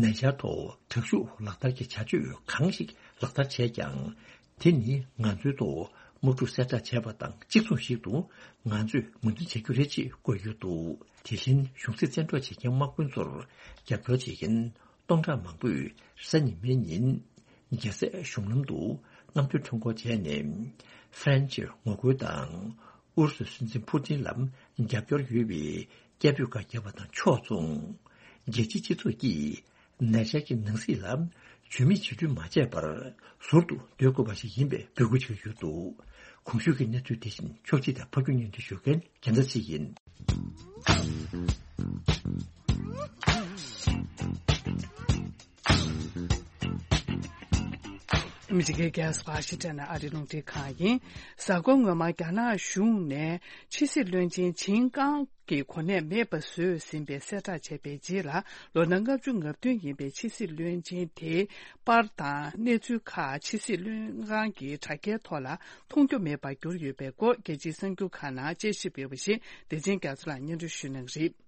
ནཱི་ཇར་ཐོག་དྲག་ཤུགས་ལག་བསྟར་གྱི་བྱ་སྤྱོད་གང་ཞིག་ལག་བསྟར་བྱས་ཀྱང་། དེ་ནི་ང་ཚོའི་ཐོག་དམག་འཁྲུག་གསལ་བསྒྲགས་བྱས་པ་དང་གཅིག་མཚུངས་ཤིག་ཏུ། ང་ཚོས་ངོས་འཛིན་བྱ་རྒྱུ་རེད་ཅེས་བཀོད་ཡོད་འདུག་དེ་བཞིན་གཞུང་སྲིད་བཙན་འཕྲོག་བྱེད་མཁན་དམག་དཔོན་ཚོར་རྒྱབ་སྐྱོར་བྱེད་མཁན་སྟོང་ཕྲག་མང་པོས་རེས་གཟའ་ཉི་མའི་ཉིན་རྒྱལ་སའི་གཞུང་ལམ་དུ་རྔམ་སྟོན་ཁྲོམ་སྐོར་བྱས་ནས། ཧྥ་རན་ཇིར་ངོ་རྒོལ་དང་། ཨུ་རུ་སུའི་སྲིད་འཛིན་ཕུ་ཏིན་ལ་རྒྱབ་སྐྱོར་ཡོད་པའི་སྐད་འབོད་ཁག་བརྒྱབ་པ་དང་ཕྱོགས་མཚུངས། རྒྱལ་སྤྱིའི་སྤྱི་ཚོགས་ཀྱིས་ནཱི་ཇར་གྱི་ནང་སྲིད་ལ་ཇུས་མེད་བྱེད་རྒྱུ་མ་བྱས་པར་ཟུར་དུ་སྡོད་དགོས་པ་ཞིག་ཡིན་པའི་འབོད་སྐུལ་བྱས་ཡོད་འདུག་གོང་ཞུས་ཀྱི་གནས་ཚུལ་དེ་བཞིན་ཕྱོགས་སྒྲིག་དང་ཕབ་སྒྱུར་སྙན་སྒྲོན་ཞུ་མཁན་རྒྱལ་མཚན་ཚེ་ཡིན། ཨ་མི་རི་ཀའི་རྒྱལ་ས་ཝ་ཤིང་ཊོན་ནས་ཨ་རིའི་རླུང་འཕྲིན་ཁང་ཡིན། གཟའ་འཁོར་སྔོན་མ་རྒྱ་ནག་གཞུང་ནས་ཕྱི་སྲིད་བློན་ཆེན་ཆིང་ཀང་གི་གོ་གནས་མེད་པ་བཟོས་ཟིན་པའི་གསལ་བསྒྲགས་བྱས་པའི་རྗེས་ལ། ལོ་ན་ལྔ་བཅུ་ང་བདུན་ཡིན་པའི་ཕྱི་སྲིད་བློན་ཆེན་དེའི་པར་དང་གནས་ཚུལ་ཁག་ཕྱི་སྲིད་བློན་ཁང་གི་དྲ་རྒྱའི་ཐོག་ལ་མཐོང་རྒྱུ་མེད་པར་གྱུར་ཡོད་པའི་སྐོར། རྒྱལ་སྤྱིའི་གསར་འགྱུར་ཁག་ནང་དཔྱད་ཞིབ་ཡོད་པ་ཞིག་བདེ་ཆེན་རྒྱ་མཚོ་ལགས་སྙན་སྒྲོན་ཞུ་གནང་གི་རེད།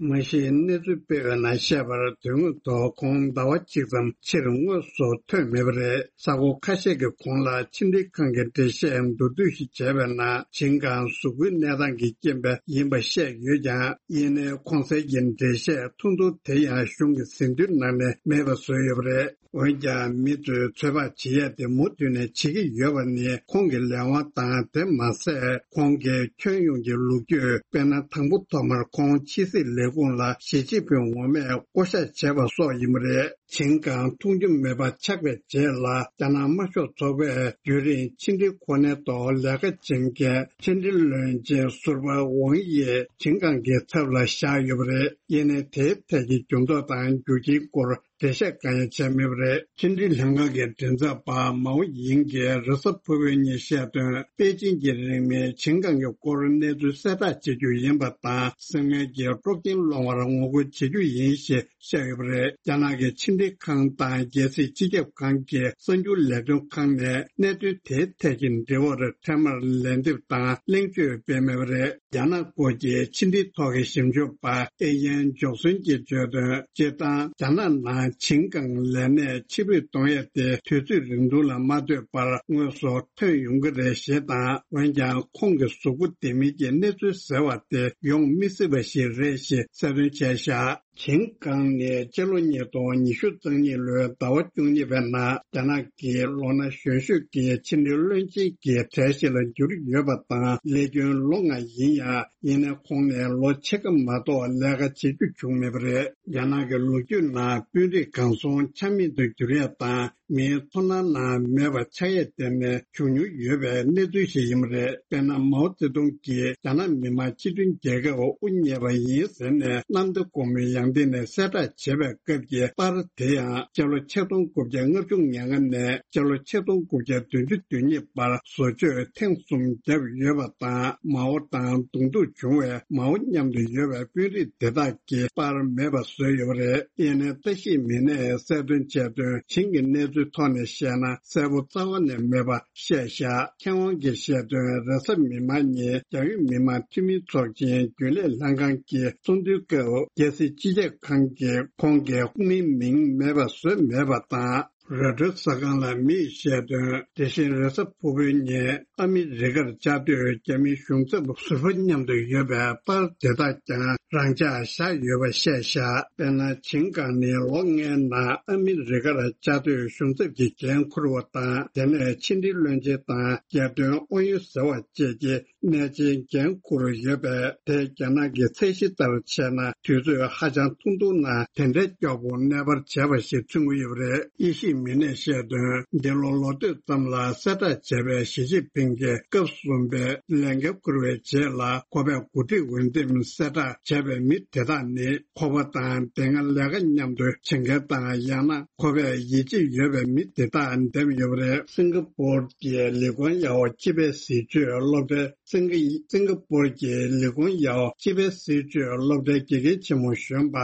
མ་གཞི་གནས་ཚུལ་སྤེལ་བའི་ནང་བཤད་པར། དོན་དངོས་ཐོག་ཁོང་ཟླ་བ་གཅིག་ཙམ་ཕྱིར་དངོས་སུ་ཐོན་མེད་པ་རེད། ས་གོ་ཁ་ཤས་ཀྱི་གོང་ལ་ཕྱི་འབྲེལ་ཁང་གི་འགྲེལ་བཤད་མདོར་བསྡུས་ཤིག་བྱས་པའི་ནང་། ཆིང་ཀང་གཟུགས་པོའི་གནས་སྟངས་ཀྱི་རྐྱེན་པས་ཡིན་པ་བཤད་ཡོད་ཀྱང་། ཡིན་ནའི་གོང་གསལ་གྱི་འགྲེལ་བཤད་ཐུང་ཐུང་དེ་ཡང་གཞུང་གི་ཟིན་ཐོའི་ནང་ནས་མེད་པ་བཟོས་ཡོད་པ་རེད། འོན་ཀྱང་། མི་ཚོས་ཚོད་དཔག་བྱེད་ཡས་དེ་མུ་མཐུད་ནས་བྱེད་ཀྱི་ཡོད་པ་ནི། ཁོང་གི་ལས་དབང་དང་། དེ་མ་ཟད། ཁོང་གི་ཁྱོན་ཡོངས་ཀྱི་ལོ་རྒྱུས། དཔེར་ན། དང་པོ་ཐོག་མར་ཁོང་ཕྱི་སྲིད་ལས་ཁུངས་ལ་ཞི་ཅིན་ཕིང་ངོ་མས་བསྐོ་བཞག་བྱས་པ་སོགས་ཡིན་པ་རེད། ཆིང་ཀང་མཐོང་རྒྱུ་མེད་པ་ཆགས་པའི་རྗེས་ལ། རྒྱ་ནག་དམར་ཤོག་ཚོགས་པས་རྒྱུན་རིང་ཕྱི་འབྲེལ་གོ་གནས་ཐོག་ལས་ཀ་བྱེད་མཁན་ཕྱི་འབྲེལ་བློན་ཆེན་ཟུར་པ་ཝང་དབྱི་ཆིང་ཀང་གི་ཚབ་ལ་བཞག་ཡོད་པ་རེད། ཡིན་ནའི་དེའི་ཐད་ཀྱི་འགྱུར་ལྡོག་དང་རྒྱུ་རྐྱེན་སྐོར། འགྲེལ་བཤད་གང་ཡང་བྱས་མེད་པ་རེད། ཕྱི་འབྲེལ་ལྷན་ཁང་གི་མགྲིན་ཚབ་པ་མའོ་ཡིང་གིས་རེས་གཟའ་ཕུར་བུའི་ཉིན་བཤད་དོན། པེ་ཅིང་གི་རིང་མིན་ཆིང་ཀང་གི་སྐོར་གནས་ཚུལ་གསལ་བསྒྲགས་བྱེད་རྒྱུ་ཡིན་པ་དང་། སྲིད་སྔོན་གྱི་དཀྲོག་རྐྱེན་སློང་བར་ངོ་རྒོལ་བྱེད་རྒྱུ་ཡིན་ཞེས་བཤད་ཡོད་པ་རེད། རྒྱ་ནག་གི་ཕྱི་འབྲེལ་ཁང་དང་རྒྱལ་སྲིད་སྤྱི་ཁྱབ་ཁང་གི་གསར་འགྱུར་ལས་དོན་ཁང་ནས་གནད་དོན་དེའི་ཐད་ཀྱི་འབྲེལ་བར་འཕྲལ་མར་ལན་འདེབས་དང་གླེང་བརྗོད་སྤེལ་མེད་པ་རེད། རྒྱ་ནག་སྐོར་གྱི་ཕྱི་འབྲེལ་ཐོག་གི་ཞིབ་འཇུག་པ་ཨེ་ཡན་ཇོག་སོན་གྱིས་བརྗོད་དོན། སྤྱིར་བཏང་རྒྱ་ནག་ནང་ཆིང་ཀང་ལས་གནས་ཕྱིར་འབུད་གཏོང་ཡས་དེ་དུས་ཚོད་རིང་ཐུང་ལ་མ་ལྟོས་པར་དངོས་སུ་ཐོན་ཡོང་གི་རེད་ཞེས་དང་། འོན་ཀྱང་ཁོང་གི་གཟུགས་པོ་ལྡེ་མིག་གི་གནས་ཚུལ་ཟེར་བ་དེ་ཡོང་མི་སྲིད་པ་ཞིག་རེད་ཞེས་གསལ་སྟོན་བྱས་བཞག་ཆིང་ཀང་ནི་སྤྱི་ལོ་ཉིས་སྟོང་ཉི་ཤུ་རྩ་གཉིས་ལོའི་ཟླ་བ་བཅུ་གཉིས་པའི་ནང་རྒྱ་ནག་གི་ལོ་ན་གཞོན་ཤོས་ཀྱི་ཕྱི་འབྲེལ་བློན་ཆེན་གྱི་གྲས་ཤིག་ལ་གྱུར་ཡོད་པ་དང་། ལས་རྒྱུན་ལོ་ལྔ་ཡིན་ཡང་། ཡིན་ནའི་ཁོང་ནས་ལོ་ཕྱེད་ཀ་མ་གཏོགས་ལས་ཀ་བྱེད་རྒྱུ་བྱུང་མེད་པ་རེད། རྒྱ་ནག་གི་ལོ་རྒྱུས་ནང་དཔོན་རིགས་གང་སོང་ཆ་མེད་དུ་གྱུར་ཡས་དང་། མིའི་ཚོར་སྣང་ནང་མེད་པ་ཆགས་ཡས་དེ་ནི་བྱུང་མྱོང་ཡོད་པའི་གནས་ཚུལ་ཞིག་ཡིན་པ་རེད། དཔེར་ན། མའོ་ཙེ་ཏུང་གིས་རྒྱ་ནག་མི་དམངས་སྤྱི་མཐུན་རྒྱལ་ཁབ་དབུ་བརྙེས་པ་ཡིན་ཟེར་ནས་གནམ་བདེ་སྒོ་མོའི་ཡང་སྟེང་ནས་གསལ་བསྒྲགས་བྱས་པའི་སྐབས་ཀྱི་པར་དེ་ཡང་། སྤྱི་ལོ་ཆིག་སྟོང་དགུ་བརྒྱ་ལྔ་བཅུ་ང་ལྔ་ནས་སྤྱི་ལོ་ཆིག་སྟོང་དགུ་བརྒྱ་བདུན་ཅུ་དོན་གཉིས་བར་བཟོ་བཅོས་ཐེངས་གསུམ་བརྒྱབ་ཡོད་པ་དང་། མའོ་དང་གདོང་ཐུག་བྱུང་བའི་མའོ་མཉམ་དུ་ཡོད་པའི་དཔོན་རིགས་དེ་དག་གི་པར་མེད་པ་བཟོས་ཡོད་པ་རེད། ཡིན་ནའི་བཀྲ་ཤིས་མི་སྣས་གསལ་སྟོན་བྱས་དོན། ཆིང་གི་གནས་ཚུལ་ཐོག་ནས་བཤད་ན། གསལ་པོ་རྩ་བ་ནས་མེད་པ་བཤད་བཞག་མཁས་དབང་གིས་བཤད་དོན། རེས་གཟའ་མིག་དམར་ཉིན་རྒྱ་ཡོད་མི་མང་འཐུས་མི་ཚོགས་ཆེན་རྒྱུན་ལས་ལྷན་ཁང་གི་ཚོགས་འདུའི་སྐབས། རྒྱལ་སྲིད་སྤྱི་ཁྱབ་ཁང་གིས་ཁོང་གི་དབུ་མའི་མིང་མེད་པ་བཟོས་མེད་པ་དང་། རོའི་ཊར་གསར་ཁང་ལ་མིས་བཤད་དོན། དེ་བཞིན་རེས་གཟའ་ཕུར་བུའི་ཉིན་ཨ་མི་རི་ཀར་བཅའ་སྡོད་རྒྱ་མིའི་གཞུང་ཚབ་ཟུར་པ་མཉམ་དུ་ཡོད་པའི་པར་དེ་དག་ཀྱང་རང་འཇགས་བཞག་ཡོད་པ་བཤད་བཞག་དཔེར་ན། ཆིང་ཀང་ནི་ལོ་ལྔའི་ནང་ཨ་མི་རི་ཀར་བཅའ་སྡོད་གཞུང་ཚབ་ཀྱི་འགན་འཁུར་བ་དང་། དེ་ནས་ཕྱི་འབྲེལ་བློན་ཆེན་དང་རྒྱལ་དོན་ཨུ་ཡོན་ཟེར་བ་བཅས་ཀྱི་གནས་ཆེན་འགན་འཁུར་ཡོད་པས། དེ་རྒྱ་ནག་གི་ཚད་གཞི་ལྟར་བྱས་ན། དུས་ཚོད་ཧ་ཅང་ཐུང་ཐུང་ནང་དེ་འདྲའི་མགྱོགས་པོ་གནས་སྤར་བྱས་པ་ཞིག་མཚོན་གྱི་ཡོད་པ་རེད། དབྱེ་ཞིབ་མི་སྣས་བཤད་དོན། འདི་ལོ་ལོ་སྟོད་ཙམ་ལ་གསལ་བསྒྲགས་བྱས་པའི་ཞི་ཅིན་ཕིང་གིས་སྐབས་གསུམ་པའི་ལས་འགན་འཁུར་བའི་རྗེས་ལ་ཁོ་པས་འགོ་ཁྲིད་འོས་འདེམས་གསལ་བསྒྲགས་བྱས་པའི་མི་དེ་དག་ནི། ཁོ་པ་དང་དེ་སྔ་ལས་ཀ་མཉམ་དུ་བྱེད་མཁན་དང་། ཡང་ན་ཁོ་པས་ཡིད་ཆེས་ཡོད་པའི་མི་དེ་དག་འདེམས་ཡོད་པ་རེད། སིང་ག་པོར་གྱི་ལི་ཀོན་ཡའོ་སྤྱི་པའི་སྲིད་བྱུས་སློབ་གྲྭའི། སིང་ག་སིང་ག་པོར་གྱི་ལི་ཀོན་ཡའོ་སྤྱི་པའི་སྲིད་བྱུས་སློབ་གྲྭའི་དགེ་རྒན་ཆེན་མོ་གཞོན་པ་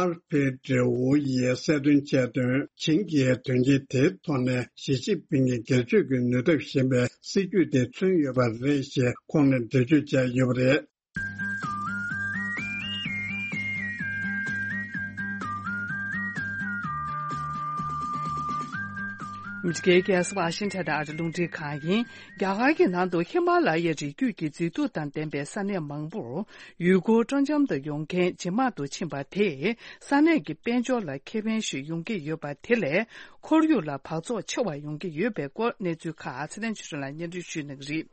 ཨར་ཕེ་ཏྲེ་ཝུ་ཡིས་གསལ་སྟོན་བྱས་དོན། ཆིང་གིས་དོན་རྐྱེན་དེའི་ཐོག་ནས་ཞི་ཅིན་ཕིང་གི་སྒེར་གཅོད་ཀྱི་ནུས་སྟོབས་ཞན་པའི་སྲིད་བྱུས་དེ་མཚོན་ཡོད་པ་རེད་ཞེས་ཁོང་ནས་འགྲེལ་བརྗོད་བྱས་ཡོད་པ་རེད། ཨ་མི་རི་ཀའི་རྒྱལ་ས་ཝ་ཤིང་ཊོན་དང་ཨ་རིའི་རླུང་འཕྲིན་ཁང་ཡིན། རྒྱ་གར་གྱི་ནང་དུ་ཧི་མ་ལ་ཡའི་རི་རྒྱུད་ཀྱི་མཛེས་སྡུག་དང་ལྡན་པའི་ས་གནས་མང་པོར་ཡུལ་སྐོར་སྤྲོ་འཆམ་དུ་ཡོང་མཁན་ཇེ་མང་དུ་ཕྱིན་པ་དེས་ས་གནས་ཀྱི་དཔལ་འབྱོར་ལ་ཁེ་ཕན་ཞིག་ཡོང་གི་ཡོད་པ་དེ་ལས། ཁོར་ཡུག་ལ་འབག་བཙོག་ཆེ་བ་ཡོང་གི་ཡོད་པའི་སྐོར་གནས་ཚུལ་ཁག་ཚེ་བརྟན་ཆོས་སྒྲོན་ལགས་སྙན་སྒྲོན་ཞུ་གནང་གི་རེད།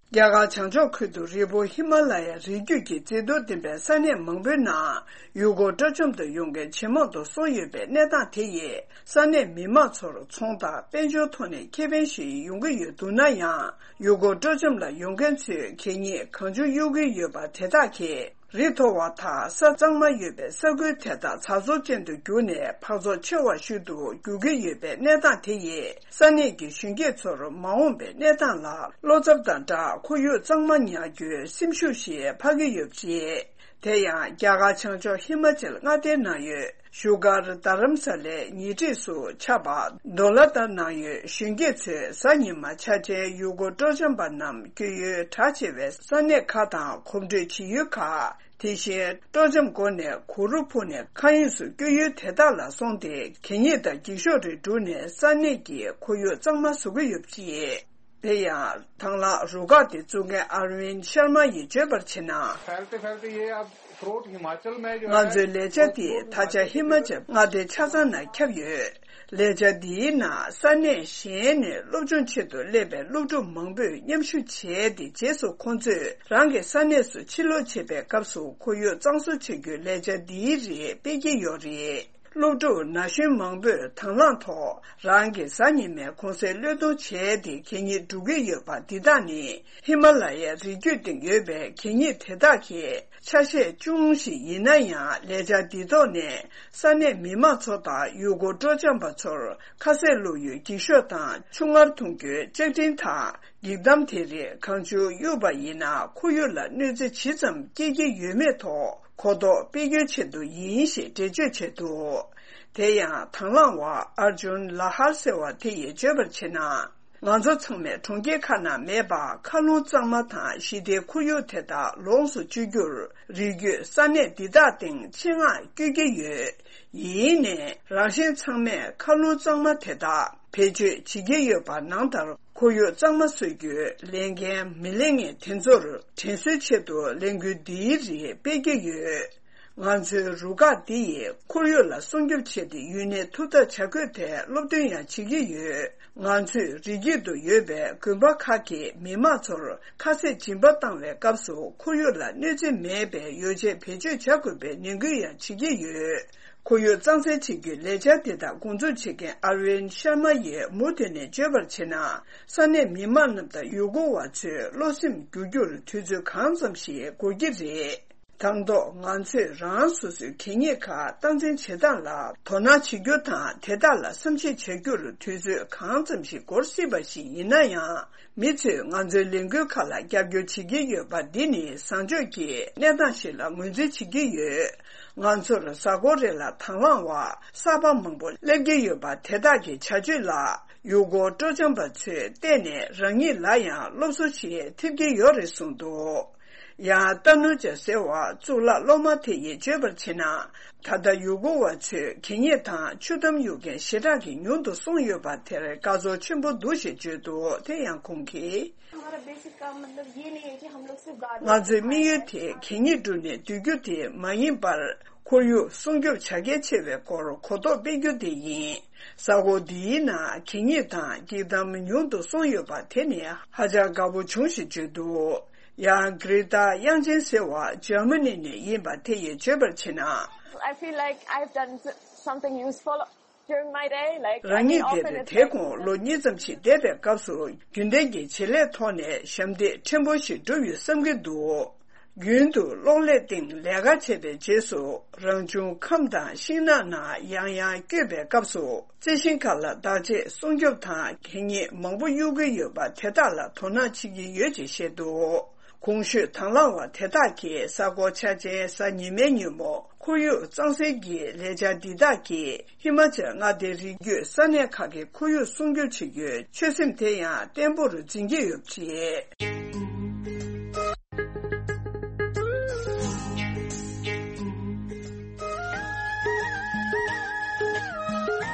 རྒྱ་གར་བྱང་ཕྱོགས་ཁུལ་དུ་རི་བོ་ཧི་མ་ལ་ཡ་རི་རྒྱུད་ཀྱི་མཛེས་སྡུག་ལྡན་པའི་ས་གནས་མང་པོའི་ནང་ཡུལ་སྐོར་སྤྲོ་འཆམ་དུ་ཡོང་མཁན་ཇེ་མང་དུ་སོང་ཡོད་པའི་གནས་སྟངས་དེ་ཡིས་ས་གནས་མི་མང་ཚོར་ཚོང་དང་དཔལ་འབྱོར་ཐོག་ནས་ཁེ་ཕན་ཞིག་ཡོང་གི་ཡོད་འདུག་ན་ཡང་། ཡུལ་སྐོར་སྤྲོ་འཆམ་ལ་ཡོང་མཁན་ཚོས་གད་སྙིགས་གང་བྱུང་གཡུག་གི་ཡོད་པ་དེ་དག་གིས། རི་མཐོ་བ་དང་ས་གཙང་མ་ཡོད་པའི་ས་ཁུལ་དེ་དག་ཛ་འཛུགས་ཅན་དུ་གྱུར་ནས་འཕག་ཚོགས་ཆེ་བ་ཤུལ་དུ་འགྱུར་གྱི་ཡོད་པའི་གནས་སྟངས་དེ་ཡིས་ས་གནས་ཀྱི་གཞོན་སྐྱེས་ཚོར་མ་འོངས་པའི་གནས་སྟངས་ལ་བློ་འཚབ་དང་སྦྲགས་ཁོར་ཡུག་གཙང་མ་ཉར་རྒྱུའི་སེམས་ཤུགས་ཤིག་འཕར་གྱི་ཡོད་པ་རེད། དེ་ཡང་རྒྱ་གར་བྱང་ཕྱོགས་ཧི་མ་ཅལ་མངའ་སྡེའི་ནང་ཡོད་བཞུགས་སྒར་རྡ་རམ་ས་ལའི་ཉེ་འཁྲིས་སུ་ཆགས་པ་དོ་ལ་ཏཱ་ནང་ཡོད་གཞོན་སྐྱེས་ཚོས་གཟའ་ཉི་མ་ཆ་ཅན་ཡུལ་སྐོར་སྤྲོ་འཆམ་པ་རྣམས་སྐྱོད་ཡུལ་གྲགས་ཆེ་བའི་ས་གནས་ཁག་དང་གོམ་བགྲོད་བྱེད་ཡུལ་ཁག་དེ་བཞིན་སྤྲོ་འཆམ་སྒོ་ནས་གུ་རུ་ཕུབ་ནས་མཁའ་དབྱིངས་སུ་སྐྱོད་ཡུལ་དེ་དག་ལ་སོང་སྟེ་གད་སྙིགས་དང་འགྱིག་ཤོག་རིགས་བསྒྲུགས་ནས་ས་གནས་ཀྱི་ཁོར་ཡུག་གཙང་མ་བཟོ་གི་ཡོད་པ་རེད། དེ་ཡང་དང་བླངས་རུ་ཁག་དེ་བཙུགས་མཁན་ཨར་ཝིན་ཤར་མ་ཡིས་བརྗོད་པར་བྱས་ན། फैलते फैलते ये अब through out Himachal में जो ང་है ཚོའི་ལས་འཆར་དེ་ད་ཆ་ཧི་མ་ཅལ་མངའ་སྡེ་ཆ་ཚང་ནང་ཁྱབ་ཡོད། ལས་འཆར་འདིའི་ནང་ས་གནས་གཞན་ནས་སློབ་སྦྱོང་ཆེད་དུ་སླེབས་པའི་སློབ་ཕྲུག་མང་པོས་མཉམ་ཞུགས་བྱས་ཏེ་རྗེས་སུ་ཁོང་ཚོས་རང་གི་ས་གནས་སུ་ཕྱིར་ལོག་བྱེད་པའི་སྐབས་སུ་ཁོར་ཡུག་གཙང་བཟོ་བྱ་རྒྱུའི་ལས་འཆར་འདིའི་རིགས་སྤེལ་གྱི་ཡོད་རེད། སློབ་ཕྲུག་ན་གཞོན་མང་པོས་དང་བླངས་ཐོག་རང་གི་གཟའ་ཉི་མའི་གུང་སེང་བློས་གཏོང་བྱས་ཏེ་གད་སྙིགས་སྒྲུག་གི་ཡོད་པ་འདི་དག་ནི་ཧི་མ་ལ་ཡའི་རི་རྒྱུད་སྟེང་ཡོད་པའི་གད་སྙིགས་དེ་དག་གི་ཆ་ཤས་ཅུང་ཞིག་ཡིན་ན་ཡང་། ལས་འཆར་འདི་ཐོག་ནས་ས་གནས་མི་མང་ཚོ་དང་ཡུལ་སྐོར་སྤྲོ་འཆམ་པ་ཚོར་ཁ་ཟས་བླུག་ཡུལ་འགྱིག་ཤོག་དང་ཆུ་མངར་འཐུང་རྒྱུའི་ལྕགས་ཀྲིན་དང་འགྱིག་དམ་དེ་རིགས་གང་བྱུང་གཡུགས་པ་ཡིན་ན་ཁོར་ཡུག་ལ་གནོད་འཚེ་ཇི་ཙམ་སྐྱེལ་གྱི་ཡོད་མེད་ཐོག་གོ་རྟོགས་སྤེལ་རྒྱུའི་ཆེད་དུ་ཡིན་ཞེས་འགྲེལ་བརྗོད་བྱས་འདུག་དེ་ཡང་དང་བླངས་པ་ཨར་ཇུན་ལ་ཧར་ཟེར་བ་དེ་ཡིས་བརྗོད་པར་བྱས་ན། ང་ཚོ་ཚང་མས་གྲོང་ཁྱེར་ཁག་ནང་མེད་པར་མཁའ་རླུང་གཙང་མ་དང་ཞི་བདེའི་ཁོར་ཡུག་དེ་དག་ལོངས་སུ་སྤྱོད་རྒྱུར་རི་རྒྱུད་ས་གནས་འདི་དག་སྟེང་ཆེད་མངགས་བསྐྱོད་ཀྱི་ཡོད། ཡིན་ནའི་རང་གཞན་ཚང་མས་མཁའ་རླུང་གཙང་མ་དེ་དག་བེད་སྤྱོད་བྱེད་ཀྱི་ཡོད་པ་ནང་ལྟར་ཁོར་ཡུག་གཙང་མ་བཟོ་རྒྱུའི་ལས་འགན་མི་ལེན་མཁན་དེ་ཚོར་དྲན་གསོའི་ཆེད་དུ་ལས་འགུལ་འདིའི་རིགས་སྤེལ་གྱི་ཡོད། ང་ཚོའི་རུ་ཁག་འདི་ཡིས་ཁོར་ཡུག་ལ་སྲུང་སྐྱོབ་ཆེད་དུ་ཡུན་གནས་ཐུབ་ཐབས་བྱ་དགོས་ཐད་སློབ་སྟོན་ཡང་བྱེད་ཀྱི་ཡོད། ང་ཚོས་རི་རྒྱུད་དུ་ཡོད་པའི་དགོན་པ་ཁག་གི་མི་མང་ཚོར་ཁ་ཟས་སྦྱིན་པ་བཏང་བའི་སྐབས་སུ་ཁོར་ཡུག་ལ་གནོད་འཚེ་མེད་པའི་ཡོ་བྱད་བེད་སྤྱོད་བྱ་དགོས་པའི་ནན་སྐུལ་ཡང་བྱེད་ཀྱི་ཡོད། ཁོར་ཡུག་གཙང་སེལ་བྱེད་རྒྱུའི་ལས་འཆར་དེ་དག་འགོ་འཛུགས་བྱེད་མཁན་ཨར་ཝིན་ཤར་མ་ཡིས་མུ་མཐུད་ནས་བརྗོད་པར་བྱས་ན། ས་གནས་མི་མང་རྣམས་དང་ཡུལ་སྐོར་བ་ཚོའི་བློ་སེམས་འགྱུར་རྒྱུར་དུས་ཚོད་གང་ཙམ་ཞིག་འགོར་གྱི་རེད། དང་ཐོག་ང་ཚོས་རང་སོ་སོའི་གད་སྙིགས་ཁག་སྟངས་འཛིན་བྱེད་སྟངས་ལ་དོ་སྣང་བྱེད་རྒྱུ་དང་། དེ་དག་ལ་བསམ་གཞིག་བྱ་རྒྱུར་དུས་ཚོད་གང་ཙམ་ཞིག་འགོར་སྲིད་པ་ཞིག་ཡིན་ན་ཡང་། མི་ཚོས་ང་ཚོའི་ལས་འགུལ་ཁག་ལ་རྒྱབ་སྐྱོར་བྱེད་ཀྱི་ཡོད་པ་འདི་ནི་བཟང་སྤྱོད་ཀྱི་གནས་སྟངས་ཤིག་ལ་ངོས་འཛིན་བྱེད་ཀྱི་ཡོད། ང་ཚོར་གཟའ་འཁོར་རེ་ལ་དང་བླངས་པ་གསར་པ་མང་པོ་སླེབས་ཀྱི་ཡོད་པ་དེ་དག་གི་བྱ་སྤྱོད་ལ་ཡུལ་སྐོར་སྤྲོ་འཆམ་པ་ཚོས་བལྟས་ནས་རང་ཉིད་ལ་ཡང་སློབ་གསོ་ཞིག་ཐེབས་ཀྱི་ཡོད་རེད་གསུངས་འདུག་ཡང་ཏ་ནུ་ཅཱ་ཟེར་བ་གཙུག་ལག་སློབ་མ་དེ་ཡིས་བརྗོད་པར་བྱས་ན། ད་ལྟ་ཡུལ་སྐོར་བ་ཚོས་གད་སྙིགས་དང་ཆུ་དམ་གཡུག་མཁན་ཞེ་དྲག་གིས་ཉུང་དུ་སོང་ཡོད་པ་དེར་དགའ་ཚོར་ཆེན་པོ་འདུག་ཞེས་བརྗོད་འདུག་དེ་ཡང་ཁོང་གིས། हमारा बेसिक काम मतलब ये नहीं है कि हम लोग सिर्फ गार्डन ང་ཚོའི་དམིགས་ཡུལ་དེ་གད་སྙིགས་བསྒྲུགས་ནས་སྡོད་རྒྱུ་དེ་མ་ཡིན་པར། ཁོར་ཡུག་སྲུང་སྐྱོབ་བྱ་གལ་ཆེ་བའི་སྐོར་གོ་རྟོགས་སྤེལ་རྒྱུ་དེ་ཡིན། གཟའ་འཁོར་འདིའི་ནང་གད་སྙིགས་དང་འགྱིག་དམ་ཉུང་དུ་སོང་ཡོད་པ་དེ་ནི་ཧ་ཅང་དགའ་པོ་བྱུང་ཞེས་བརྗོད་འདུག་ཡང་གྷི་རེ་ཏཱ་དབྱངས་ཅན་ཟེར་བ་འཇར་མ་ནི་ནས་ཡིན་པ་དེ་ཡིས་བརྗོད་པར་བྱས་ན། I feel like I've done s- something useful during my day. Like, I རང་mean, ཉིད་often དེ་རུ་it's དེ་like དགོང་ལོ་གཉིས་ཙམ་ཞིག་བསྡད་པའི་སྐབས་སུ་རྒྱུན་ལྡན་གྱི་བྱེད་ལས་ཐོག་ནས་ཞབས་འདེགས་ཕྲན་བུ་ཞིག་བསྒྲུབས་ཡོད་བསམ་གྱི་འདུག་རྒྱུན་དུ་གློག་ཀླད་སྟེང་ལས་ཀ་བྱས་པའི་རྗེས་སུ་རང་བྱུང་ཁམས་དང་ཤིང་ནགས་ནང་ཡང་ཡང་བསྐྱོད་པའི་སྐབས་སུ་རྩི་ཤིང་ཁག་ལ་བདག་གཅེས་སྲུང་སྐྱོབ་དང་གད་སྙིགས་མང་པོ་གཡུག་གི་ཡོད་པ་དེ་དག་ལ་དོ་སྣང་བྱེད་ཀྱི་ཡོད་ཅེས་བཤད་འདུག་གོང་ཞུས་དང་བླངས་པ་དེ་དག་གིས་གཟའ་འཁོར་ཆ་ཅན་གཟའ་ཉི་མའི་ཉིན་མོ་ཁོར་ཡུག་གཙང་སེལ་གྱི་ལས་འཆར་འདི་དག་གིས་ཧི་མ་ཅལ་མངའ་སྡེའི་རི་རྒྱུད་ས་གནས་ཁག་གི་ཁོར་ཡུག་སྲུང་སྐྱོབ་བྱེད་རྒྱུའི་ཆོད་སེམས་དེ་ཡང་བརྟན་པོར་འཛིན་གྱི་ཡོད་པ་རེད།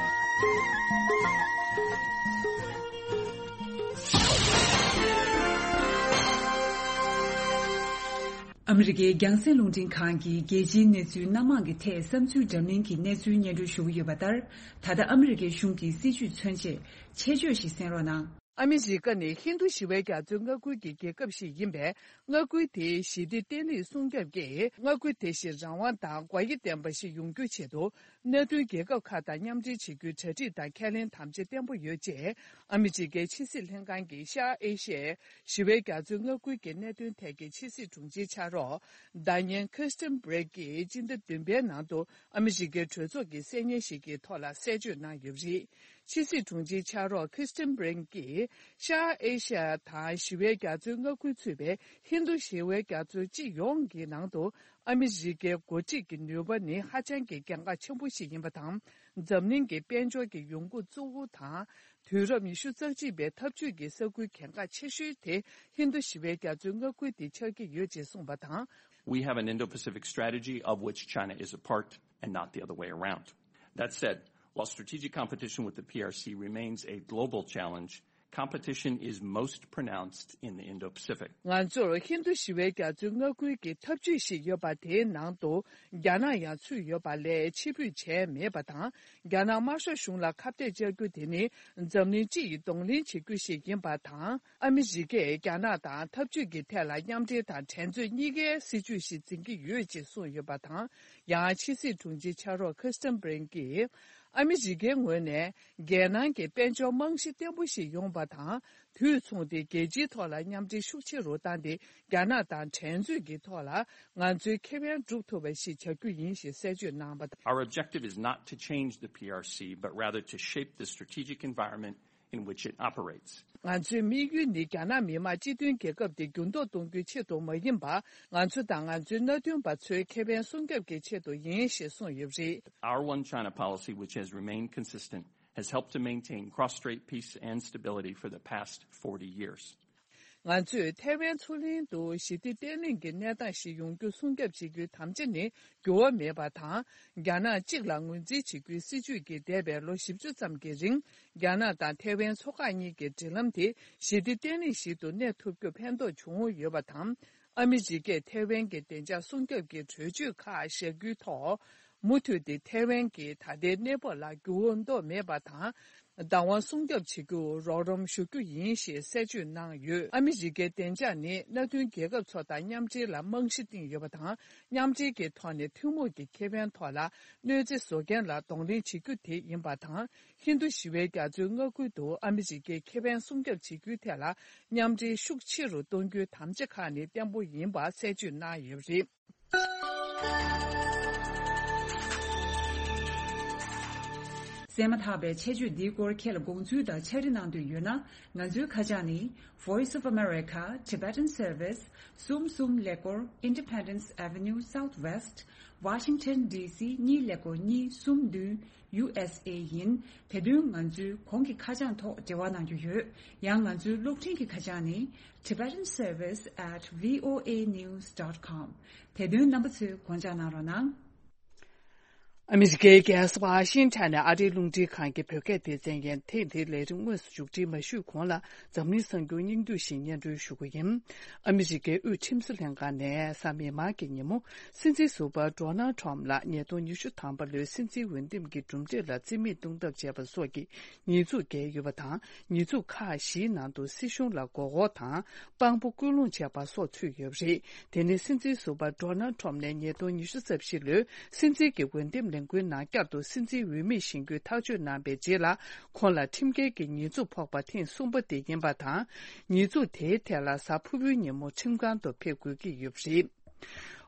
ཨ་མི་རི་ཀའི་རྒྱང་སྲིང་རླུང་འཕྲིན་ཁང་གིས་རྒྱལ་སྤྱིའི་གནས་ཚུལ་སྣ་མང་གི་ཐད་བསམ་ཚུལ་འདྲ་མིན་གྱི་གནས་ཚུལ་སྙན་སྒྲོན་ཞུ་གི་ཡོད་པ་ལྟར། ད་ལྟ་ཨ་མི་རི་ཀའི་གཞུང་གི་སྲིད་བྱུས་མཚོན་ཆེད་ཆེད་བརྗོད་ཞིག་གསན་རོགས་གནང་། ཨ་མི་རི་ཀ་ནི་ཧིན་རྡུ་ཞི་བའི་རྒྱ་མཚོའི་མངའ་ཁུལ་གྱི་རྒྱལ་ཁབ་ཞིག་ཡིན་པས། མངའ་ཁུལ་དེའི་ཞི་བདེ་བརྟན་ལྷིང་སྲུང་སྐྱོབ་ཀྱིས་མངའ་ཁུལ་དེ་བཞིན་རང་དབང་དང་དགོས་ཡིད་ལྡན་པ་ཞིག་ཡོང་རྒྱུའི་ཆེད་དུ། མནའ་མཐུན་རྒྱལ་ཁབ་ཁག་དང་མཉམ་འབྲེལ་བྱེད་རྒྱུའི་གྲ་སྒྲིག་དང་ཁས་ལེན་དམ་བཅའ་བརྟན་པོ་ཡོད་ཅེས། ཨ་མི་རི་ཀའི་ཕྱི་སྲིད་ལྷན་ཁང་གི་ཤར་ཨེ་ཤི་ཡའི་ཞི་བའི་རྒྱ་མཚོའི་མངའ་ཁུལ་གྱི་གནད་དོན་ཐད་ཀྱི་ཕྱི་སྲིད་དྲུང་ཆེའི་ཕྱག་རོགས། ཟླ་ཉན་ཁི་སི་ཏན་བྷི་རེག་གིས་སྤྱི་ཟླ་བདུན་པའི་ནང་དུ་ཨ་མི་རི་ཀའི་གྲོས་ཚོགས་ཀྱི་གསལ་བརྙན་ཞིག་གི་ཐོག་ལ་གསལ་བརྗོད་གནང་ཡོད་པ་རེད། ཕྱི་སྲིད་དྲུང་ཆེའི་ཕྱག་རོགས་ཁི་སི་ཏན་བྷི་རེག་གིས། ཤར་ཨེ་ཤ་ཡ་དང་ཞི་བའི་རྒྱ་མཚོའི་མངའ་ཁུལ་ཚུད་པའི་ཧིན་རྡུ་ཞི་བའི་རྒྱ་མཚོའི་སྤྱི་ཡོངས་ཀྱི་ནང་དུ། ཨ་མི་རི་ཀའི་འགོ་ཁྲིད་ཀྱི་ནུས་པ་ནི་ཧ་ཅང་གི་གལ་འགངས་ཆེན་པོ་ཞིག་ཡིན་པ་དང་། འཛམ་གླིང་གི་དཔལ་འབྱོར་གྱི་ཡོང་སྒོ་གཙོ་བོ་དང་། དུས་རབས་ཉི་ཤུ་རྩ་གཅིག་པའི་འཐབ་ཇུས་ཀྱི་ས་ཁུལ་གལ་འགངས་ཆེ་ཤོས་དེ་ཧིན་རྡུ་ཞི་བའི་རྒྱ་མཚོའི་མངའ་ཁུལ་དེ་ཆགས་ཀྱི་ཡོད་ཅེས་གསུངས་པ་དང་། We have an Indo-Pacific strategy of which China is a part and not the other way around. That said, while strategic competition with the P R C remains a global challenge, competition is most pronounced in the Indo-Pacific. ང་ཚོར་ཧིན་རྡུ་ཞི་བའི་རྒྱ་མཚོའི་མངའ་ཁུལ་གྱི་འཐབ་ཇུས་ཤིག་ཡོད་པ་དེའི་ནང་དུ་རྒྱ་ནག་ཡང་ཚུད་ཡོད་པ་ལས་ཕྱིར་འབུད་བྱས་མེད་པ་དང་། རྒྱ་ནག་དམར་ཤོག་གཞུང་ལ་ཁ་གཏད་བཅག་རྒྱུ་དེ་ནི་འཛམ་གླིང་སྤྱི་ཡི་གདོང་ལེན་བྱེད་རྒྱུ་ཞིག་ཡིན་པ་དང་། ཨ་མི་རི་ཀས་རྒྱ་ནག་དང་འཐབ་ཇུས་ཀྱི་ཐད་ལ་མཉམ་འབྲེལ་དང་འགྲན་རྩོད་གཉིས་ཀའི་སྲིད་ཇུས་ཤིག་འཛིན་གྱི་ཡོད་ཅེས་གསུངས་ཡོད་པ་དང་། ཡང་ཕྱི་སྲིད་དྲུང་ཆེའི་ཕྱག་རོགས་ཁི་སི་ཏན་བྷི་རེན་གྱིས། ཨ་མི་རི་ཀའི་ངོས་ནས་རྒྱལ་ནང་གི་དཔལ་འབྱོར་རྨང་གཞི་བརྟན་པོ་ཞིག་ཡོང་བ་དང་། དུས་མཚུངས་ཏེ་རྒྱལ་སྤྱིའི་ཐོག་ལ་མཉམ་འབྲེལ་ཤུགས་ཆེ་རུ་བཏང་སྟེ། རྒྱ་ནག་དང་འགྲན་རྩོད་ཀྱི་ཐོག་ལ་ང་ཚོའི་ཁེ་ཕན་སྒྲུབ་ཐུབ་པ་ཞིག་བྱ་རྒྱུ་ཡིན་ཞེས་གསལ་བརྗོད་གནང་བ་དང་། Our objective is not to change the P R C, but rather to shape the strategic environment in which it operates. ང་ཚོའི་དམིགས་ཡུལ་ནི་རྒྱ་ནག་མི་དམངས་སྤྱི་མཐུན་རྒྱལ་ཁབ་དེ་འགྱུར་ལྡོག་གཏོང་རྒྱུའི་ཆེད་དུ་མ་ཡིན་པར། ང་ཚོ་དང་ང་ཚོའི་མནའ་མཐུན་པ་ཚོའི་ཁེ་ཕན་སྲུང་སྐྱོབ་ཀྱི་ཆེད་དུ་ཡིན་ཞེས་གསུངས་ཡོད་པ་རེད། Our One China policy, which has remained consistent, has helped to maintain cross-strait peace and stability for the past forty years. ང་ཚོས་ཐའེ་ཝན་མཚོ་གླིང་དུ་ཞི་བདེ་བརྟན་ལྷིང་གི་གནས་སྟངས་ཤིག་ཡོང་རྒྱུ་སྲུང་སྐྱོབ་བྱེད་རྒྱུའི་དམ་བཅའ་ནི་འགྱུར་བ་མེད་པ་དང་། རྒྱ་ནག་གཅིག་ལ་ངོས་འཛིན་བྱེད་རྒྱུའི་སྲིད་ཇུས་ཀྱིས་འདས་པའི་ལོ་བཞི་བཅུ་ཙམ་གྱི་རིང་། རྒྱ་ནག་དང་ཐའེ་ཝན་མཚོ་འགག་གཉིས་ཀྱི་འབྲེལ་ལམ་དེ་ཞི་བདེ་བརྟན་ལྷིང་ཞིག་ཏུ་གནས་ཐུབ་རྒྱུར་ཕན་ཐོགས་བྱུང་ཡོད་པ་དང་། ཨ་མི་རི་ཀས་ཐའེ་ཝན་གྱི་བདེ་འཇགས་སྲུང་སྐྱོབ་ཀྱི་གྲོས་ཆོད་ཁག་བཞག་རྒྱུའི་ཐོག་མུ་མཐུད་དེ་ཐའེ་ཝན་གྱི་ད་ལྟའི་གནས་བབ་ལ་འགྱུར་བ་གཏོང་མེད་པ་དང་། བདག་དབང་སྲུང་སྐྱོབ་བྱེད་རྒྱུར་རོགས་རམ་ཞུ་རྒྱུ་ཡིན་ཞེས་གསལ་བརྗོད་གནང་ཡོད། ཨ་མི་རི་ཀའི་བདེ་འཇགས་ནི་མནའ་མཐུན་རྒྱལ་ཁབ་ཚོ་དང་མཉམ་འབྲེལ་ལ་རྨང་གཞི་བཏིང་ཡོད་པ་དང་། མཉམ་འབྲེལ་གྱི་ཐོག་ནས་ཐུན་མོང་གི་ཁེ་ཕན་ཐོག་ལ་གནོད་འཚེ་བཟོ་མཁན་ལ་གདོང་ལེན་བྱེད་རྒྱུ་དེ་ཡིན་པ་དང་། ཧིན་རྡུ་ཞི་བའི་རྒྱ་མཚོའི་མངའ་ཁུལ་དུ་ཨ་མི་རི་ཀའི་ཁེ་ཕན་སྲུང་སྐྱོབ་བྱེད་རྒྱུའི་ཐད་ལ་མཉམ་འབྲེལ་ཤུགས་ཆེ་རུ་གཏོང་རྒྱུའི་དམ་བཅའ་ཁག་ནི་བརྟན་པོ་ཡིན་པ་གསལ་བརྗོད་གནང་ཡོད་པ་རེད། གསན་མ་ཐག་པའི་ཆེད་བརྗོད་འདིའི་སྐོར་ཁྱེད་ལ་དགོངས་ཚུལ་དང་ཕྱག་བྲིས་གནང་འདོད་ཡོད་ན། ང་ཚོའི་ཁ་བྱང་ནི། Voice of America, Tibetan Service, གསུམ་གསུམ་ཀླད་ཀོར། Independence Avenue Southwest, Washington D C གཉིས་ཀླད་ཀོར་གཉིས་གསུམ་བདུན། U S A ཡིན། དེ་དོན་ང་ཚོའི་གོང་གི་ཁ་བྱང་ཐོག་འབྲེལ་བ་གནང་རྒྱུ་ཡོད། ཡང་ང་ཚོའི་གློག་འཕྲིན་གྱི་ཁ་བྱང་ནི། Tibetan Service at V O A news dot com། དེ་དོན་རྣམ་པ་ཚོས་དགོངས་འཇགས་གནང་རོགས་གནང་། ཨ་མི་རི་ཀའི་རྒྱལ་ས་ཝ་ཤིང་ཊོན་ནས་ཨ་རིའི་རླུང་འཕྲིན་ཁང་གི་བོད་སྐད་སྡེ་ཚན་ཡན་ཐེངས་འདིའི་ལས་རིམ་དངོས་སུ་མཇུག་སྒྲིལ་མ་ཞུས་གོང་ལ། འཛམ་གླིང་གསར་འགྱུར་སྙིང་བསྡུས་ཤིག་སྙན་སྒྲོན་ཞུ་གི་ཡིན། ཨ་མི་རི་ཀའི་དབུས་ཁྲིམས་བཟོ་ལྷན་ཁང་ནས་གཟའ་མིག་དམར་གྱི་ཉིན་མོ། སྲིད་འཛིན་ཟུར་པ་ཌོ་ནལ་ཊམ་ལ་ཉིས་སྟོང་ཉི་ཤུ་ཐམ་པ་ལོའི་སྲིད་འཛིན་འོས་འདེམས་ཀྱི་གྲུབ་འབྲས་ལ་རྩིས་མེད་བཏང་ཐབས་བྱས་པ་སོགས་ཀྱི་ཉེས་འཛུགས་བཀལ་ཡོད་པ་དང་། ཉེས་འཛུགས་ཁག་བཞིའི་ནང་དུ་སྲིད་གཞུང་ལ་མགོ་སྐོར་དང་། དཔང་པོ་སྐུལ་སློང་བྱས་པ་སོགས་ཚུད་ཡོད་པ་རེད། དེ་ནི་སྲིད་འཛིན་ཟུར་པ་ཌོ་ནལ་ཊམ་ནས་ཉིས་སྟོང་ཉི་ཤུ་རྩ་བཞི་ལོའི་སྲིད་འཛིན་གྱི་འོས་འདེམས་ལས་འགུལ་ནང་བསྐྱར་དུ་སྲིད་འཛིན་འོས་མི་བཞེངས་རྒྱུའི་ཐག་གཅོད་གནང་པའི་རྗེས་ལ། ཁོང་ལ་ཁྲིམས་འགལ་གྱི་ཉེས་འཛུགས་ཕོག་པ་ཐེངས་གསུམ་པ་དེ་ཡིན་པ་དང་། ཉེས་འཛུགས་དེའི་ཐད་ལ་གཟའ་ཕུར་བུའི་ཉིན་མོ་ཁྲིམས་ཁང་དུ་ཕེབས་དགོས་ཀྱི་ཡོད་པ་རེད།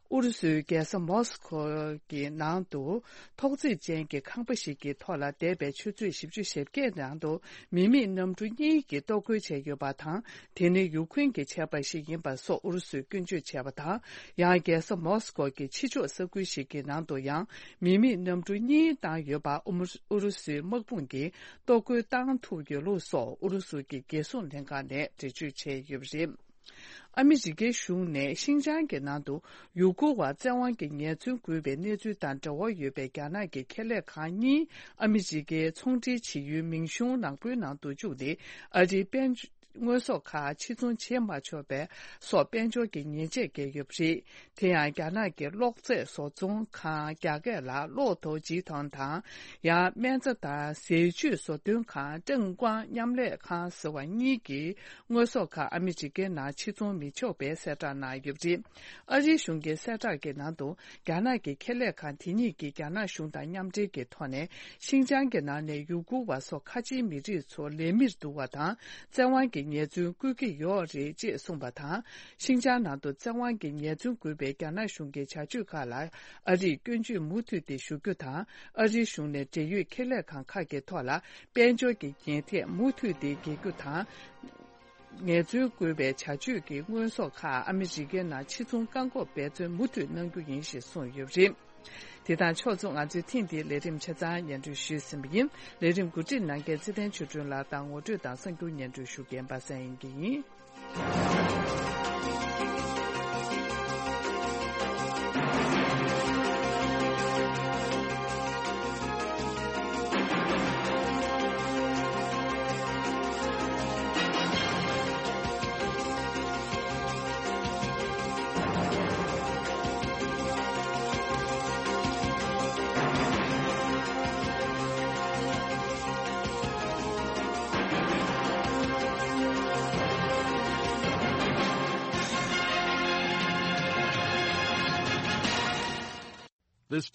ཨུ་རུ་སུའི་རྒྱལ་ས་མོ་སི་ཁོ་གི་ནང་དུ་ཐོག་བརྩེགས་ཅན་གྱི་ཁང་པ་ཞིག་གི་ཐོག་ལ་འདས་པའི་ཆུ་ཚོད་བཞི་བཅུ་ཞེ་བརྒྱད་ནང་དུ་མི་མེད་གནམ་གྲུ་གཉིས་ཀྱིས་གཏོར་རྒོལ་བྱས་ཡོད་པ་དང་། དེ་ནི་ཡུ་ཁུན་གྱིས་བྱས་པ་ཞིག་ཡིན་པ་སོགས་ཨུ་རུ་སུས་སྐྱོན་བརྗོད་བྱས་པ་དང་། ཡང་རྒྱལ་ས་མོ་སི་ཀོ་གི་ཕྱི་ཕྱོགས་ས་ཁུལ་ཞིག་གི་ནང་དུ་ཡང་མི་མེད་གནམ་གྲུ་གཉིས་བཏང་ཡོད་པ་ཨུ་མུ་ཨུ་རུ་སུའི་དམག་དཔུང་གིས་གཏོར་རྒོལ་བཏང་ཐུབ་ཡོད་ལུགས་སོགས་ཨུ་རུ་སུ་གི་རྒྱལ་སྲུང་ལྷན་ཁང་ནས་འགྲེལ་བརྗོད་བྱས་ཡོད་པ་རེད། ཨ་མི་རི་ཀའི་གཞུང་ནས་ཤིན་ཅང་གི་ནང་དུ་ཡུ་གུར་བ་བཙན་དབང་གིས་ངལ་རྩོལ་བསྐུལ་བའི་གནས་ཚུལ་དང་འབྲེལ་བ་ཡོད་པའི་རྒྱ་ནག་གི་ཁེ་ལས་ཁང་གཉིས་ཨ་མི་རི་ཀའི་ཚོང་འབྲེལ་བྱེད་ཡུལ་མིང་གཞུང་ནག་པོའི་ནང་དུ་བཅུག་སྟེ། ཨ་རིའི་དཔལ་ དངོས་ཟོག་ཁག་ཕྱིར་ཚོང་བྱེད་མ་ཆོག་པའི་སོགས་དཔལ་འབྱོར་གྱི་ཉེས་ཆད་བཀལ་ཡོད་པ་རེད། དེ་ཡང་རྒྱ་ནག་གི་གློག་རྫས་བཟོ་ཚོང་ཁང་རྒྱ་སྐད་ལ་གློག་རྡོ་རྗེ་ཐང་དང་། ཡང་སྨན་རྩྭ་དང་ཟས་བཅུད་བཟོ་སྐྲུན་ཁང་ཀྲང་ཀང་མཉམ་ལས་ཁང་ཟེར་བ་གཉིས་ཀྱི་དངོས་ཟོག་ཁག་ཨ་མི་རི་ཀའི་ནང་ཕྱིར་ཚོང་མི་ཆོག་པའི་གསལ་བསྒྲགས་གནང་ཡོད་པ་རེད། ཨ་རིའི་གཞུང་གི་གསལ་བསྒྲགས་ཀྱི་ནང་དུ། རྒྱ་ནག་གི་ཁེ་ལས་ཁང་དེ་གཉིས་ཀྱིས་རྒྱ་ནག་གཞུང་དང་མཉམ་འབྲེལ་གྱི་ཐོག་ནས། ཤིན་ཅང་གི་ནང་ནས་ཡུ་གུར་བ་སོགས་ཁ་ཆེའི་མི་རིགས་ཚོ་ལས་མིར་བསྡུ་བ་དང་། བཙན་དབང་གི་ཉེས་འཛུགས་བཀོད་ཀྱི་ཡོད་རེད་ཅེས་གསུངས་པ་དང་། ཤིན་ཅང་ནང་དུ་བཙན་དབང་གི་ཉེས་འཛུགས་འགོས་པའི་རྒྱ་ནག་གཞུང་གི་བྱ་སྤྱོད་ཁག་ལ། ཨ་རིས་སྐྱོན་བརྗོད་མུ་མཐུད་དེ་ཞུ་རྒྱུ་དང་། ཨ་རིའི་གཞུང་ནས་འབྲེལ་ཡོད་ཁེ་ལས་ཁང་ཁག་གི་ཐོག་ལ། དཔལ་འབྱོར་གྱི་ཉེས་ཐད་མུ་མཐུད་དེ་འགེལ་རྒྱུ་དང་། ངལ་རྩོལ་བཀོལ་བའི་བྱ་སྤྱོད་ཀྱི་དངོས་ཟོག་ཁག་ཨ་མི་རི་ཀའི་ནང་ཕྱིར་ཚོང་བཀག་འགོག་འབད་བརྩོན་མུ་མཐུད་གནང་རྒྱུ་ཡིན་ཞེས་གསུངས་ཡོད་པ་རེད། དེ་དང་ཕྱོགས་མཚུངས། ང་ཚོས་ཐེངས་འདིའི་ལས་རིམ་ཆ་ཚང་སྙན་སྒྲོན་ཞུས་ཟིན་པ་ཡིན། ལས་རིམ་གོ་སྒྲིག་གནང་མཁན་ཚེ་བརྟན་ཆོས་སྒྲོན་ལགས་དང་ངོ་སྤྲོད་དང་གསར་འགྱུར་སྙན་སྒྲོན་ཞུ་མཁན་པ་སངས་དབྱངས་སྐྱིད་ཡིན།